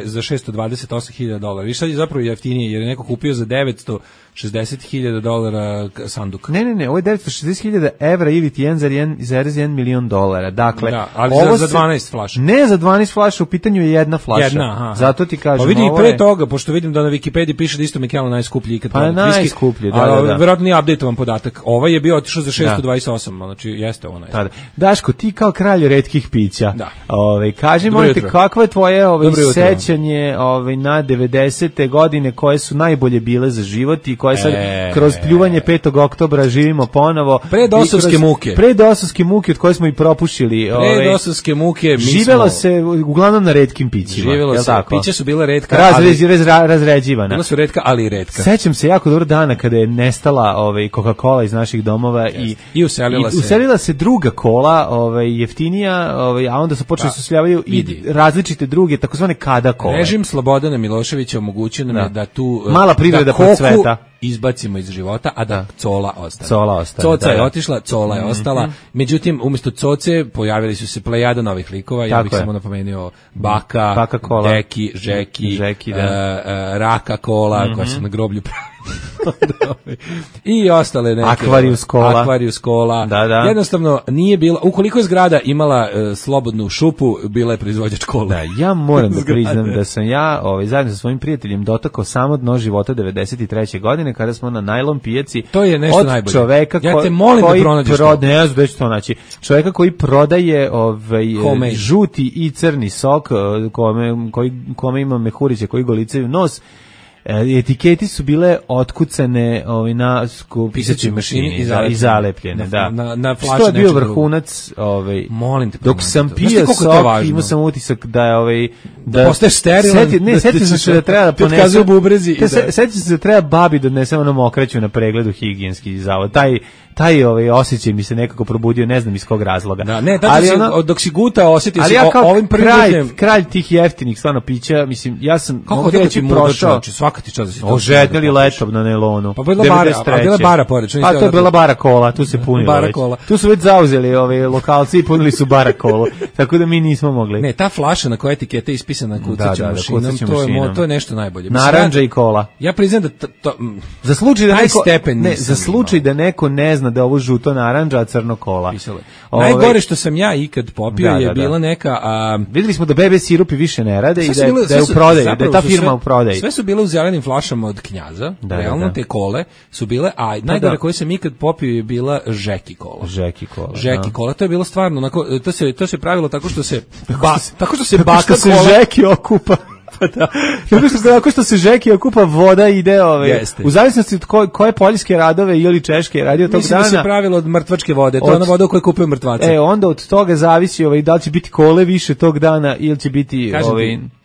za $628.000. I sad je zapravo jeftinije, jer je neko kupio za $960.000 sanduk. Ne, ovo je $960.000 ili ti 1,1 milion dolara. Dakle, ali za 12 flaša. Ne za 12 flaša, u pitanju je jedna flaša. Zato ti kažem, pa vidi i pre toga, pošto vidim da na Wikipediji piše da isto Macallan najskuplji ikad. Pa najskuplji, da. Verovatno nije update-ovan podatak. Ovaj je bio otišao za 628, znači jeste ovo najskuplji. Daško, ti kao kralj retkih pića. Kaži molim te, kakva je tvoje sećanje na 90. godine koje su najbolje bile za život i koje sad kroz pljuvanje 5. oktobra živimo ponovo. Predosovske muke od koje smo i propušili. Predosovske muke. Živelo se uglavnom na retkim pićima. Živelo se, pića su bila retka. Razređivana. Bila su retka, ali i retka. Sećam se jako dobro dana kada je nestala Coca-Cola iz naših domova i uselila se druga kola, jeftinija, a onda su počeli susljavaju i različite druge, takozvane kada kole. Režim Slobodana Miloševića omogućio nam je da tu mala privreda procveta izbacimo iz života, a da cola ostane. Coca je otišla, cola je ostala. Međutim, umjesto coce pojavili su se plejada novih likova. Ja bih samo napomenuo Baka Deki, Žeki, Raka Kola, koja su na groblju i ostale neke. Akvarius Kola. Jednostavno nije bila, ukoliko je zgrada imala slobodnu šupu, bila je proizvođač kola. Ja moram da priznam da sam ja zajedno sa svojim prijateljem dotakao samo dno života 93. godine kada smo na najlon pijaci. To je nešto najbolje. Čoveka ja te molim da pronađeš to. Ne znam da ću to naći. Čoveka koji prodaje žuti i crni sok, kome ima mehuriće koji golicaju nos. Etiketi su bile otkucane na pisaćoj mašini i zalepljene, na flaši. Što je bio vrhunac, molim te, dok sam pio sok, imao sam utisak da je da postaješ sterilan. Sjetio sam se da treba da ponesem bubrezi. Sjetio sam se da treba babi da odnesem onom okraću na pregledu higijenski zavod. Taj osjećaj mi se nekako probudio, ne znam iz kog razloga. Dok si gutao, osjetio si ovim kralj tih jeftinih stvarno pića, mislim, ja sam kako da ti prošao, svaka ti čast da si to. Ožednili letop na nelonu. Pa bila bara pored. A to je bila bara kola, tu se punilo već. Tu su već zauzeli lokalci i punili su bara kolu, tako da mi nismo mogli. Ne, ta flaša na kojoj etikete ispisana kucaćom mašinom, to je nešto najbolje. Narandža i kola. Ja priznam da za slučaj da neko ne zna da ovo žuto narandža, a crno kola. Najgore što sam ja ikad popio je bila neka... Vidjeli smo da bebe sirupi više ne rade i da je u prodaju, da je ta firma u prodaju. Sve su bile u zelenim flašama od Knjaza, realno te kole su bile, a najgore koje sam ikad popio je bila Žeki kola. Žeki kola, to je bilo stvarno, to se pravilo tako što se baka kola... Žeki okupa. Tako što se Žeki okupa, voda ide u zavisnosti od koje poljske radove ili češke je radio tog dana. Mislim da se pravilo od mrtvačke vode, to je ona voda u kojoj kupuju mrtvace. Onda od toga zavisi da li će biti kole više tog dana ili će biti...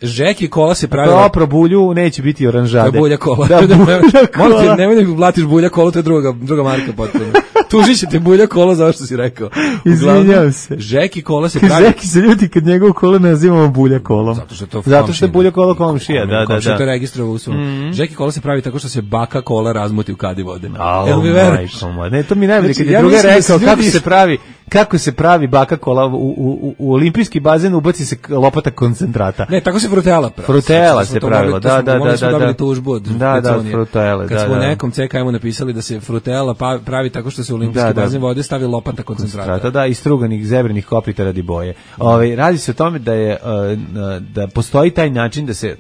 Žeki kola se pravilo... Opro bulju, neće biti oranžade. To je bulja kola. Nemoj da blatiš bulja kola, to je druga marka potpuno. Tužit ćete bulja kola, zašto si rekao. Izvinjam se. Žeki kola se pravi... Žeki se ljudi kad njegovu kola nazivamo bulja kolom. Zato što je bulja kola komšija, da. Komšija to registrovao u svom. Žeki kola se pravi tako što se baka kola razmuti u kadi vode. Jel mi veruješ? Ne, to mi najbolje kad je druga rekao kako se pravi baka kola u olimpijski bazen, ubaci se lopata koncentrata. Ne, tako se frutela pravi. Frutela se pravilo, da. Oni su dobili tužbu od frutele. Kad smo nekom CKM-u napisali da se frutela pravi tako što se u olimpijski bazen vode stavi lopata koncentrata. Da, istruganih zebrinih kopita radi boje. Radi se o tome da postoji taj način da se...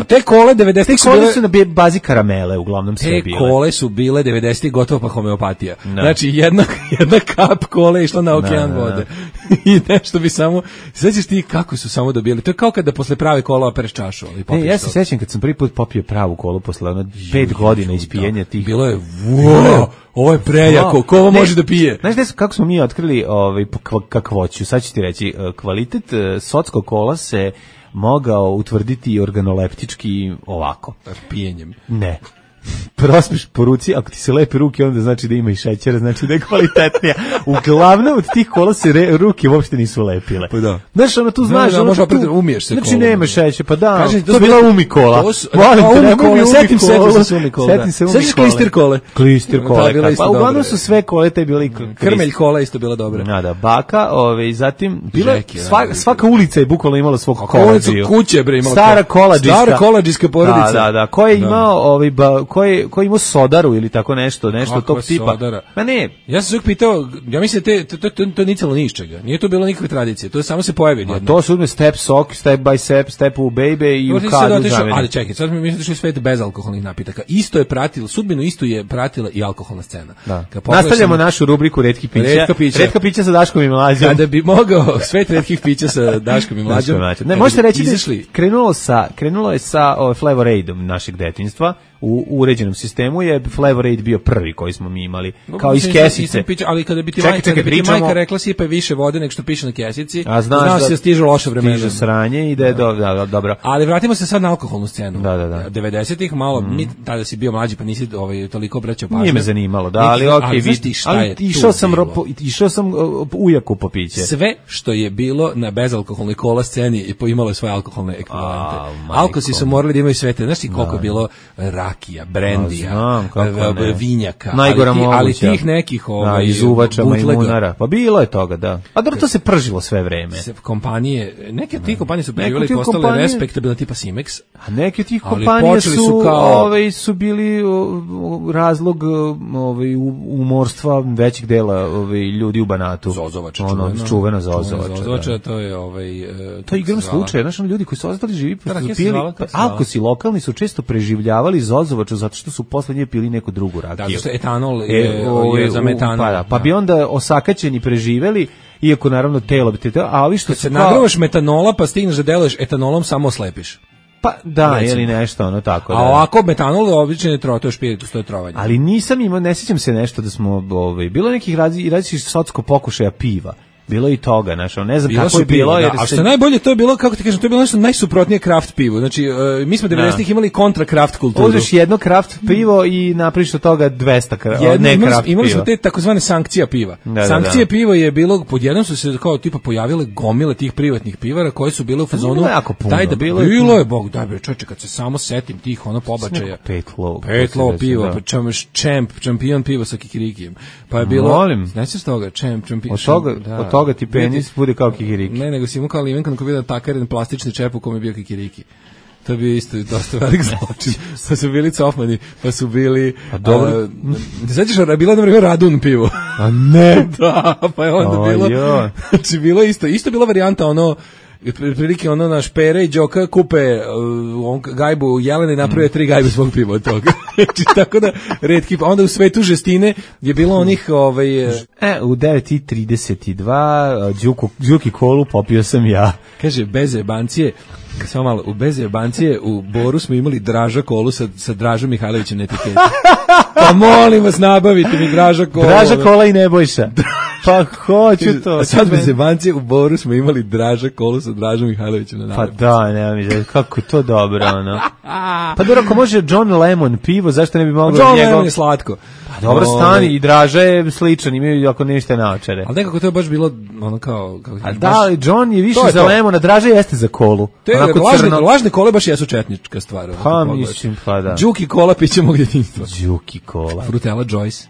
Te kole 90-ih su na bazi karamele uglavnom sve bile. Te kole su bile 90-ih gotovo pa homeopatija. Znači jedna kap kole išla na okean vode. I nešto bi samo... Sećaš ti kako su samo dobili? To je kao kada posle prave kola opereš čašu. Ja se sećam kad sam prvi put popio pravu kolu posle 5 godina ispijenja tih. Bilo je ovo je prejako, ko ovo može da pije? Znaš kako smo mi otkrili kakvoću? Sad ću ti reći, kvalitet socko kola se mogao utvrditi organoleptički ovako. Pijenjem. Ne. prospiš po ruci, ako ti se lepe ruke, onda znači da ima i šećera, znači da je kvalitetnija. Uglavnom od tih kola se ruke uopšte nisu lepile. Pa da. Znaš, ono tu znaš, možeš opet umiješ se. Znači nema šećera, pa da. Kažem, to je bila Umi kola. Setim se Umi kola. Sećaš Klister kole? Klister kole. Pa uglavnom su sve kole te bili Krmelj kola isto bila dobra. Da, baka, zatim bila svaka ulica je bukvalno imala svog koladžiju. Kuće bre imala. Stara koladžijska porodica. Da, ko je imao ko je imao sodaru ili tako nešto tog tipa. Sodara? Ma ne. Ja sam se uvijek pitao, ja mislim to je nicalo ni iz čega. Nije to bilo nikakve tradicije. To je samo se pojavi jedno. To su step sok, step by step u baby i u kadu zameni. Ali čekaj, sad mi mislim svet bez alkoholnih napitaka. Isto je pratilo, sudbinu isto je pratila i alkoholna scena. Nastavljamo našu rubriku retkih pića. Retka pića sa Daškom i Mlađom. Kada bi mogao svet retkih pića sa Daškom i Mlađom. Ne, možete reći da krenulo je sa Flavor Aidom našeg detinjstva. U uređenom sistemu je Flavor Aid bio prvi koji smo mi imali, kao iz kesice. Ali kada bi ti majka rekla sipaj više vode nego što piše na kesici, znaš da se stižu loše vremena. Stiže sranje i da je dobro. Ali vratimo se sad na alkoholnu scenu. Da. 90-ih, malo, mi tada si bio mlađi, pa nisi toliko obraćao pažnju. Nije me zanimalo, ali okej, išao sam ujaku po piće. Sve što je bilo na bezalkoholnoj kola sceni imalo je svoje alkoholne ekvivalente. Alkosi su morali da imaju sve te, znaš ti koliko je bilo rakija, brendija, vinjaka, ali tih nekih izuvača majmunara. Pa bilo je toga, da. A dobro, to se pržilo sve vreme. Kompanije, neke od tih kompanije su preživjeli i postale respektabilne tipa Simex. A neke od tih kompanije su bili razlog umorstva većeg dela ljudi u Banatu. Zozovača, čuvena Zozovača. Zozovača, to je to je igram slučaj, znaš, ljudi koji su ostali živi, alkosi lokalni su često preživljavali Zozovaču zato što su posle nje pili neku drugu rakiju. Da, zato što etanol je za metanol. Pa bi onda osakaćeni preživeli, iako naravno telo bi te, ali što se nagravaš metanola pa stigneš da deluješ etanolom, samo oslepiš. Pa da, ili nešto tako. A ovako metanol obično je to je špiritus, to je trovanje. Ali nisam imao, ne sjećam se nešto da smo bilo nekih različitih socsko pokušaja piva. Bilo i toga, znači, ne znam kako je bilo. A što najbolje, to je bilo, kako ti kažem, to je bilo nešto najsuprotnije kraft pivu. Znači, mi smo 90-ih imali kontra kraft kulturu. Uzmeš jedno kraft pivo i napraviš od toga 200 kraft piva. Imali smo te takozvane sankcija piva. Sankcije piva je bilo, podjednom su se kao tipa pojavile gomile tih privatnih pivara koje su bile u fazonu. Daj da bilo je, bog, daj bre, čoveče, kad se samo setim tih pobačaja. Petlo pivo, šampion pivo sa kikirikijem. Pa je bilo, znači s toga, šampion. Od toga ti penis bude kao kikiriki. Ne, nego si imao kao limenka na koji vidio takaren plastični čep u kome je bio kikiriki. To je bio isto dosta velik zločin. Pa su bili cofmani, pa su bili... A dobro. Značiš, bila na vreme Radun pivo. A ne! Da, pa je onda bilo... Znači, bilo isto bila varijanta prilike naš Pere i Đoka kupe gajbu Jelene i naprave 3 gajbe svog piva od toga. Znači, tako da retki, onda u svetu žestine je bilo onih u 9:32 Đuki kolu popio sam ja. Kaže, bez jebancije, samo malo, bez jebancije u Boru smo imali Draža kolu sa Dražom Mihajlovićem na etiketi. Pa molim vas, nabavite mi Draža kola. Draža kola i Nebojša. Pa hoću to. A sad bez jebancije u Boru smo imali Draža kolu sa Dražom Mihajlovićem na nalepnici. Pa da, nema mi, kako je to dobro, ono. Pa dobro, ako može John Lemon pivo, zašto ne bi mogao John Lemon je slatko. Pa dobro, stani, i Draža je sličan, imaju ako ništa naočare. Ali nekako to je baš bilo ono kao... A da, ali John je više za Lemona, Draža jeste za kolu. Lažne kole baš jesu četnička stvar. Pa mislim, pa da. Đuki kola piće mog djetinjstva. Đuki kola. Frutela Joyce.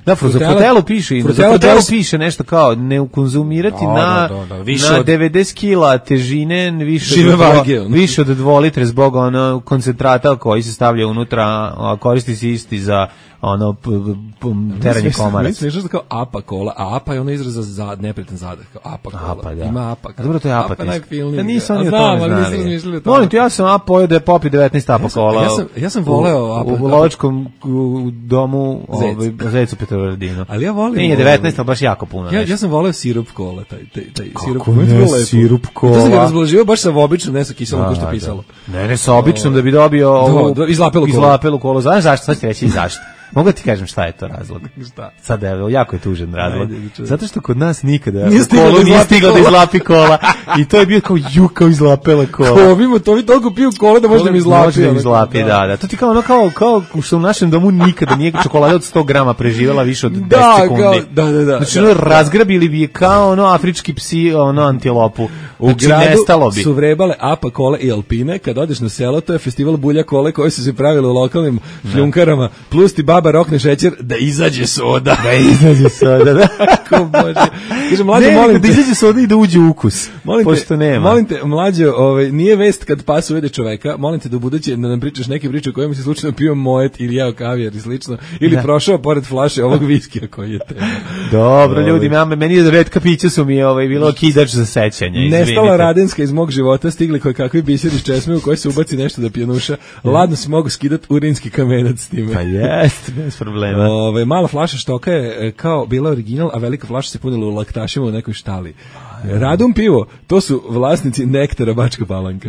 Da, Frutelu piše nešto kao ne konzumirati na 90 kila težine više od 2 litre zbog koncentrata koji se stavlja unutra, a koristi se isti za teranje komarac. Mislim što kao apa kola, a apa je ono izraz za neprijetan zadah, kao apa kola. Apa, da. Ima apa. Dobro, to je apa. Da nisam ni o tome znali. Molim te, ja sam apa pojeo da je popio 19 apa kola. Ja sam voleo apa. U lovačkom domu Zecu Petrovaradinu. Ali ja volim. Nije 19, ali baš jako puno. Ja sam voleo sirup kola, taj sirup. Kako ne, sirup kola? To sam ga razblaživao baš sa običnom, ne sa kiselom ko što pisalo. Ne, sa običnom da bi dobio izlapelu kolu. Znaš zašto? Sad ću reći zašto. Mogu ti kažem šta je to razlog? Šta? Sad evo, jako je tužan razlog. Ajde, zato što kod nas nikada nije stiglo da izlapi kola. I to je bio kao izlapela kola. To vi toliko piju kola da možda mi izlapi. Može da mi izlapi, da. To ti kao ono kao što u našem domu nikada nije čokolada od 100 grama preživjela više od 10 sekundi. Da. Znači ono razgrabili bi je kao ono afrički psi, ono antilopu. U gradu su vrebale Apa kole i Alpine. Kad odeš na selo, to je festival bulja kole koji su se pravili u lokalnim šljunkarama. Plus ti baba rokne šećer da izađe soda. Da. Kako bože. Kaže, mlađo, molim te. Da izađe soda i da uđe ukus. Pošto nema. Molim te, mlađo, nije vest kad pas uvede čoveka. Molim te da u buduće da nam pričaš neke priče u kojima si slučajno pio moet ili jeo kavijar i slično. Ili prošao pored flaše ovog viskija koji je tema. Dobro, ljudi, meni je retka pića su mi bilo kidač za sećanje. Nestala Radenska iz mog života, stigli koji kakvi biseri iz česme u koji se ubaci nešto da pjenuša. Ladno si mogu skidati urinski kamenac s time. Pa jest, bez problema. Mala flaša štoka je kao bila original, a velika flaša se punila u laktašima u nekoj štali. Radum pivo, to su vlasnici Nektara Bačka Palanka.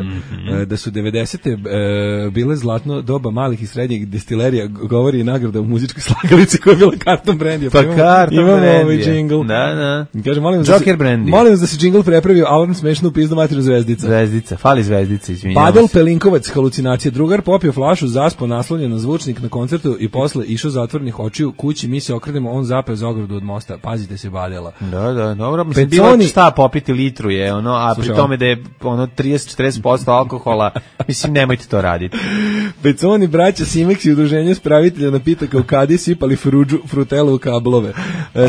Da su 90. Bile zlatno doba malih i srednjih destilerija, govori i nagrada u muzičkoj slagalici koja je bila Karton Brandy. Pa Karton Brandy. Imamo ovaj džingl. Da. Kaže, Joker Brandy. Molim vas da se džingl prepravio, alarm smešno u pizdu materinu Zvezdica. Zvezdica, fali Zvezdica, izvinjavam se. Padel Pelinkovac, halucinacije. Drugar popio flašu, zaspo naslonjen na zvučnik na koncertu i posle išao zatvornih očiju kući, mi se okrenemo, on zapeo za ogradu od mosta. Pazite se, Badela. Da, dobro. Mislim, šta popiti litru je, a pri tome da je 30-40% alkohola, mislim, nemojte to raditi. Peconi, braća Simex i udruženje spravitelja napitaka u kadi sipali frutelu u kablove.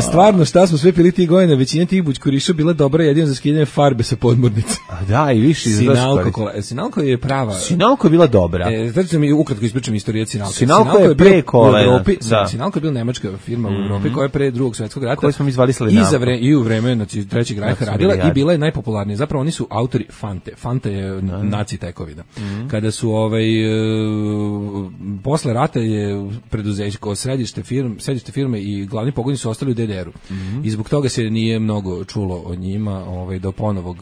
Stvarno, šta smo sve pili tih godina, većina tih bućkuriša bila dobra jedino za skidanje farbe sa podmornice. Da, i više Sinalko je prava. Sinalko je bila dobra. Znači mi ukratko ispričam istoriju Sinalko. Sinalko je pre kolena. Sinalko je bila nemačka firma u Evropi koja je pre Drugog svjetskog rata. Koju smo mi zvali Slednavko. I u vreme Trećeg rajha radila i bila je najpopularnija. Zapravo oni su autori Fante. Fanta je naci tekovina. Kada su posle rata je preduzeće kao središte firme i glavni pogoni su ostali u DDR-u. I zbog toga se nije mnogo čulo o njima do ponovog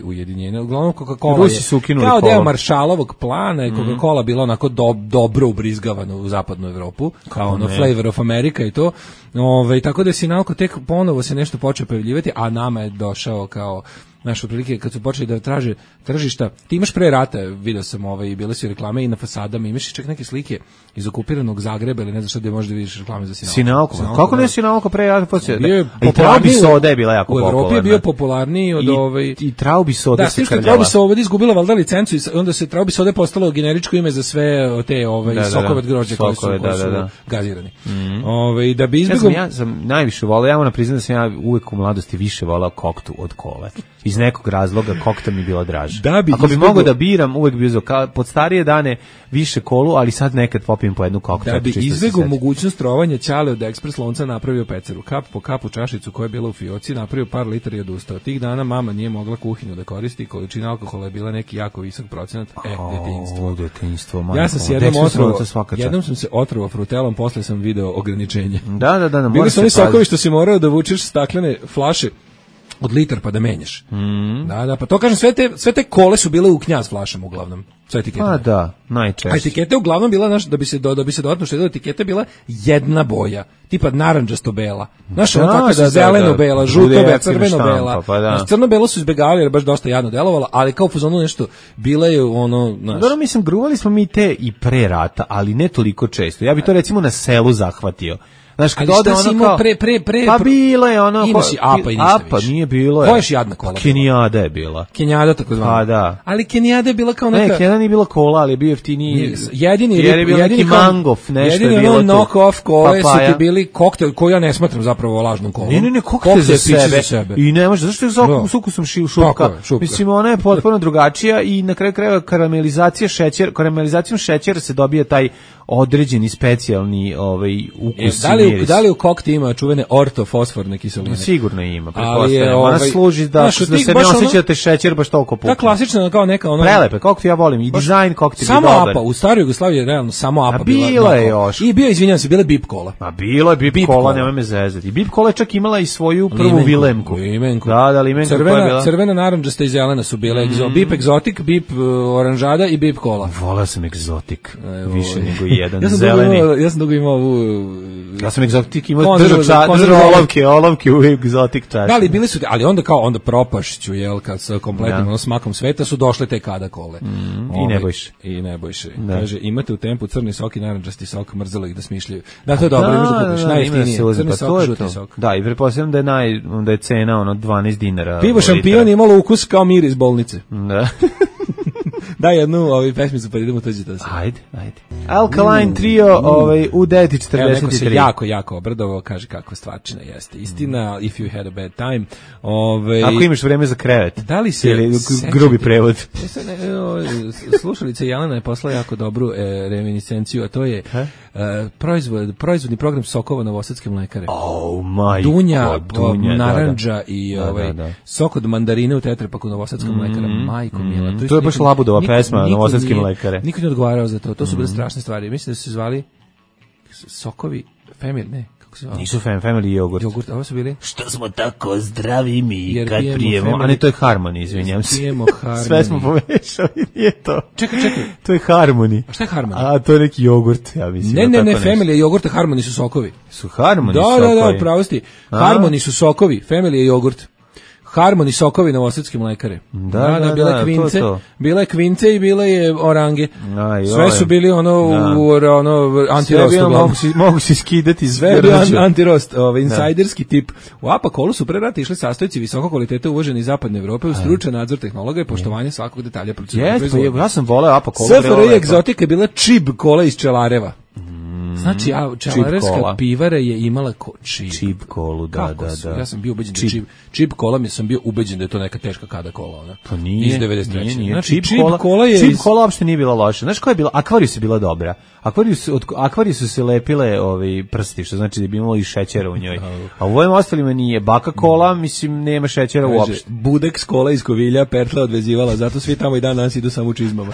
ujedinjenja. Uglavnom Coca-Cola je kao deo Marshallovog plana je Coca-Cola bila onako dobro ubrizgavana u zapadnu Evropu, kao Flavor of America i to. Tako da je Sinalko tek ponovo se nešto počeo pojavljivati, a nama je došao kao naš otprilike kad su počeli da traže tržišta. Ti imaš pre rata, video sam bile su reklame i na fasadama, imaš čak neke slike iz okupiranog Zagreba ili ne znam šta gde možda vidiš reklame za Sinalko. Kako ne Sinalko pre rata? I Traubi soda je bila jako popularna. U Evropi je bio popularniji od i Traubi soda se krljala. Da, Traubi soda izgubila valjda licencu i onda se Traubi soda postalo generičko ime za sve te sokove od grožđa koji su gazirani. Da bi izbjegom... Ja sam najviše volao, ja moram priznati da sam ja uvek u mladosti više volao koktu od kole. Iz nekog razloga kokta mi bila draža. Ako bi mogao da biram, uvek bi uzeo pod starije dane više kolu, ali sad nekad popijem po jednu koktu. Da bi izbjegao mogućnost trovanja, Ćale od ekspres lonca napravio peceru. Kap po kapu čašicu koja je bila u fioci, napravio par litara i odustao. Tih dana mama nije mogla kuhinju da koristi, količina alkohola je bila neki jako visok procenat. Detinjstvo. Ja sam se jednom sam se otrovao frutelom, posle sam video ograničenje. Da. Bili su oni sokovi što si morao da vučeš staklene flaše od litar pa da menjaš. Da, pa to kažem, sve te kole su bile u Knjaz flašama uglavnom. Sve etikete. A da, najčešće. A etikete uglavnom bila, da bi se dodatno štedilo, etikete bila jedna boja, tipa narandžasto-bela. Znaš, ono tako da zeleno-bela, žuto-bela, crveno-bela. Crno-belo su izbjegavali jer baš dosta jadno delovala, ali kao u fazonu nešto, bila je ono... Dobro, mislim, gruvali smo mi te i pre rata, ali ne toliko često. Ja bi to recimo na selu zahvatio. Znaš, kad ode ono kao... Pa bilo je ono... Imaš i Apa i ništa više. Apa nije bilo je. Koja još jadna kola? Kenijada je bila. Kenijada tako zvana. Pa da. Ali Kenijada je bila kao neka... Ne, Kenijada nije bila kola, ali je bio jeftiniji... Jedini mangof, nešto je bilo tu. Jedini knock-off kole su ti bili koktel, koji ja ne smatram zapravo lažnom kolom. Ne, koktel za sebe. I ne može, zašto je s ukusom šupka? Mislim, ona je potpuno drugačija i na kraju krajeva karamelizacijom šećera se dobija taj određeni specijalni ukus i miris. Da li u kokti ima čuvene ortofosforne kiseline? Sigurno ima, pretpostavljam. Ona služi da se ne osjećate šećer baš toliko pukne. Ta klasična kao neka ono... Prelepe, kokti ja volim, i dizajn kokti bi samo dobar. Apa, u staroj Jugoslaviji je realno samo Apa bila. Bilo je još. I bio, izvinjam se, bile Bip kola. A bilo je Bip kola, nemoj me zezati. I Bip kola je čak imala i svoju prvu Vilemku. Da, Limenku koja je bila. Crvena, narandžasta i zelena su bile. Bip egzotik, Bip oranžada i Bip kola. Volao sam egzotik, više nego jedan zeleni. Ja sam dugo imao ovu... Ja sam egzotik imao držao olovke u egzotik čaši. Da, ali bili su, ali onda propašću, jel, kad sa kompletnim smakom sveta su došle te kada kole. I Nebojše. Kaže, imate u tempu crni sok i narandžasti sok, mrzelo ih da smišljaju. Da, to je dobro, imaš da kupiš, najjeftinije. Crni sok, žuti sok. Da, i pretpostavljam da je cena 12 dinara. Pivo Šampion imalo ukus kao mir iz bolnice. Da. Daj jednu pesmicu pa idemo tuđi to se. Ajde. Alkaline Trio u 9:43. Neko se jako obradovao, kaže kakva stvarčina jeste. Istina, if you had a bad time. Ako imaš vreme za krevet. Da li se ili grubi prevod. Slušalica Jelena je poslala jako dobru reminiscenciju, a to je proizvodni program sokova Novosadske mlekare. Dunja, narandža i sok od mandarine u tetrapaku Novosadska mlekara. Majko mila. To je baš Labudova pesma Novosadske mlekare. Niko ne odgovarao za to. To su bile strašne stvari. Mislim da su se zvali sokovi Family, ne. Nisu Family jogurt. Jogurt, ovo su bili? Što smo tako zdravi mi kad prijemo. A ne, to je Harmony, izvinjam se. Pijemo Harmony. Sve smo pomešali, nije to. Čekaj. To je Harmony. A šta je Harmony? A to je neki jogurt, ja mislim. Ne, Family je jogurt, a Harmony su sokovi. Su Harmony sokovi? Da, pravo ste. Harmony su sokovi, Family je jogurt. Harmony sokovi Novosadske mlekare. Da, bila je kvince, to. Bila je kvince i bila je orange. Sve su bili antirost. Mogu se skidati sve antirost, insajderski tip. U Apakolu su pre rata išli sastojci visoko kvalitete uvoženi iz zapadne Evrope, uz stručan nadzor tehnologa i poštovanje svakog detalja procedure. Ja sam voleo Apakolu. SFRJ egzotika je bila čib kola iz Čelareva. Znači, čelarevska pivara je imala čib kolu, da. Ja sam bio ubeđen da čib kola, sam bio ubeđen da je to neka teška kada kola, ona. Pa nije. Iz 93. Nije. Znači, čib kola je... Čib kola uopšte nije bila loša. Znaš koja je bila? Akvarijus je bila dobra. Od Akvarijusu se lepile prsti, što znači da bi imalo i šećera u njoj. A u ovim ostalima nije. Baka kola, mislim, nema šećera uopšte. Budeks kola iz Kovilja, Pertla odvezivala, zato svi tamo i dan danas idu samo u čizmama.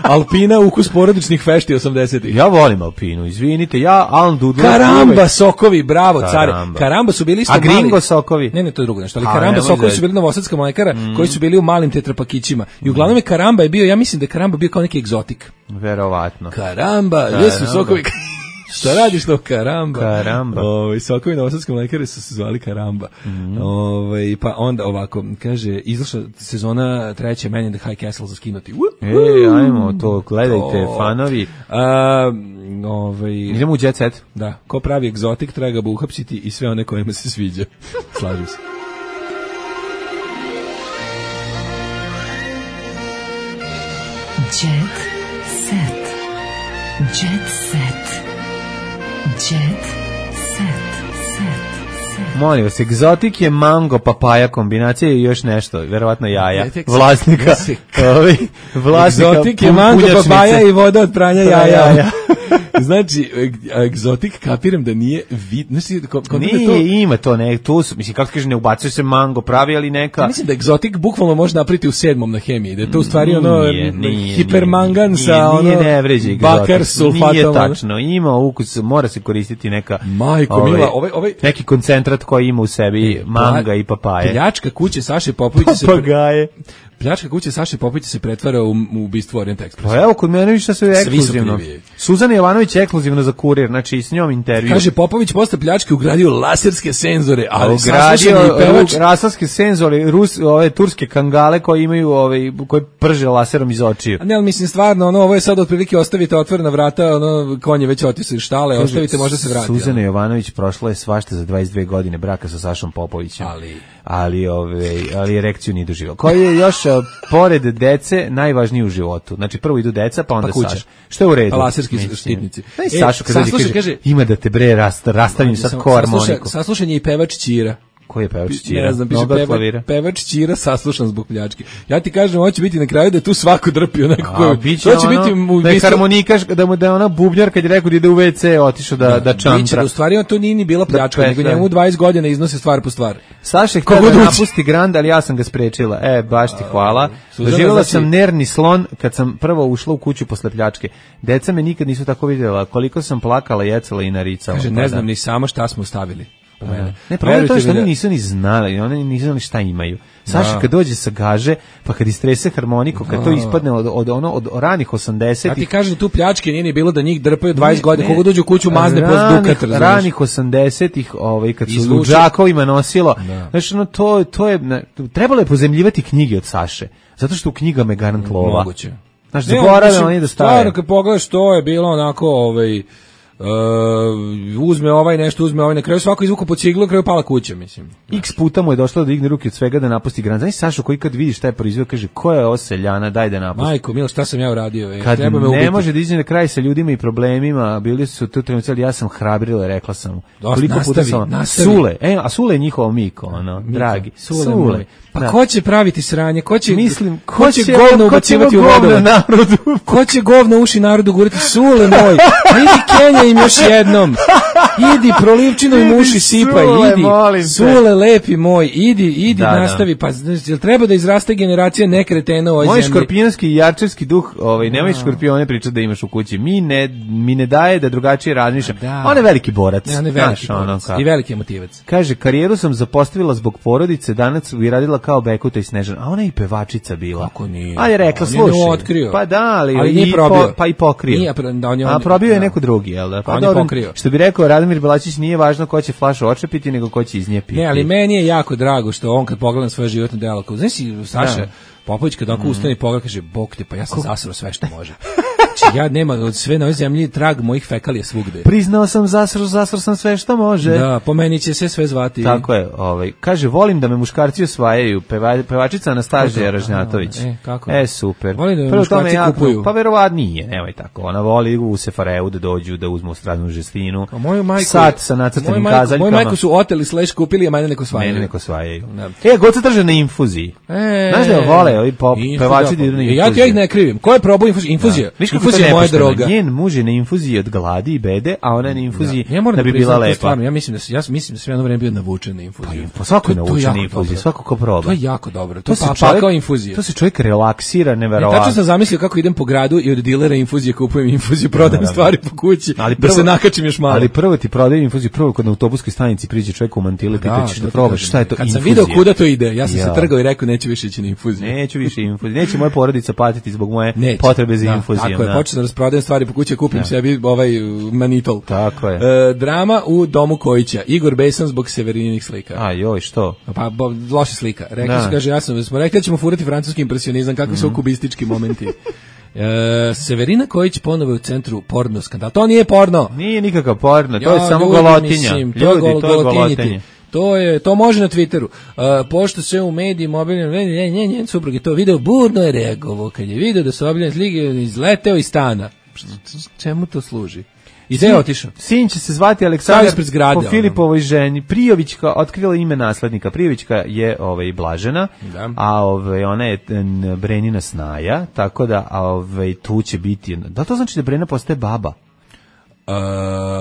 Alpina, ukus porodičnih fešti 80-ih. Ja volim Alpinu, izvinite, Alan Dudley. Karamba sokovi, bravo, care. Karamba su bili isto mali. A Gringo sokovi? Ne, to je drugo nešto, ali Karamba sokovi su bili Novosadska mlekara, koji su bili u malim tetrapakićima. I uglavnom je Karamba je bio, ja mislim da je Karamba bio kao neki egzotik. Verovatno. Karamba, jesu sokovi... Šta radiš to? Karamba. Sokovi Novosadske mlekare su se zvali Karamba. Pa onda ovako, kaže, izašla sezona 3. Man in the High Castle za skinuti. Ajmo, to gledajte, fanovi. Idemo u Jet Set. Da, ko pravi egzotik, treba ga uhapsiti i sve one kojima se sviđa. Slažem se. Jet Set. Jet Set. Jet Set. Molim vas, egzotik je mango, papaja kombinacija i još nešto, verovatno jaja. Vlasnika. Egzotik je mango, papaja i voda od pranja jaja. Znači, egzotik, kapiram da nije nije, ima to, ne, tu su, mislim, kako kaže, ne ubacuje se mango, pravi, ali neka... Ja mislim da egzotik bukvalno može napriti u 7. na hemiji, da je to u stvari hipermangan sa bakar sulfatom. Nije tačno, ima ukus, mora se koristiti neka... Majko, mila, neki koncentrat koji ima u sebi manga i papaje. Pljačka kuće Saše Popovića se... Pljačka kuće Saše Popovića se pretvara u ubistvo Orient Expressa. Pa evo, kod mene više sve ekskluzivno. Suzana Jovanović je ekskluzivno za Kurir, znači s njom intervju. Kaže, Popović posle pljačke ugradio laserske senzore, ali ugradio laserske senzore, ove turske kangale koji imaju, koji prže laserom iz očiju. Ne, ali mislim stvarno, ovo je sad otprilike ostavite otvorena vrata, konj je već otišao iz štale, ostavite, možda se vrati. Suzana Jovanović prošla je svašta za 22 godine braka sa Sašom Popovićem. Ali erekciju nije doživjela. Koji je još pored dece najvažniji u životu. Znači prvo idu deca, pa onda Saša. Što je u redu? Laserski štitnici. Saša kaže, ima da te bre rastavim sad ko harmoniku. Saslušan je i pevač Ćira. Ko je pevač Ćira? Ne znam, pevač Ćira saslušan zbog pljačke. Ja ti kažem, hoće biti na kraju da je tu svako drpio neko. To će biti da je harmonikaš, da je ona bubnjar kad je rekao da ide u WC, otišao da čantra. Biće, u stvari to nije ni bila pljačka, nego njemu 20 godina iznose stvar po stvar. Saša htio da napusti Grand, ali ja sam ga sprečila. Baš ti hvala. Doživjela sam nervni slon kad sam prvo ušla u kuću posle pljačke. Deca me nikad nisu tako vidjela, koliko sam plakala, jecala i naricala. Kaže, ne znam ni sama šta smo stavili. po mene. Ne, problem je to što oni nisu ni znali, oni nisu znali šta imaju. Saša kad dođe sa gaže, pa kad istrese harmoniku, kad to ispadne od ranih 80-ih. Ja ti kažem da tu pljačke nije ni bilo da njih drpaju 20 godina, koga dođe u kuću mazne po dukat, razumiješ. Ranih 80-ih, kad su u džakovima nosilo, znači to je, trebalo je pozemljivati knjige od Saše, zato što u knjigama je garant lova. Moguće. Znači, zaboravljamo oni da stave. Stvarno, kad pogledaš, to je bilo onako, uzme ovaj nešto, uzme ovaj, na kraju svako izvuku po ciglu, na kraju pala kuća, mislim. X puta mu je došlo da digne ruke od svega da napusti gran. Znaš Sašo koji kad vidi šta je proizveo, kaže, ko je ovo seljana, daj da napusti. Majko, milo, šta sam ja uradio? Kad ne može da izađe na kraj sa ljudima i problemima, bili su tu trenuci, ali ja sam hrabrila, rekla sam mu. Koliko puta sam Sule, a Sule je njihovo Miko, dragi. Sule. Pa ko će praviti sranje? Ko će, mislim, ko će govno ubacivati u vodovod? Ko će govno uši narodu gurati? Sule moj, a idi Kenja im još jednom. Idi prolivčino im uši sipaj, idi. Sule lepi moj, idi nastavi. Pa jel treba da izraste generacija nekretena u ovoj zemlji? Moj škorpionski i jarčevski duh, nemoj škorpione pričati da imaš u kući. Mi ne daje da drugačije razmišljam. On je veliki borac. Ne, on je veliki borac i veliki emotivac. Kaže, karijeru sam zapostavila zbog porodice, danas bi radila kao Bekuta i Snežana, a ona je i pevačica bila. Kako nije? Ali je rekla, slušaj. Pa da, ali nije probio. Pa i pokrio. A probio je neko drugi, jel da? Pa on je pokrio. Što bi rekao Radomir Belačić, nije važno ko će flašu očepiti, nego ko će iz nje piti. Ne, ali meni je jako drago što on kad pogleda svoje životno delo, znaš Saša Popović kad onako ustane i pogleda, kaže, bok te, pa ja sam zasrao sve što može. Znači, ja nema od sve na ovoj zemlji trag mojih fekalija svugde. Priznao sam, zasrao sam sve što može. Da, po meni će se sve zvati. Tako je, kaže, volim da me muškarci osvajaju, pevačica Anastažija Ražnjatović. Kako? Super. Volim da me muškarci kupuju. Pa verovatno nije, nemoj tako. Ona voli u Sefareu da dođu, da uzmu stranu žestinu. A moju majku, sat sa nacrtanim kazaljkama. Moju majku su oteli / kupili, a mene neko osvajaju. Goca trže na infuziji. Znaš da vole ovi pevači da idu na infuziju. Ja ih ne krivim. Ko je probao infuziju? Infuzija je moja droga. Njen muž je na infuziji od gladi i bede, a ona je na infuziji da bi bila lepa. Stvarno, ja mislim da sam jedno vreme bio navučen na infuziju. Pa svako je navučen na infuziju, svako ko proba. To je jako dobro. To je pakao infuzija. To se čovjek relaksira, neverovatno. Tačno sam zamislio kako idem po gradu i od dilera infuzije kupujem infuziju, prodajem stvari po kući, da se nakačim još malo. Ali prvo ti prodajem infuziju, prvo kod na autobuskoj stanici priđe čovjek u mantili, pita ćeš da probaš šta je to infuzija. Kad sam video kuda to ide, ja sam se trgao i rekao neću više ići na infuziju. Neću više infuziju. Neće moja porodica patiti zbog moje potrebe za infuzijom. Tako je, počeo da rasprodajem stvari po kući, kupim sebi manitol. Tako je. Drama u domu Kojića. Igor besan zbog Severininih slika. A joj, što? Pa loša slika. Rekli su, kaže, smo rekli da ćemo furati francuski impresionizam, kakvi su kubistički momenti. Severina Kojić ponovo je u centru porno skandala. To nije porno. Nije nikakav porno, to je samo golotinja. Ljudi, to je golotinja. To može na Twitteru. Pošto se u medijima njen suprug je to video, burno je reagovao kad je video da su objavljene slike, izleteo iz stana. Čemu to služi? I gde je otišao? Sin će se zvati Aleksandar po Filipovoj ženi. Prijovićka otkrila ime naslednika. Prijovićka je Blažena, a ona je Brenina snaja, tako da tu će biti. Da to znači da Brena postaje baba?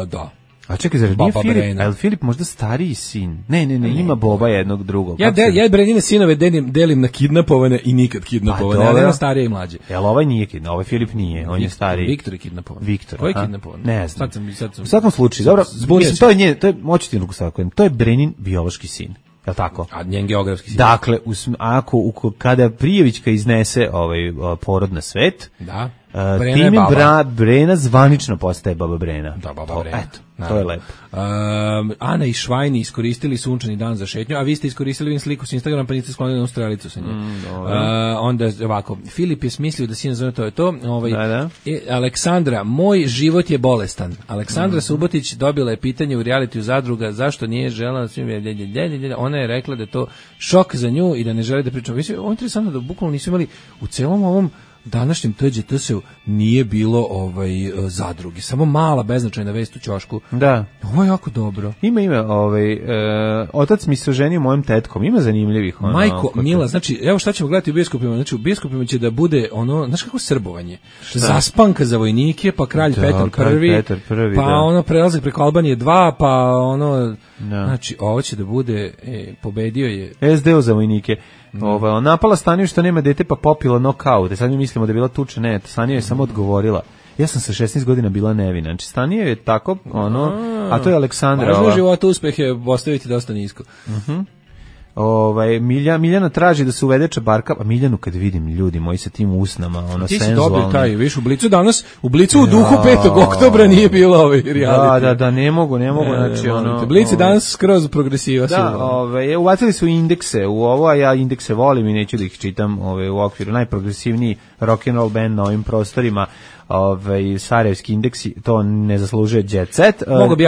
Da. A čekaj, zar nije Filip? A je li Filip možda stariji sin? Ne, ima Boba jednog drugog. Ja Brenine sinove delim na kidnapovane i nikad kidnapovane, ali na starije i mlađe. Jel ovaj nije kidnapovan, ovaj Filip nije, on je stariji. Viktor je kidnapovan. Ko je kidnapovan? Ne znam. U svakom slučaju, dobro, mislim, to je njen, moću ti to je Brenin biološki sin. Je li tako? A njen geografski sin. Dakle, kada Prijevićka iznese porod na svet, Brena zvanično postaje baba Brena. Da, baba Brena. Eto, to je lepo. Ana i Švajni iskoristili sunčani dan za šetnju, a vi ste iskoristili sliku s Instagrama, pa niste sklonili na strelicu sa nje. Onda ovako, Filip je smislio da sin zove to je to. Aleksandra, moj život je bolestan. Aleksandra Subotić dobila je pitanje u realitiju Zadruga zašto nije želela ona je rekla da je to šok za nju i da ne želi da pričamo. Ovo je interesantno da bukvalno nisu imali u celom ovom današnjem TGT-u nije bilo Zadruge, samo mala beznačajna vest u ćošku. Da. Ovo je jako dobro. Ima otac mi se oženio mojom tetkom, ima zanimljivih. Majko, mila, znači, evo šta ćemo gledati u bioskopima, znači u bioskopima će da bude znaš kako srbovanje? Zaspanka za vojnike, pa kralj Petar I, pa prelazak preko Albanije 2, pa znači, ovo će da bude, pobedio je SDO za vojnike. Napala Staniju što nema dete pa popila nokaut. Sad mi mislimo da je bila tuča, ne, Stanija je samo odgovorila. Ja sam sa 16 godina bila nevina. Znači, Stanija je tako, a to je Aleksandra. Važno u životu uspeh je postaviti dosta nisko. Miljana traži da se uvede čabarka, a Miljanu kad vidim ljudi moji sa tim usnama, ti senzualno. Si dobio taj, viš, u Blicu danas, u Blicu u duhu 5. oktobra nije bilo reality. Da, ne mogu, znači Blici danas skroz progresiva su. Da, uvacili su indekse u ovo, a ja indekse volim i neću da ih čitam u okviru. Najprogresivniji rock and roll band na ovim prostorima. Sarajevski indeksi, to ne zaslužuje Jet Set.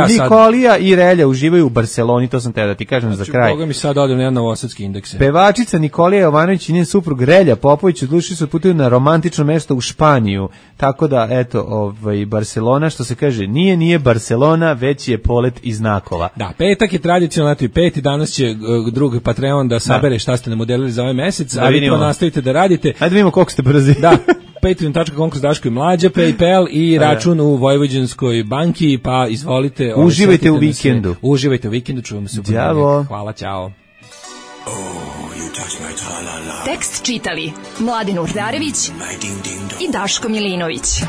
Nikolija i Relja uživaju u Barceloni, to sam te da ti kažem za kraj. Boga mi sad odem na jedan novosadski indeks. Pevačica Nikolija Jovanović i njen suprug Relja Popović odlučili su putuju na romantično mesto u Španiju. Tako da, eto, Barcelona, što se kaže, nije Barcelona, već je polet iz znakova. Da, petak je tradicionalno, i peti, danas će drugi Patreon da sabere šta ste nam modelili za ovaj mesec, a vi to nastavite da radite. Ajde vidimo koliko ste brzi. Da. Patreon.com kroz Daško i Mlađa, PayPal i račun u Vojvođanskoj banki, pa izvolite. Uživajte u vikendu. Uživajte u vikendu, čujemo se u ponedeljak. Hvala, ćao. Tekst čitali Mladin Urdarević i Daško Milinović.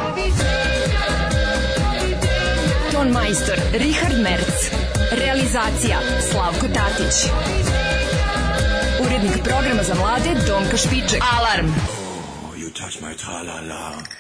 Ton majstor Richard Merc. Realizacija Slavko Tatić. Urednik programa za mlade Donka Špiček. Alarm! Touch my tra-la-la.